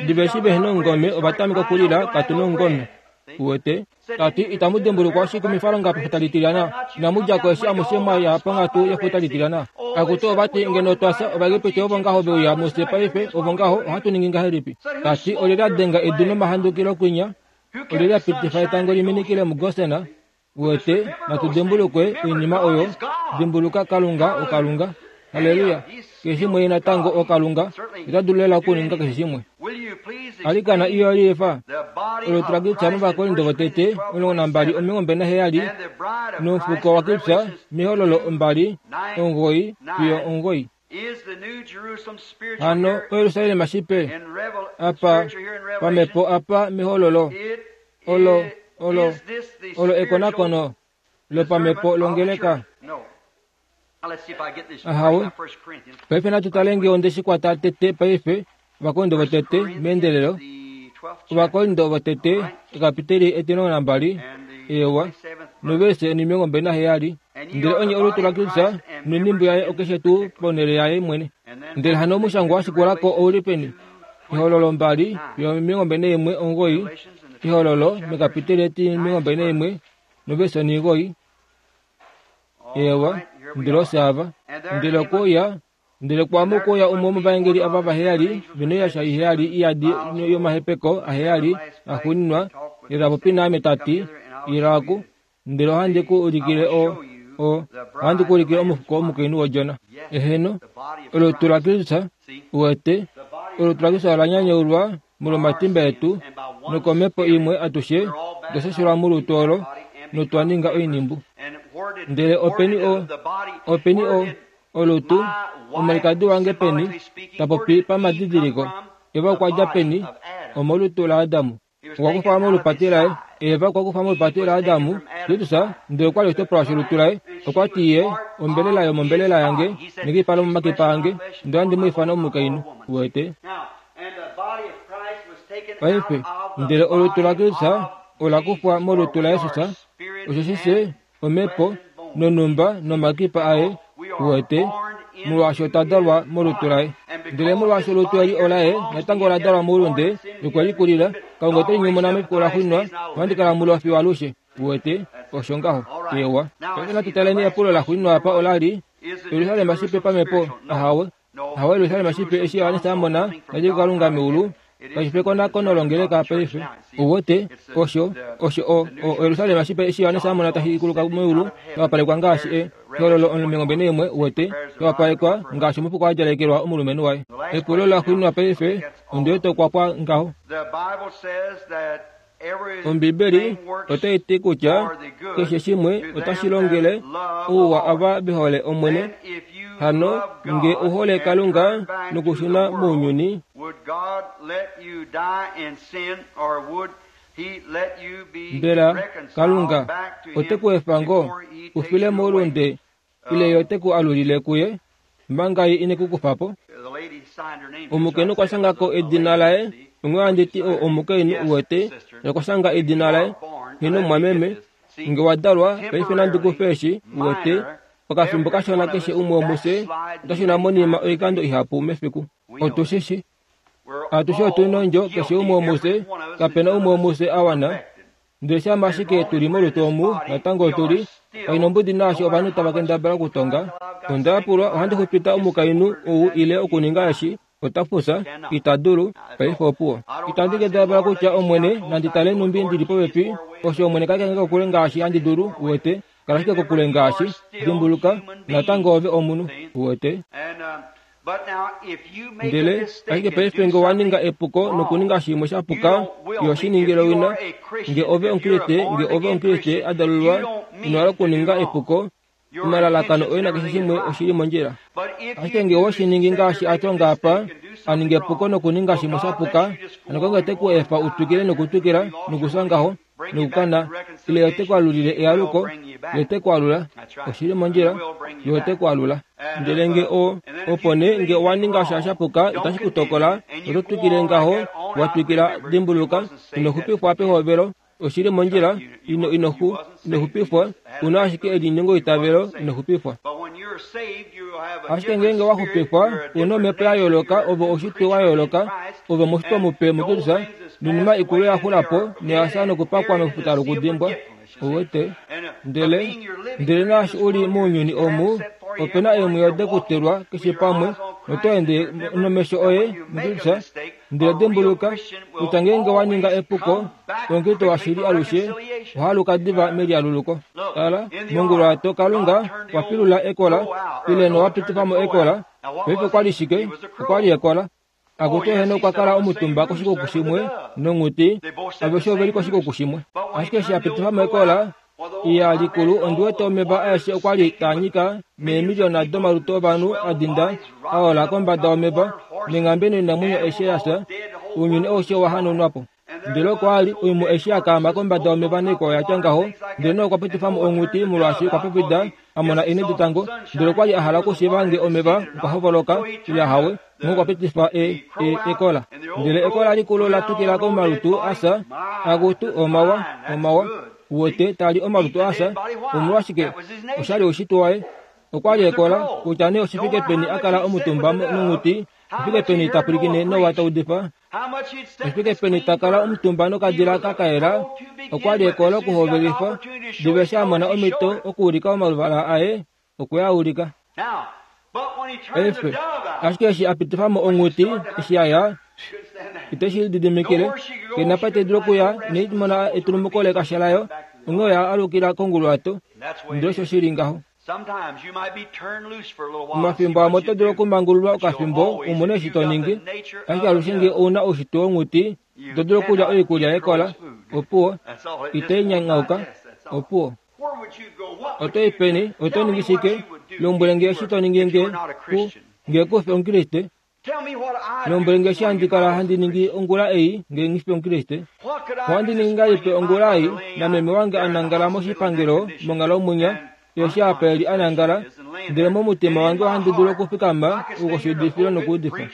Diva eshi vehe nomungome, ova tameka okulila, Katu nomungome. Uwete? Ta ti, Itamu dimbulukwa oshikumifalonga pefuta litilyana? Inamu dja ko eshi amushe mwa ya ponghatu yefuta litilyana? Akutu, ova ti, ngeno otwa fya, Ovaegipiti ovo ngaho ve uya mufye paife, ovo ngaho, ohatu ningi ngahelipi? Ta ti, Olyelye a denga edu nomahandukilo kwinya? Olyelye a pitifa etango li minikile muGosen? Uwete, natu dimbulukwe oinima oyo. Dimbuluka, Kalunga oKalunga. Halleluya! Keshe shimwe Ye natango oKalunga. Ota dulu lela okuninga keshe shimwe. Alikana iyo liifa. Olutu laKristus mOvakorinto votete 12 27 nomufuko waKristus mEhololo 2 9 fiyo 9. Hano oYerusalem shipe, apa, pamhepo apa mehololo, olo, olo, olo ekonakono lopamhepo longeleka. Ahawe. Paife natu tale nge onde shi kwata tete paife, Ovakorinto votete, meendelelo, Ovakorinto votete, ekapiteli etilongo nambali, eewa, novese onimilongo mbali naheyali. Ndele onye olutu laKristus noinimbu yaye okeshe tuu ponhele yaye mwene. Ndele hano omushangwa wa shikula ko ou li peni? Ehololo mbali fiyo omilongo mbali naimwe omugoyi, Ehololo mekapiteli etimilongo mbali naimwe novese onimugoyi. Eewa, ndele ofye ava. Ndele okwe uya Ndele kwaamo okwe uya umwe womovaengeli ava vaheyali, ve noiyasha iheyali i yadi yomahepeko aheyali axuuninwa, ye ta popi naame ta ti, Ila oku, ndele ohandi ku ulikile o, o, ohandi ku ulikile omufuko womukainhu wOdjona. Eheno, olutu laKristus, uwete, olutu laKristus ola nyanyaulwa molwomatimba etu, nokomhepo imwe atushe otwa shashelwa molutu olo notwa ninga oinhimbu. Ndele openi o, openi o, Olutu, omwalikadi wange peni, ta popi pamadidiliko. Eva okwa dja peni? Omolutu laAdam. Okwa kufwa molupati laye. Eva okwa kufwa molupati laAdam, Jesus, ndele okwa li oshitopolwa sholutu laye. Okwa ti ye, Ombelela yomombelela yange, nekipa lomomakipa ange, ndele ohandi mu ifana omukainhu. Uwete? Paife, ndele olutu laKristus ola kufwa molutu laJesus, osheshi fye omhepo nonhumba nomakipa aye, uwete, molwaashi otwa dalwa molutu laye. Ndele molwaashi olutu eli olaye, natango ola dalwa moulunde, nokwe li kulila, Kalunga ote li nyumuna mefiku laxuuninwa, nohandi kala mulo fiyo alushe. Uwete, osho ngaho. Eewa. Paife natu taleni epulo laxuuninwa apa ola li, Jerusalem shipe pamhepo? Ahawe. Ahawe, Jerusalem shipe eshi Johannes a mona tadi kuKalunga meulu, kashi fi ekonakono longeleka paife. Uwete, osho, osho o, o, Jerusalem shipe eshi Johannes a mona tashi kuluka meulu, sha wapalekwa ngaashi e, ehololo omilongo naimwe, uwete, sha wapalekwa ngaashi omufuko a djalekelwa omulumenhu waye. Epulo laxuuninwa paife, ondi wete okwa pwa ngaho. Ombibeli otai ti kutya keshe shimwe otashi longele ouwa ava ve hole Omwene. Hano nge u hole Kalunga nokushuna mounyuni, mbela Kalunga ote ku efa ngoo u file moulunde ile ye ote ku alulile kuye manga ye ine ku kufa po? Omukainhu okwa shanga ko edina laye, onghee ohandi ti o omukainhu uwete, okwa shanga edina laye, Heeno mumwameme, nge wa dalwa, paife nandi ku fe eshi, uwete, okafimbo kashona keshe umwe womufye ota shuna monima oikando ihapu mefiku. Otu shi shi. Atushe otu nondjo, keshe umwe womufye, kape na umwe womufye a wana. Ndele shama ashike tu li molutu omu, natango otu li kainombudi naashi ovanhu tava kendabala okutonga. Onda yapulwa, ohandi xupita omukainhu ou ile okuninga eshi, ota fufya, ita dulu, paife opuwo. Itandi kendabala kutya, Omwene, nandi tale nhumbi ndi li popepi, osho Omwene kaleke nge kokule ngaashi handi dulu, uwete, kala ashike kokule ngaashi, dimbuluka, natango ove omunhu, uwete. Ndele ashike paife nge owa ninga epuko nokuninga shimwe sha puka, iho shi ningile owina. Nge ove Omukriste, nge ove Omukriste a dalulwa, ino hala okuninga epuko, omalalakano oye nakeshe shimwe oshi li mondjila. Ashike nge owe shi ningi ngaashi a tonga apa, a ninga epuko nokuninga shimwe sha puka, hano Kalunga te ku efa u twikile nokutwikila nokufya ngaho, nokukana, ile ye ote ku alulile ealuko, ye ote ku alula. Oshi li mondjila, ye ote ku alula. Ndele nge o, opo nee nge owa ninga sha sha puka, itashi ku tokola, oto twikile ngaho, wa twikila, dimbuluka, ino xupifwa pehovelo, Oshi li mondjila, ino, ino xu, ino xupifwa, u na ashike elinyengoitavelo, ino xupifwa. Ashike ngeenge wa xupifwa, u na omhepo ya yooloka, ove oushitwe wa yooloka, ove omushitwa mupe muKristus, noinima ikulu oya xula po noya fya nokupakwa mefuta lokudimbwa. Uwete? Ndele, ndele naashi u li mounyuni omu, ope na eemwiyo de ku telwa keshe pamwe, noto ende nomesho oye muKristus, Ndele dimbuluka kutya ngeenge wa ninga epuko, omukriste washili alushe oha aluka diva melialuluko. Tala, monguluwato Kalunga okwa pilula ekola, ile nowa pitifa mo ekola. Paife okwa li shike? Okwa li ekola. Akutu eheno okwa kala omutumba koshikuku shimwe nonghuti, aveshe ove li koshikuku shimwe. Ashike eshi a pitifa mo ekola, Iya likulu ondi wete omeva aeshe okwa li taa nyika neemiliona domalutu ovanhu a dinda a ola kombada yomeva, neenghambe noinamwenyo aishe ya fya, ounyuni aushe owa hanaunwa po. Ndele okwa li oimhu eshi ya kaama kombada yomeva naikwao ya tya ngaho, ndele Noa okwa pitifa mo onghuti molwaashi okwa pupwida a mona eenhe detango, ndele okwa li a hala okushiiva nge omeva okwa hovoloka ile ahawe, onghee okwa pitifa e, e, ekola. Ndele ekola likulu ola tukila komalutu a fya, akutu, omawa, omawa. Uwete, ta li omalutu a fya. Omolwashike? Osha li oushitwe waye. Okwa li ekola, kutya nee oshi fike peni a kala omutumba nonghuti, oshi fike peni ta pwilikine Noa ta udifa, oshi fike peni ta kala omutumba nokadila ka kayela, okwa li ekola okuhovelifa. Diva eshi a mona omhito okuulika omaluvala aye, okwe a ulika. Paife, ashike eshi a pitifa mo onghuti, eshi ya ya, ite shi lididimikile, ke na pa te dulu okuya, inai mona etulumuko lekasha layo, onghee oya alukila konguluwato. Ndele osho shi li ngaho. Omafimbo amwe oto dulu okumangululwa okafimbo u mone eshi to ningi, ashike alushe nge ou na oushitwe wonghuti, ito dulu okulya oikulya yekola. Opuwo. Itai nyanyauka. Opuwo. Oto i peni? Oto ningi shike? Lombwele nge eshi to ningi nge ku nge ku fi Omukriste. Lombwele nge eshi handi kala handi ningi ongula ei nge nghi fi Omukriste. Ohandi ningi ngahelipi ongula ei nameme wange a nangala moshipangelo monghalo munya, ye eshi apa e li a nangala, ndele momutima wange ohandi dulu okufikama okoshiudifilo nokuudifa.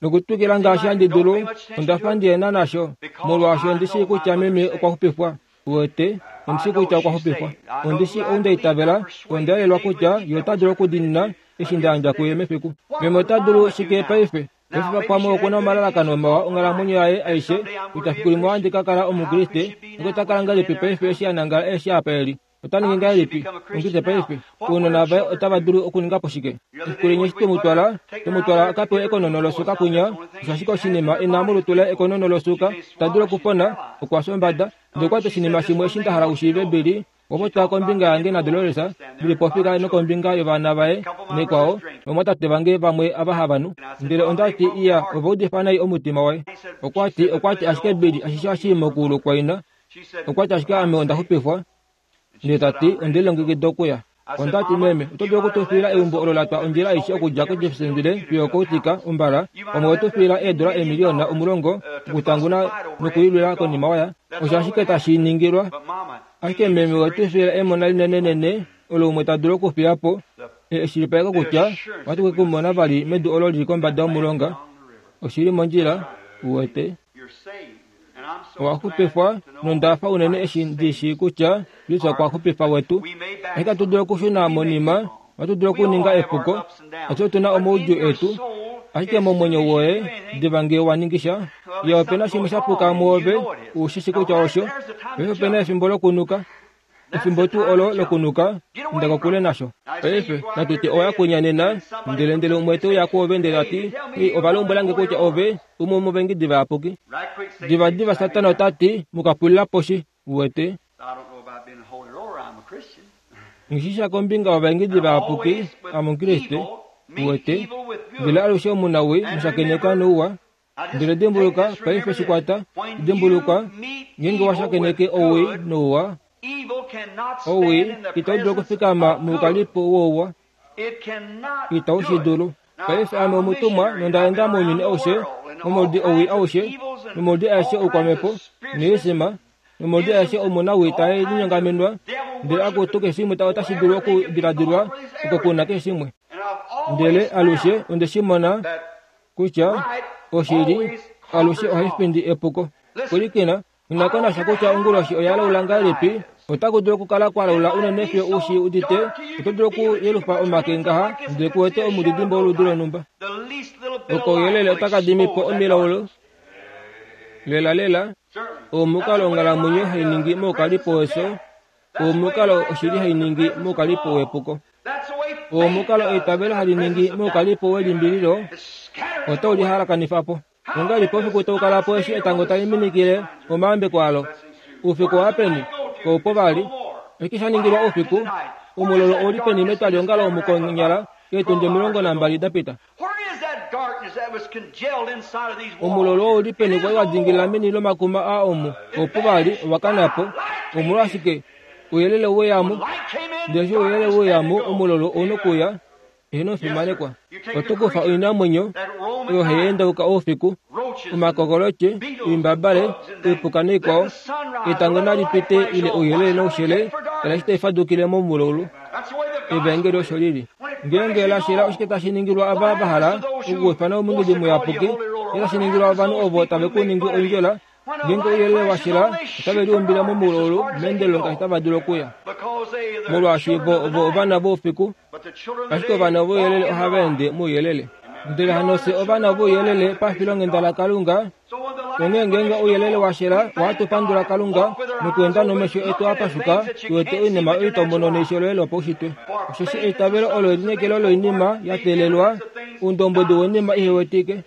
Nokutwikila ngaashi handi dulu, onda fa ndi na nasho, molwaashi ondi shii kutya meme okwa xupifwa. Uwete, ondi shii kutya okwa xupifwa. Ondi shii ou nda itavela, onda yelelwa kutya ye ota dulu okudiinina eshi nda yandja kuye mefiku. Meme ota dulu shike paife? Paife pamwe oku na omalalakano mawa onghalamwenyo yaye aishe, kutya fiku limwe ohandi ka kala Omukriste, nokwe ta kala ngahelipi paife eshi a nangala eshi apa e li? Ota ningi ngahelipi Omukriste paife? Ounona vaye otava dulu okuninga po shike? Efiku limwe eshi twe mu twala, twe mu twala a ka pewe ekonono losuka kunya, osho ashike oshinima e na molutu laye ekonono losuka, ta dulu okupona, okwa fya ombada. Ndele okwa ti oshinima shimwe eshi nda hala u shiive, Billy, okwa popya kombinga yange naDolores, ndi li pofika nokombinga yovana vaye nekwao, novamwatate vange vamwe ava hava nu. Ndele onda ti, Iya, ova udifa nai omutima waye. Okwa ti, okwa ti, Ashike Billy, ashishe ohashi i mokuulu kwaina. Okwa ti ashike ame onda xupifwa, ndele ta ti onde lilongekida okuya. Onda ti, Meme, oto dulu oku tu fiila eumbo olo la twa ondjila aishe okudja koJeffersonville fiyo okOutica, ombala, pamwe owe tu fiila eedola eemiliona 10 okutanguna nokulilwila konima waya. Osho ashike tashi ningilwa. Ashike meme owe tu fiila emona linenenene olo umwe ta dulu okufiya po, eshilipaleko kutya ohatu ke ku mona vali medu olo li li kombada yomulonga. Oshi li mondjila, uwete. Owa xupifwa, nonda fa unene eshi ndi shii kutya Kristus okwa xupifa wetu. Ashike ohatu dulu okushuna monima, ohatu dulu okuninga epuko, ashike otu na omaudjuu etu. Ashike momwenyo woye, diva ngee wa ningi sha, ye ope na shimwe sha puka mwoove, u shi shi kutya osho. Paife ope na efimbo lokunuka. Efimbo tuu olo lokunuka, inda kokule nasho. Paife, natu tye owa ya kwinya nena, ndele, ndele umwe te uya kwoove ndele ta ti, Ei, ova lombwela nge kutya ove umwe womovaengedi vayapuki. Divadiva Satana ota ti, Mu ka pulila poshi. Uwete? Nghi shi sha kombinga yovaengedi vayapuki, ame Omukriste. Uwete? Ndele alushe omunawii mushakeneka nouwa. Ndele dimbuluka, paife shi kwata, dimbuluka, ngeenge wa shakeneke owii nouwa, owii itau dulu okufikama moukalipo wouwa. Itau shi dulu. Paife ame omutumwa nonda enda mounyuni aushe, momoludi owii aushe, nomoludi aeshe oukwamhepo, noisima, nomoludi aeshe omunawii tae linyongamenwa, ndele akutu keshe shimwe otashi dulu okudiladilwa oko ku na keshe shimwe. Ndele alushe onde shi mona kutya oshili alushe ohai findi epuko. Pwilikina, ina ko nasha kutya onguloshi oya laula ngahelipi, otaku dulu okukala kwa laula unene fiyo u shi udite, oto dulu okuyelufa omake ngaha ndele ku wete omudidimbe woludi lonhumba. Okouyelele otaka dimi po omilaulu. Lelalela, omukalo onghalamwenyo hai ningi moukalipo wefyo, omukalo oshili hai ningi moukalipo wepuko, omukalo eitavelo hali ningi moukalipo welimbililo, otau li halakanifa po. Ongahelipi oufiku tau kala po eshi etango tali minikile omayambeko alo? Oufiku owa peni? Kau po vali. Oshike sha ningilwa oufiku? Omulolo ou li peni metwaliongalo omu konyala eetundi 12 da pita? Omulolo ou li peni kwali wa dingilila meni lomakuma aa omu? Opo vali, owa kana po. Omolwashike? Ouyelele owe ya mo. Ndele eshi ouyelele we uya mo, omulolo ou nokuuya. Eheno omufimanekwa. Oto kufa oinamwenyo oyo hai endauka oufiku, omakokoloche, oimbabale, oipuka naikwao. Etango nali pite ile ouyelele noushele, tala eshi tai fadukile momulaulu. Evaengeli osho li li. Ngeenge la shela oshike tashi ningilwa ava va hala okuufana omungidi muyapuki? Oshike tashi ningilwa ovanhu ovo tave ku ningi oindjola? Ngeenge ouyelele wa shela, otave liumbile momulaulu meendelelo ngaashi tava dulu okuya. Molwaashi vo ovo ovana voufiku, ashike ovana vouyelele ohava ende mouyelele. Ndele hano fye ovana vouyelele pafilonghenda laKalunga, Onghee ngeenge ouyelele wa shela, ohatu pandula Kalunga nokweenda nomesho etu a pashuka tu wete oinima oyo twa mono neisho loye lopaushitwe. Osheshi eitavelo olo elineekelo loinima ya teelelwa, oundombwedi woinima ihe wetike.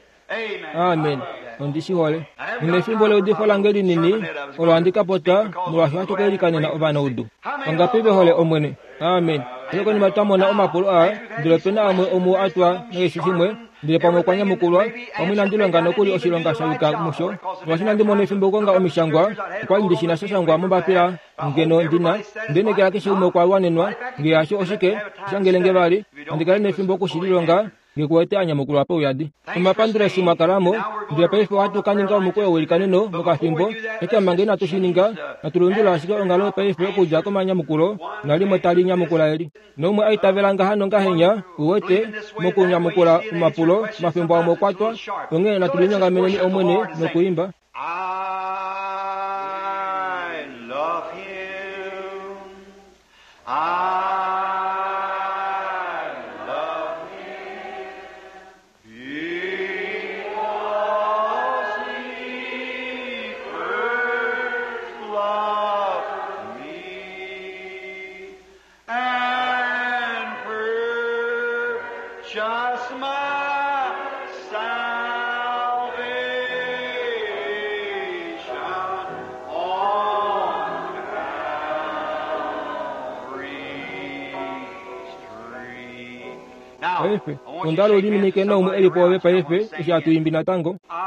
Amen. Ondi shi hole. Nonefimbo leudifo lange linini olo handi ka popya, molwaashi ohatu ka ilikanena ovanaudu. Vangapi ve hole Omwene? Amen. Ndele konima twa mona omapulo aa, ndele ope na amwe omuo a twa nakeshe shimwe, ndele pamwe okwa nyamukulwa, pamwe inandi longa nokuli oshilonga sha yuka musho, molwaashi inandi mona efimbo okukonga omishangwa, okwa li ndi shi na sha shangwa mombapila ngeno ndi na, nde nekela keshe umwe okwa wanenwa, nge hasho oshike, shangele nge vali, nandi kale nefimbo oku shi lilonga, nge ku wete a nyamukulwa pauyadi. Omapandulo eshi mwa kala mo, ndele paife ohatu ka ninga omukweyo weilikaneno mokafimbo. Ashike manga inatu shi ninga, natu lundulule ashike onghalo paife okudja komanyamukulo, nalimwe tali nyamukula eli. Naumwe a itavela ngaha nongahenya, uwete, mokunyamukula omapulo, omafimbo amwe okwa twa, onghee natu linyongameneni Omwene nokuimba. I love him. I love him because he first loved me and purchased my salvation on Calvary's tree. Now, Paife, I want you onda to hala shake u hands liminike with naumwe somebody e li pwoove around you. I want paife to sing eshi hatu imbi natango. I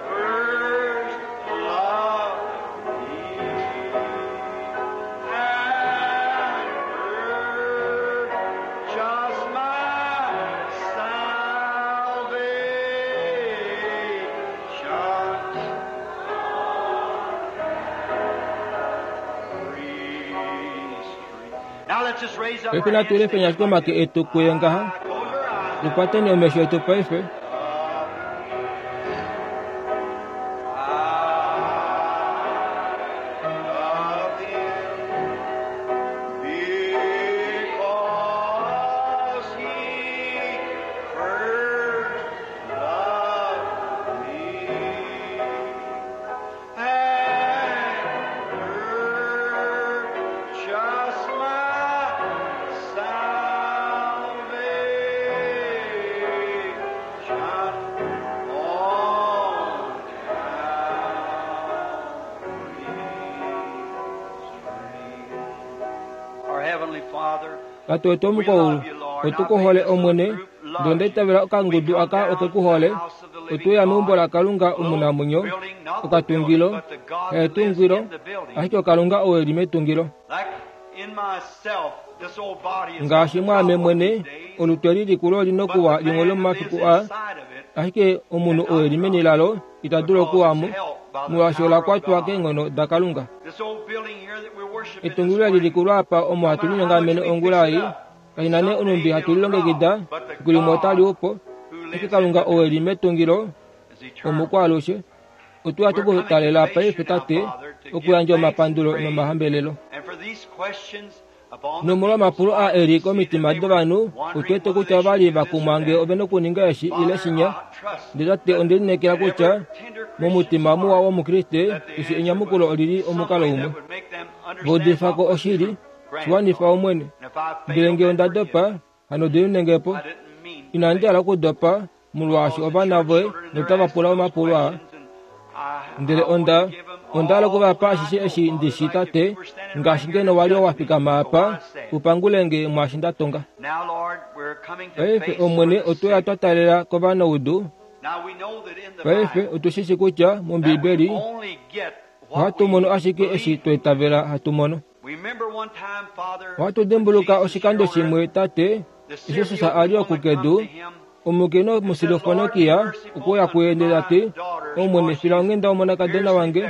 First loved me and purchased my salvation Now let's just raise up Paife our natu hands lefeni ashike omake etu kuye ngaha. Close our eyes. Tukwateni omesho etu paife. Tate wetu womukaulu, otu ku hole Omwene, ndele onda itavela okangudu aka oke ku hole. Otwe uya meumbo laKalunga omunamwenyo, okatungilo, haetungilo, ashike oKalunga ou e li metungilo. Ngaashi mwaame mwene, olutu eli likulu oli nokuwa limwe lomomafiku aa, ashike omunhu ou e li meni lalo ita dulu okuwa mo, molwaashi ola kwatwa keenghono daKalunga. Etungilo eli likulu apa omo hatu linyongamene ongula ei, kashi na nee onhumbi hatu lilongekida, efiku limwe otali u po. Ashike Kalunga ou e li metungilo, omukwaalushe. Otwe ya tu ku talela paife, Tate, okuyandja omapandulo nomahambelelo. Nomolwomapulo aa e li komitima dovanhu, otu wete kutya ova li va kumwa ngee ove na okuninga eshi ile shinya. Ndele Tate, onde lineekela kutya momutima muwa wOmukriste, keshe enyamukulo oli li omukalo umwe. Va udifa ko oshili, shi wanifa Omwene. Ndele ngee onda dopa, hano diminenge po. Inandi hala okudopa, molwaashi ovana voye notava pula omapulo aa. Ndele onda, onda hala oku va pa ashishe eshi ndi shi, Tate, ngaashi ngeno wa li wa fikama apa, u pangule nge mwaashi nda tonga. Paife, Omwene, otwe ya twa taalela kovanaudu. Paife, otu shi shi kutya mOmbiibeli ohatu mono ashike eshi twa itavela hatu mono. Ohatu dimbuluka oshikando shimwe, Tate, eshi Jesus a li oku kedu, omukainhu Omusirofonokia okwe uya kuye ndele ta ti, Omwene, fila onghenda omonakadona wange,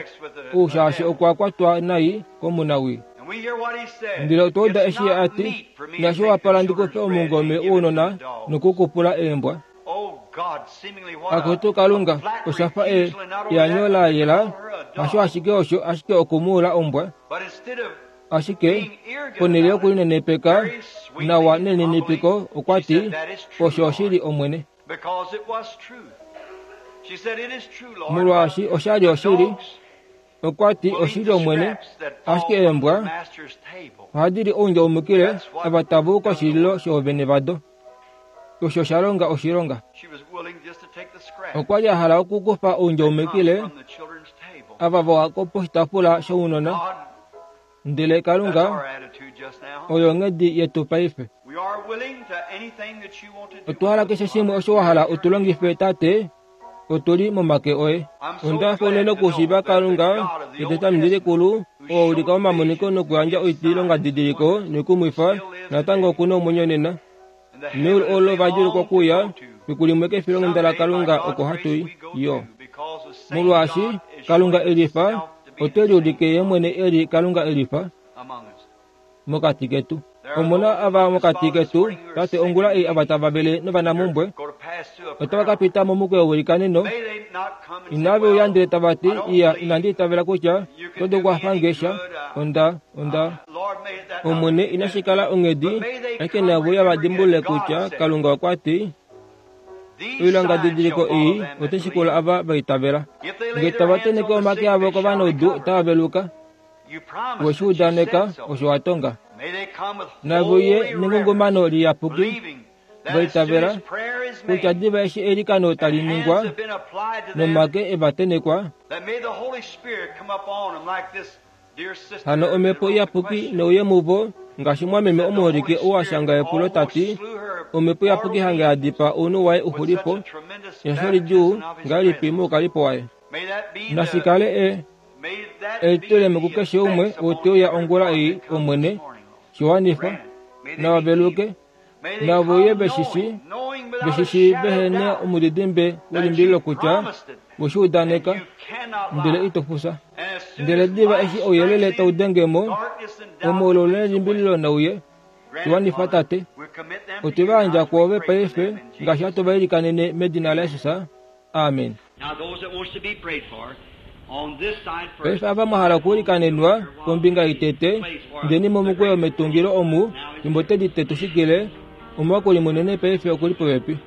ou shaashi okwa kwatwa nai komunawii. Ndele otwa uda eshi ye a ti, Inashi wapala ndi kufe omungome wounona noku u kupula eembwa. Akutu Kalunga, osha fa e eanyo la yela, hasho ashike osho, ashike oku mu ula ombwa. Ashike, ponhele yokulinenepeka nawa nelininipiko, okwa ti, Osho oshili, Omwene. Molwaashi osha li oshili, okwa ti, Oshili, Omwene, ashike eembwa ohadi li oundjaumukile ava tava u koshililo shoovene vado. Osho sha longa oshilonga. Okwa li a hala okukufa oundjaumukile ava va wa poshitaafula shounona. Ndele Kalunga, oyo onghedi yetu paife. Otwa hala keshe shimwe osho wa hala u tu longife, Tate. Otu li momake oye. Onda hafa unene okushiiva Kalunga yEtestamenti Likulu, oo a ulika omamoniko nokuyandja oitilongadidiliko noikumwifa, natango oku na omwenyo nena. Meulu olo va djuulukwa okuuya, fiku limwe kefilonghenda laKalunga oko hatu i yo. Molwaashi Kalunga e lifa, ote liulike Ye mwene e li Kalunga e lifa mokati ketu. Omu na ava mokati ketu, Tate, ongula ei ava tava vele novanamumbwe, otava ka pita momukweyo welikaneno. Inave uya ndele tava ti, Iya, inandi itavela kutya oto dulu okwafa nge sha. Onda, onda. Omwene, inashi kala onghedi, ashike nave uya va dimbulule kutya Kalunga okwa ti, Oilongadidiliko ei otai shikula ava va itavela. Nge tava tenheke omake avo kovanaudu, otava veluka. We shi udaneka, osho wa tonga. Nave uye nengungumano liyapuki, va itavela kutya diva eshi eilikano tali ningwa nomake e va tenhekwa, Hano Omhepo Iyapuki neuye muvo, ngaashi mwameme omuholike ou a shanga epulo ta ti, Omhepo Iyapuki hange ya dipaa ounhu waye u xuli po, ehafo lidjuu ngahelipi moukalipo waye. Nashi kale e, elitulemo kukeshe umwe ou te uya ongula ei, Omwene, shi wanifa, nava veluke, nave uye ve shi shii, ve shi shii vehe na omudidimbe welimbililo kutya we shi udaneka, ndele ito fufya. Ndele diva eshi ouyelele tau denge mo, omoululu nelimbililo nauye, shi wanifa Tate. Otwe va yandja kwoove paife ngaashi hatu va ilikanene medina laJesus. Amen. Paife ava mwa hala okuilikanenwa kombinga itete, indeni momukweyo metungilo omu, fimbo Teddy te tu shikile. Omuwakuli munene paife oku li popepi.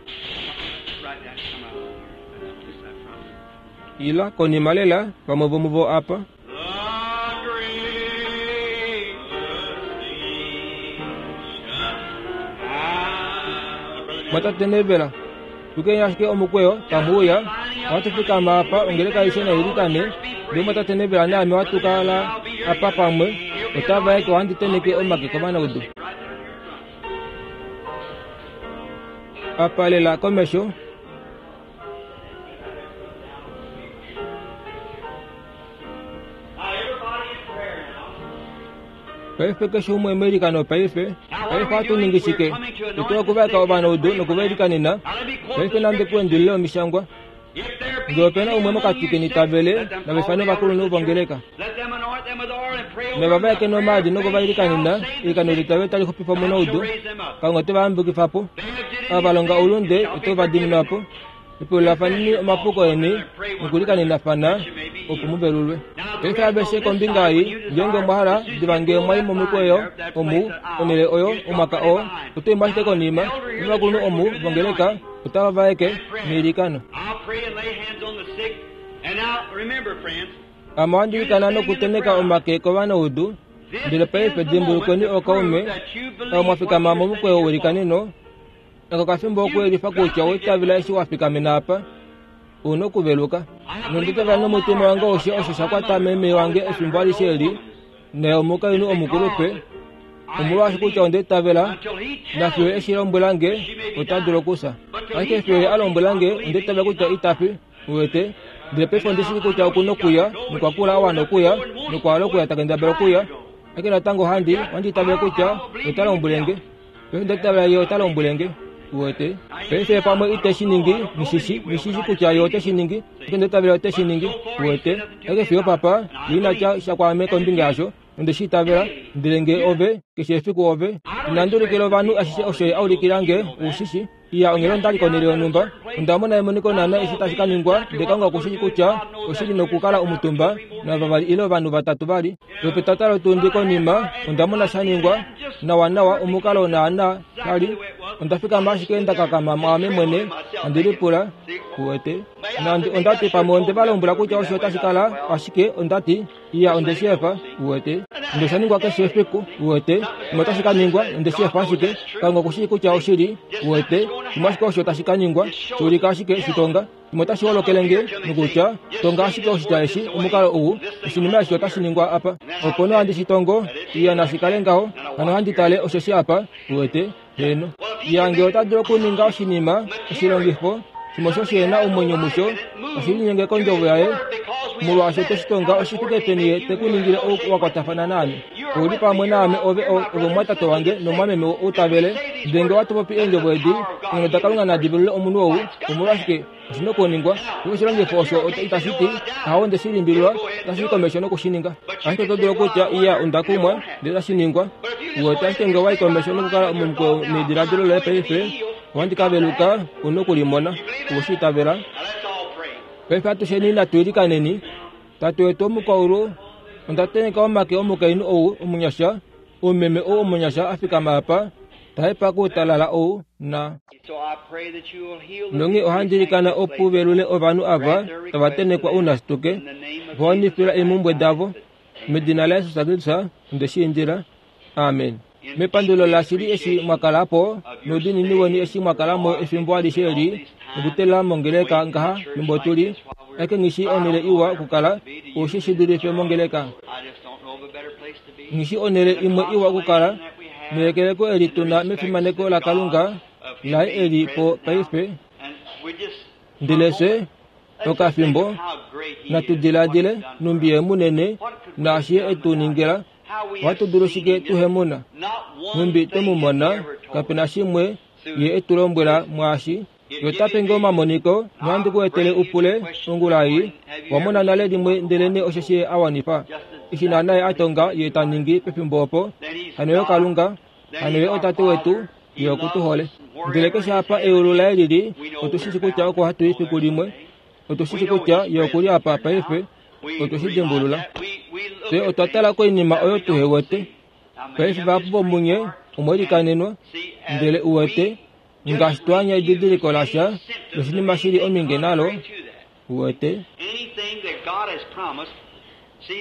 Ila konima lela, vamwe vomuvo apa. Mwatate Neville, tukeni ashike omukweyo, tamu uya. Ohatu fikama apa, ongeleka aishe nai ilikane. Ndele mwatate Neville naame ohatu kala apa pamwe. Ota vaeke ohandi teneke omake kovanaudu. Apa lela komesho. Paife keshe umwe meilikano paife. Paife ohatu ningi shike? Otu okuvaeka ovanaudu nokuvailikanena. Paife nande ku endulile omishangwa. Ngee ope na umwe mokati keni ta vele, nava ifane ovakulunhu vongeleka. Nava vaeke nomaadi nokuvailikanena, eilikano leitavelo tali xupifa omunaudu, Kalunga ote va yambukifa po. Ava va longa oulunde ote va diminwa po. Lipululilafaneni omapuko eni nokulikanenafana, opo mu velulwe. Paife aveshe kombinga ei, ngeenge omwa hala, diva ngee mwa i momikweyo omu, onhele oyo, omwaka oo, oto i mo ashike konima, ovakulunhu omu vongeleka otava vaeke meilikano. Ame ohandi ilikana nokutenheka omake kovanaudu, ndele paife dimbulukweni ookaume, ava mwa fikama momukweyo weilikaneno, Aka okafimbo okuyelifa kutya owa itavela eshi wa fikamena apa. U na okuveluka. Nonde tavela nomutima wange aushe osho sha kwata meme wange efimbo alishe eli, naye omukainhu omukulupe, omolwaashi kutya onda itavela, nafiyo eshi lombwela nge, ota dulu okufya. Ashike fiyo ye a lombwela nge, onda itavela kutya ita fi. Uwete? Ndele paife ondi shii kutya oku nokuya, nokwa kula a wana okuya, nokwa hala okuya ta kendabala okuya. Ashike natango ohandi, ohandi itavele kutya ota lombwele nge. Paife onda itavela ye ota lombwele nge. Uwete? Paife pamwe ite shi ningi, nghi shi, nghi shi kutya ye ote shi ningi, ashike onda itavela ote shi ningi. Uwete? Ashike fiyo papa, ye ina tya sha kwaame kombinga yasho, nonde shi itavela. Ndele nge ove, keshe efiku ove, inandi ulikila ovanhu ashishe osho ye a ulikila nge, u shi shi. Iya, onghela onda li konhele yonhumba, onda mona emoniko naana eshi tashi ka ningwa, ndele Kalunga oku shii kutya oshi li nokukala omutumba navavali ile ovanhu vatatu vali. Lwopetata lotundi konima, onda mona sha ningwa, nawanawa, omukalo naana sha li. Onda fikama ashike nda kakama mwaame mwene, handi lipula, Uwete? Nandi onda ti pamwe onde va lombwela kutya osho otashi kala, ashike onda ti, Iya, onde shi efa, uwete. Ndele osha ningwa keshe efiku, uwete. Shimwe otashi ka ningwa, onde shi efa ashike. Kalunga oku shii kutya oshili, uwete. Shimwe ashike osho tashi ka ningwa, shi ulika ashike, shi tonga. Shimwe otashi holokele nge, nokutya, tonga ashike oshitya eshi, omukalo ou, oshinima eshi otashi ningwa apa. Opo nee ohandi shi tongo, iya, nashi kale ngaho, hano ohandi tale osheshi apa, uwete. Heeno. Iya, nge ota dulu okuninga oshinima, oshilongifo, shimwe osho shi na omwenyo musho, oshi linyenge kondjovo yaye, molwaashi ote shi tonga oshi fike peni ye te ku ningile ou wa kwatafana naame. Ou li pamwe naame ove, ove omumwatate wange nomumwameme ou ta vele. Ndele nge watu popi eendjovo edi, eenghono daKalunga nadi velule omunhu ou, omolwashike, oshi na okuningwa. Ihe oshilongifo osho itashi ti, Ahawe, onde shi limbililwa, otashi i komesho noku shi ninga. Ashike oto dulu okutya, Iya, onda kumwa, ndele otashi ningwa. Uwete, ashike nge owa i komesho nokukala momukweyo nediladilo loye paife, ohandi ka veluka, u na oku limona. Owe shi itavela? Paife atusheni natu ilikaneni. Tate wetu womukwaulu, onda tenheka omake omukainhu ou omunyasha, omumeme ou omunyasha a fikama apa, ta hepa koutalala ou, na. Nonghee ohandi ilikana opo u velule ovanhu ava tava tenhekwa ounashituke, va wanifila eemhumbwe davo. Medina laJesus Kristus onde shi indila. Amen. Mepandulo lashili eshi mwa kala po, noudiinini weni eshi mwa kala mo efimbo alishe eli, nokutelela mongeleka ngaha fimbo tu li, eke nghi shii onhele iwa okukala, ou shi shi dulife mongeleka. Nghi shii onhele imwe iwa okukala, nehekeleko eli tu na mefimaneko laKalunga laye eli po paife. Ndele fye, okafimbo, natu diladile nhumbi Ye munene naashi Ye e tu ningila. Ohatu dulu shike tuhe mu na? Nhumbi twe mu mona, kape na shimwe Ye e tu lombwela mwaashi. Ye ota pe nge omamoniko, nohandi ku etele u pule, ongula ei, Owa mona nale limwe ndelenee osheshi Ye a wanifa eshi naana Ye a tonga Ye ta ningi pefimbo opo. Hano Ye oKalunga, hano Ye oTate wetu, Ye oku tu hole. Ndele keshe apa eulu laye li li, otu shi shi kutya oko hatu i fiku limwe. Otu shi shi kutya Ye oku li apa paife. Otwe shi dimbulula. Fye otwa tala koinima oyo tuhe wete. Paife vahapu vomunye omwe likanenwa, ndele u wete, ngaashi twa anya edidiliko lasha loshinima shi li ominge nalo, u wete.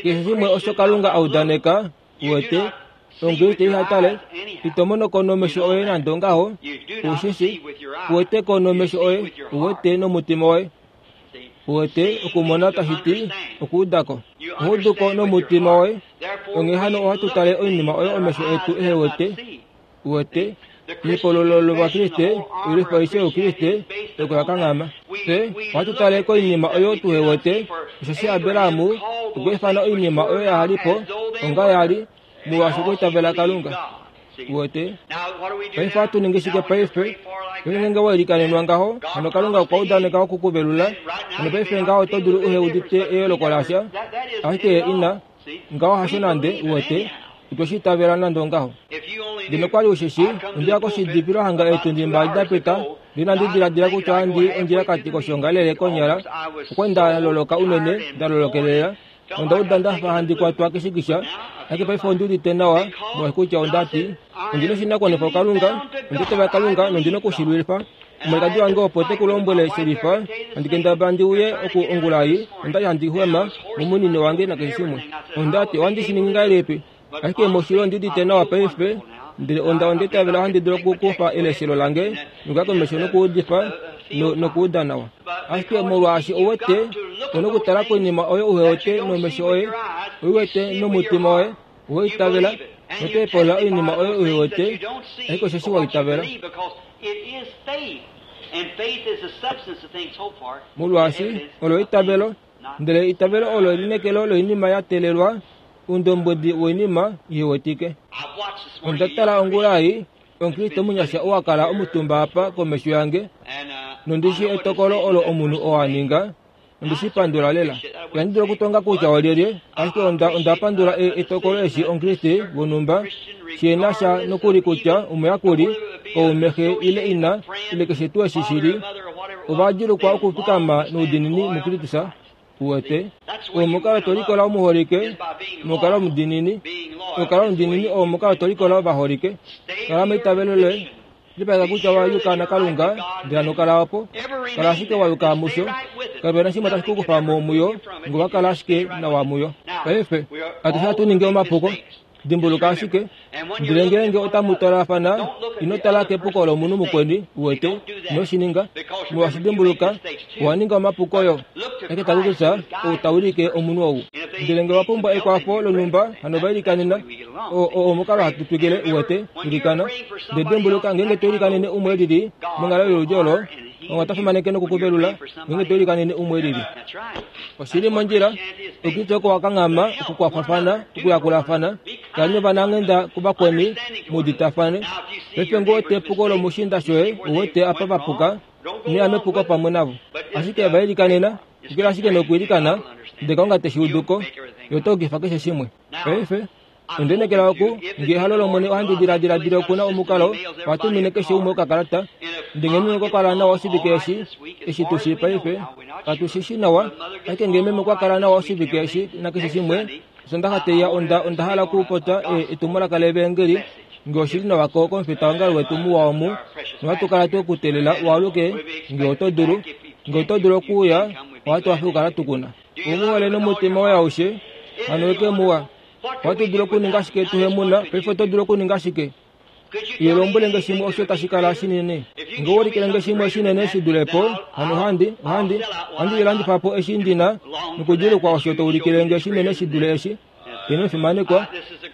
Keshe shimwe osho Kalunga a udaneka, u wete, Omukriste iha tale, ito mono ko nomesho oye nande ongaho, u shi shi, ku wete ko nomesho oye, u wete nomutima woye. Uwete, okumona tashi ti okuuda ko. Oho udu ko nomutima woye. Onghee hano ohatu tale oinima oyo omesho etu ehe wete. Uwete, ehokololo lOvakriste, oilwifa aishe yOukriste, oko ya kanghama. Fye ohatu tale koinima oyo tuhe wete, osheshi Abraham okwa ifana oinima oyo yaha li po onga ya li, molwaashi okwa itavela Kalunga. Uwete? Paife ohatu ningi shike paife? Paife ngeenge wa ilikanenwa ngaho, hano Kalunga okwa udaneka oku ku velula. Hano paife ngaho oto dulu uhe udite eyooloko lasha, ashike ye ina. Ngaho hasho nande, uwete. Itwe shi itavela nande ongaho. Ngeno kwa li u shi shii, onde ya koshidipilo hanga eetundi mbali da pita, ndele inandi diladila kutya ohandi i ondjilakati koshiongalele konyala. Okwa li nda loloka unene, nda lolokelela, nonda uda nda fa handi kwatwa keshikisha. Ashike paife ondi udite nawa, molwaashi kutya onda ti, Ondi na oshinakuwanifwa kuKalunga, onda itavela Kalunga nondi na oku shi lwifa. Omwalikadi wange opo te ku lombwele shelifa, handi kendabala ndi uye oku ongula ei, onda li handi xwema momunino wange nakeshe shimwe. Onda ti, Ohandi shi ningi ngahelipi? Ashike moshili ondi udite nawa paife, ndele onda onda itavela ohandi dulu okukufa eleshelo lange nokuya komesho nokuudifa no, nokuuda nawa. Ashike molwaashi ou wete, ou na okutala koinima oyo uhe wete nomesho oye, oi wete nomutima woye, owe itavela, noto hepolola oinima oyo uhe wete, ashike osheshi wa itavela. Molwaashi olo eitavelo, ndele eitavelo olo elineekelo loinima ya teelelwa, oundombwedi woinima ihe wetike. Onda tala ongula ei, Omukriste omunyasha oo a kala omutumba apa komesho yange, nondi shii etokolo olo omunhu oo a ninga, Ondi shi pandula lela. Ihandi dulu okutonga kutya olyelye, ashike onda, onda pandula e, etokolo eshi Omukriste wonhumba shi na sha nokuli kutya omuyakuli, kaume, xe ile ina, ile keshe tuu eshi shi li, ova djulukwa okufikama noudiinini muKristus. Uwete? Oo omukalo to likola omuholike, mokukala omudiinini. Okukala omudiinini oo omukalo to likola ovaholike. Kala meitavelo loye. Lipaleka kutya wa yuka naKalunga, ndele hano kala opo. Kala ashike wa yuka musho. Kape na shimwe tashi ku kufa mo muyo, nge owa kala ashike nawa muyo. Paife, atushe ohatu ningi omapuko. Dimbuluka ashike, ndele ngeenge otamu twalafana, ino tala kepuko lomunhu mukweni, uwete, ino shi ninga. Molwaashi dimbuluka, owa ninga omapuko yo. Ashike tali kutya ou ta wilike omunhu ou. Ndele nge wa pumbwa ekwafo lonhumba, hano va ilikanena. O, o, omukalo hatu twikile, uwete, ilikana. Ndele dimbuluka, ngeenge to ilikanene umwe e lili, monghalo yoludi olo, Kalunga ota fimaneke noku ku velula, ngeenge to ilikanene umwe e lili. Oshi li mondjila, Oukriste oko wa kanghama okukwafafana, okuyakulafana, kaleni ovananghenda kuvakweni, mu uditafane. Paife nge uwete epuko lomushiinda shoye, ou wete apa va puka, ino ya mepuko pamwe navo. Ashike va ilikanena, twikila ashike nokwiilikana, ndele Kalunga te shi udu ko, Ye ota yukifa keshe shimwe. Paife, onde lineekela oku, nge ehalo lOmwene ohandi diladiladile oku na omukalo, oha tumine keshe umwe okakalata. Ndele nge meme okwa kala nawa oshivike eshi, eshi tu shii paife, katu shi shii nawa, ashike nge meme okwa kala nawa oshivike eshi nakeshe shimwe, Osondaxa tei ya onda, onda hala okupopya e, etumwalaka levaengeli, nge oshi li nawa ko, komufitaongalo wetu muwa omu, nohatu kala twe ku teelela u aluke, nge oto dulu. Nge oto dulu okuuya, ohatu hafe okukala tu ku na. U mu hole nomutima woye aushe, hano eke muwa. Ohatu dulu okuninga shike tuhe mu na? Paife oto dulu okuninga shike? Iye lombwele nge shimwe osho tashi kala shinene. Nge owa ulikile nge shimwe shinene shi dule po, hano ohandi, ohandi, ohandi lilandifa po eshi ndi na, nokudjuulukwa osho to ulikile nge shinene shi dule eshi. Ino fimanekwa.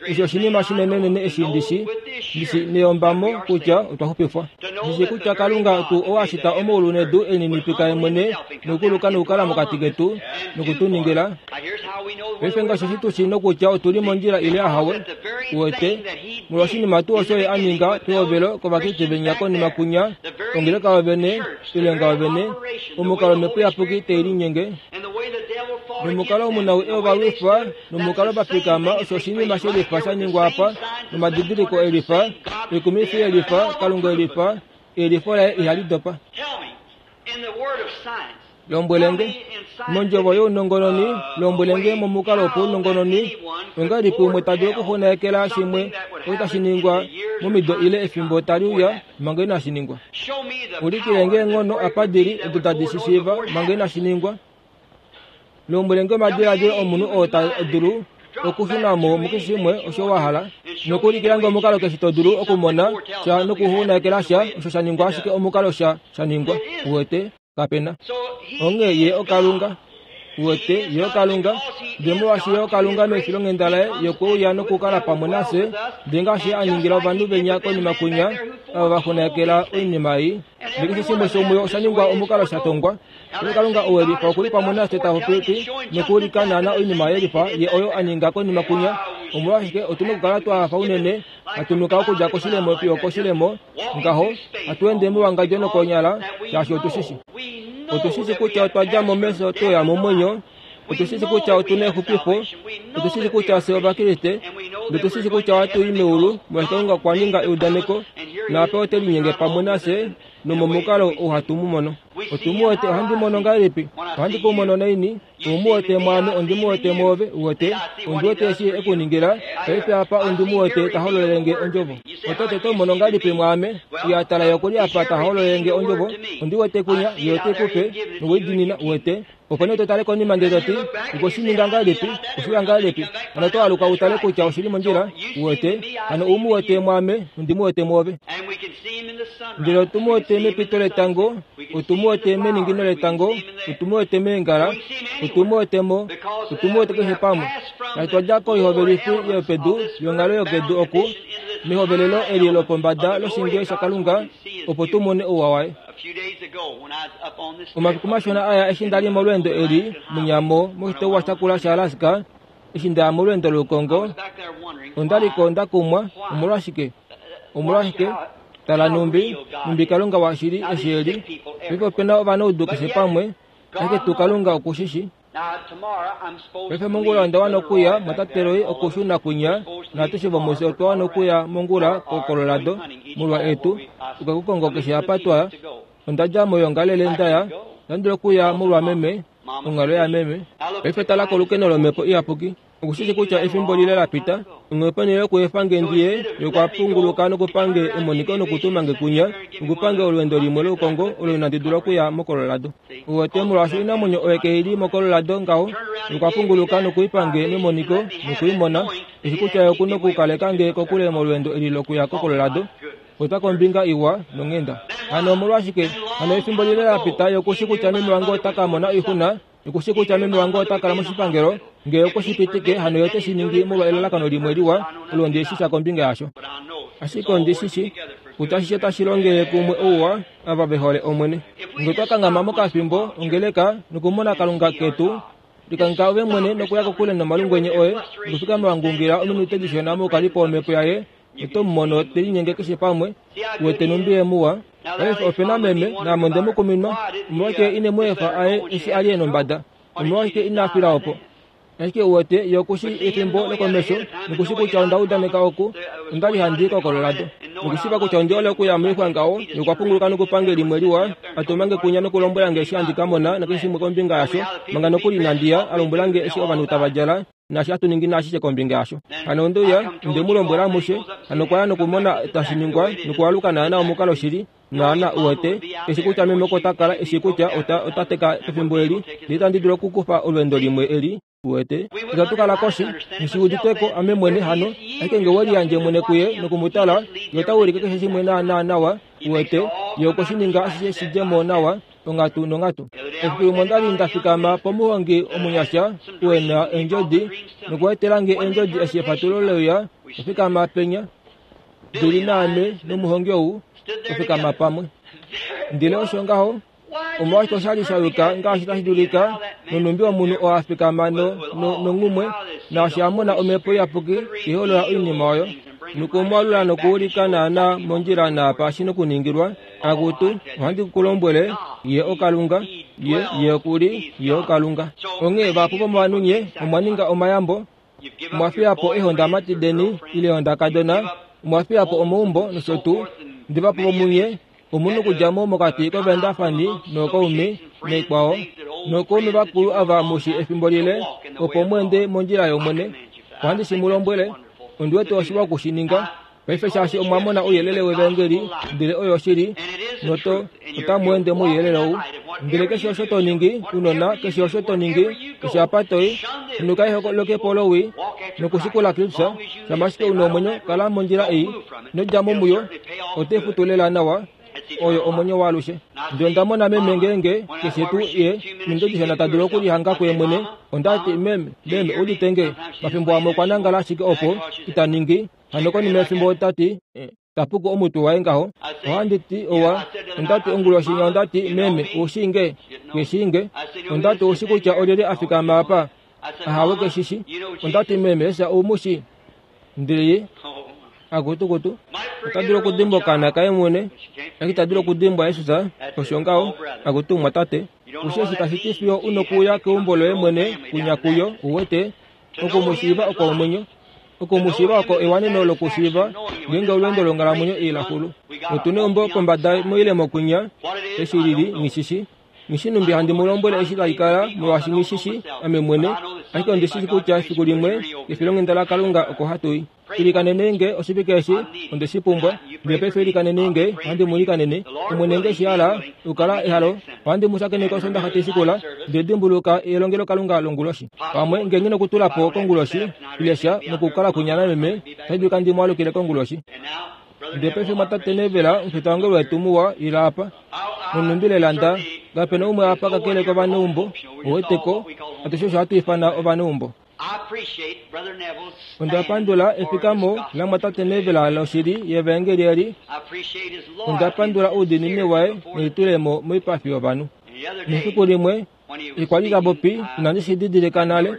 Eshi oshinima shinenenene eshi ndi shi, ndi shi neyombamo kutya otwa xupifwa. Ndi shi kutya Kalunga tuu oo a shita omaulu nedu e lininipika ye mwene nokuluka nokukala mokati ketu noku tu ningila. Paife ngaashi eshi tu shi nokutya otu li mondjila ile ahawe, uwete, molwoshinima tuu osho ye a ninga pehovelo kOvakriste venya konima kunya, ongeleka yovene, oilonga yovene, omukalo Omhepo Iyapuki tai linyenge, nomukalo omunawii ova lwifa, nomukalo va fikama, osho oshinima shelifa sha ningwa apa, nomadidiliko elifa, oikumifi yelifa, Kalunga elifa, eyelifo laye ihali dopa. Lombwele nge, mondjovo younongononi, lombwele nge momukalo wopaunongononi, ongahelipi umwe ta dulu okuxunaekela shimwe osho tashi ningwa momido ile efimbo tali uya manga inashi ningwa? Ulikile nge eenghono apa di li odo tadi shi shiiva manga inashi ningwa. Lombwele nge omadiladilo omunhu oo ta dulu okushuna mo mukeshe shimwe osho wa hala, nokuulikila nge omukalo keshe to dulu okumona sha nokuxunaekela sha osho sha ningwa ashike omukalo sha sha ningwa. Uwete? Kape na. Onghee Ye oKalunga. Uwete, Ye oKalunga. Ndele molwaashi Ye oKalunga mefilonghenda Laye, Ye okwe uya nokukala pamwe nafye, ndele ngaashi Ye a ningila ovanhu venya konima kwinya, ava va xunakela oinima ei. Ndele keshe shimwe shomuyo osha ningwa omukalo sha tongwa. Ndele Kalunga ou e lifa oku li pamwe nafye ta popi nokuulika naana oinima ye lifa Ye oyo a ninga konima kwinya. Omolwashike otu na okukala twa hafa unene, hatu nuka okudja koshilemo fiyo okoshilemo, ngaho, hatu ende mewangadjo nokonyala, shaashi otu shi shi. Otu shi shi kutya otwa dja mo mefyo twe uya momwenyo. Otu shi shi kutya otu na exupifo. Otu shi shi kutya fye Ovakriste. Notu shi shi kutya ohatu i meulu, molwaashi Kalunga okwa ninga eudaneko, naapa ote linyenge pamwe nafye, nomomukalo ou hatu mu mono. Otu mu wete. Ohandi mono ngahelipi? Ohandi ku mono naini? Ou mu wete mwaame, ondi mu wete mwoove. Uwete? Ondi wete eshi e ku ningila. Paife apa ondi mu wete ta hololele nge Ondjovo. Oto ti, Oto mono ngahelipi mwaame? Uya, tala, Ye oku li apa ta hololele nge Ondjovo. Ondi wete kwinya, Ye ote ku pe, nowe i dimina. Uwete? Opo nee to tale konima ndele to ti, Okwe shi ninga ngahelipi? Oshe uya ngahelipi? Hano oto aluka u tale kutya oshi li mondjila. Uwete? Hano ou mu wete mwaame, ondi mu wete mwoove. Ndele otu mu wete mepito letango, otu mu wete meningino letango, otu mu wete meengala, otu mu wete mo, otu mu wete keshe pamwe. Natu twa dja koihovelifi yopedu yonghalo yokedu oku, mehovelelo eli lopombada loshinge shaKalunga, opo tu mone ouwa waye. Omafiku mashona aya eshi nda li molweendo eli munyamo moshitopolwa shakula shaAlaska, eshi nda ya molweendo loukongo, onda li ko nda kumwa. Omolwashike? Omolwashike? Tala nhumbi, nhumbi Kalunga washili eshi e li. Paife ope na ovanaudu keshe pamwe, ashike tuu Kalunga oku shi shi. Paife mongula onda wana okuya, Mwatate Roy, okushuna kwinya, naatushe vomufye otwa wana okuya mongula koColorado, molwa etu, tuka ku kongo keshe apa twa ya. Onda dja moyoongalele nda ya, onda dula okuya molwa meme, onghalo yameme. Paife tala kolukeno lOmhepo Iyapuki. Oku shi shi kutya efimbo lile la pita, onghee ponhele yokuefa nge ndi ye, ye okwa punguluka nokupa nge emoniko nokutuma nge kwinya, nokupa nge olweendo limwe loukongo olo inandi dula okuya moColorado. Uwete, molwaashi oinamwenyo oyo kai li moColorado ngaho, ye okwa punguluka nokuipa nge memoniko noku i mona, eshi kutya ye oku nokukaleka nge kokule molweendo eli lokuya koColorado. Ota kombinga iwa nonghenda. Hano omolwashike hano efimbo lile la pita ye oku shi kutya meme wange ota ka mona oixuna? Oku shi kutya meme wange ota kala moshipangelo. Nge okwe shi pitike, hano ye ote shi ningi molwa elalakano limwe liwa, olo ndi shi sha kombinga yasho. Ashike ondi shi shi kutya ashishe otashi longele kumwe ouwa ava ve hole Omwene. Nge otwa kanghama mokafimbo, ongeleka, nokumona Kalunga ketu, Likangheka ove mwene nokuya kokule nomalungwenye oye, nokufikama wa ngungila ominute dishona moukalipo wOmhepo yaye, Oto mu mono te linyenge keshe pamwe, wete nhumbi ye muwa. Paife ope na meme, naame onde mu kuminwa. Omolwashike ine mu efa aye eshi a li e nombada? Omolwashike ina fila opo? Ashike uwete, ye oku shii efimbo lokomesho, noku shii kutya onda udaneka oku. Onda li handi i koColorado. Nokushiiva kutya ondi hole okuya moixwa ngaho, ye okwa punguluka nokupa nge limwe liwa, a tuma nge kwinya nokulombwela nge eshi handi ka mona nakeshe shimwe kombinga yasho, manga nokuli inandi ya, a lombwela nge eshi ovanhu tava djala, naashi hatu ningi naashishe kombinga yasho. Hano onde uya, onde mu lombwela amushe. Hano okwa ya nokumona tashi ningwa, nokualuka naana omukalo shili, naana, uwete, eshi kutya meme oko ta kala, eshi kutya ota, ota teka pefimbo eli, ndele itandi dulu okukufa olweendo limwe eli, uwete. Itatu kala koshi, nghi udite ko, ame mwene, hano. Ashike nge we liyandje mwene kuye noku mu tala, ye ota ulike keshe shimwe naana nawa, uwete, ye okwe shi ninga ashishe shi dje mo nawa. onghatu nonghatu. Efiku limwe onda li nda fikama pomuhongi omunyasha u na eendjodi nokwa etela nge eendjodi eshi efatululo le uya. Nda fikama penya ndi li naame nomuhongi ou twa fikama pamwe. Ndele osho ngaho, omolwashike osha li sha yuka ngaashi tashi dulika, nonhumbi omunhu oo a fikama no, no, nonghumwe, naashi a mona Omhepo Iyapuki iholola oinima oyo, nokumwalula nokuulika naanaa mondjila naapa shi nokuningilwa, Akutu, ohandi ku lombwele, Ye oKalunga, Ye, Ye oku li, Ye oKalunga. Onghee vahapu vomovanhu nye omwa ninga omayambo, omwa fiya po eehondamati deni ile eehondakadona, omwa fiya po omaumbo nosho tuu. Ndele vahapu vomunye omu nokudja mo mokati kovaendafani nookaume naikwao, nookaume vakulu ava mu shi efimbo lile, opo mu ende mondjila yOmwene. Ohandi shi mu lombwele, ondi wete oshiwa oku shi ninga. Paife shaashi omwa mona ouyelele wevaengeli, ndele oyo oshili, noto, otamu ende mouyelele ou. Ndele keshe osho to ningi, unona, keshe osho to ningi, keshe apa to i, henuka eholokepo lowii, nokushikula Kristus, shama ashike u na omwenyo, kala mondjila ei. Ino dja mo muyo, ote futu lela nawa. Oyo omwenyo waalushe. Ndele onda mona meme ngeenge keshe tuu ye ominute dishona ta dulu okulihanga kuye mwene, onda ti, Meme, meme, udite nge? Mafimbo amwe okwa nangala ashike opo, ita ningi. Hano konima yefimbo ota ti, Ta puku omutwe waye ngaho. Ohandi ti, Owa. Onda ti onguloshi inya onda ti, Meme, u shii nge? Ke shii nge. Onda ti, Ou shii kutya olyelye a fikama apa? Ahawe, ke shi shi. Onda ti, Meme, Jesus ou mu shii? Ndele ye, akutukutu, ota dulu okudimbwa okaana kaye mwene, ashike ita dulu okudimbwa Jesus. Osho ngaho, akutu, mumwatate. U shii eshi tashi ti fiyo u nokuuya keumbo loye mwene kwinya kuyo, uwete, Oku mu shiiva oko omwenyo. Oku mu shiiva oko ewaneno lokushiiva ngeenge olweendo longhalamwenyo ii la xulu. Otu neumbo pombada moilemo kwinya, eshi li li, nghi shi shi. Nghi shi numbi handi mu lombwele eshi tali kala, molwaashi nghi shi shi ame mwene, ashike ondi shi shi kutya efiku limwe, kefilonghenda laKalunga oko hatu i. Ilikanenei nge oshivike eshi, onde shi pumbwa. Ndele paife ilikanenei nge, ohandi mu ilikanene. Omwene nge shi hala, okukala ehalo, ohandi mu shakeneke Osondaxa tai shikula, ndele dimbuluka elongelokalunga longuloshi. Pamwe nge nghi nokutula po konguloshi, ile sha, nokukala kwinya nameme, otashi dulika ndi mu alukile konguloshi. Ndele paife mwatate Neville, omufita wange wetu muwa, ila apa. Nonhumbi lela nda, kape na umwe apa kakele kovaneumbo, ouweteko, atushe osho hatu ifana ovaneumbo. Onda pandula efikamo lamwatate Neville loshili yevaengeli eli. Onda pandula oudiinini waye nelitulemo moipafi yovanhu. Nefiku limwe, okwa li ta popi, inandi shi didilika nale,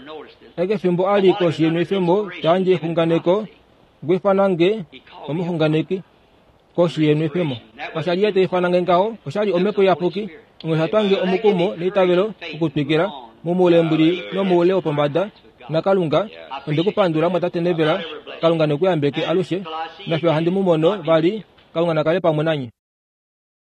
ashike fimbo a li koshi yenwefemo ta yandje exunganeko, okwa ifana nge omuxunganeki. Koshi yenwefemo. Kasha li ye ta ifana nge ngaho, osha li Omhepo Iyapuki. Onghee osha twa nge omukumo neitavelo okutwikila, momoule mbuli nomoule wopombada, naKalunga. Onde ku pandula, Mwatate Neville. Kalunga ne ku yambeke alushe. Nafiyo handi mu mono vali, Kalunga na kale pamwe nanye.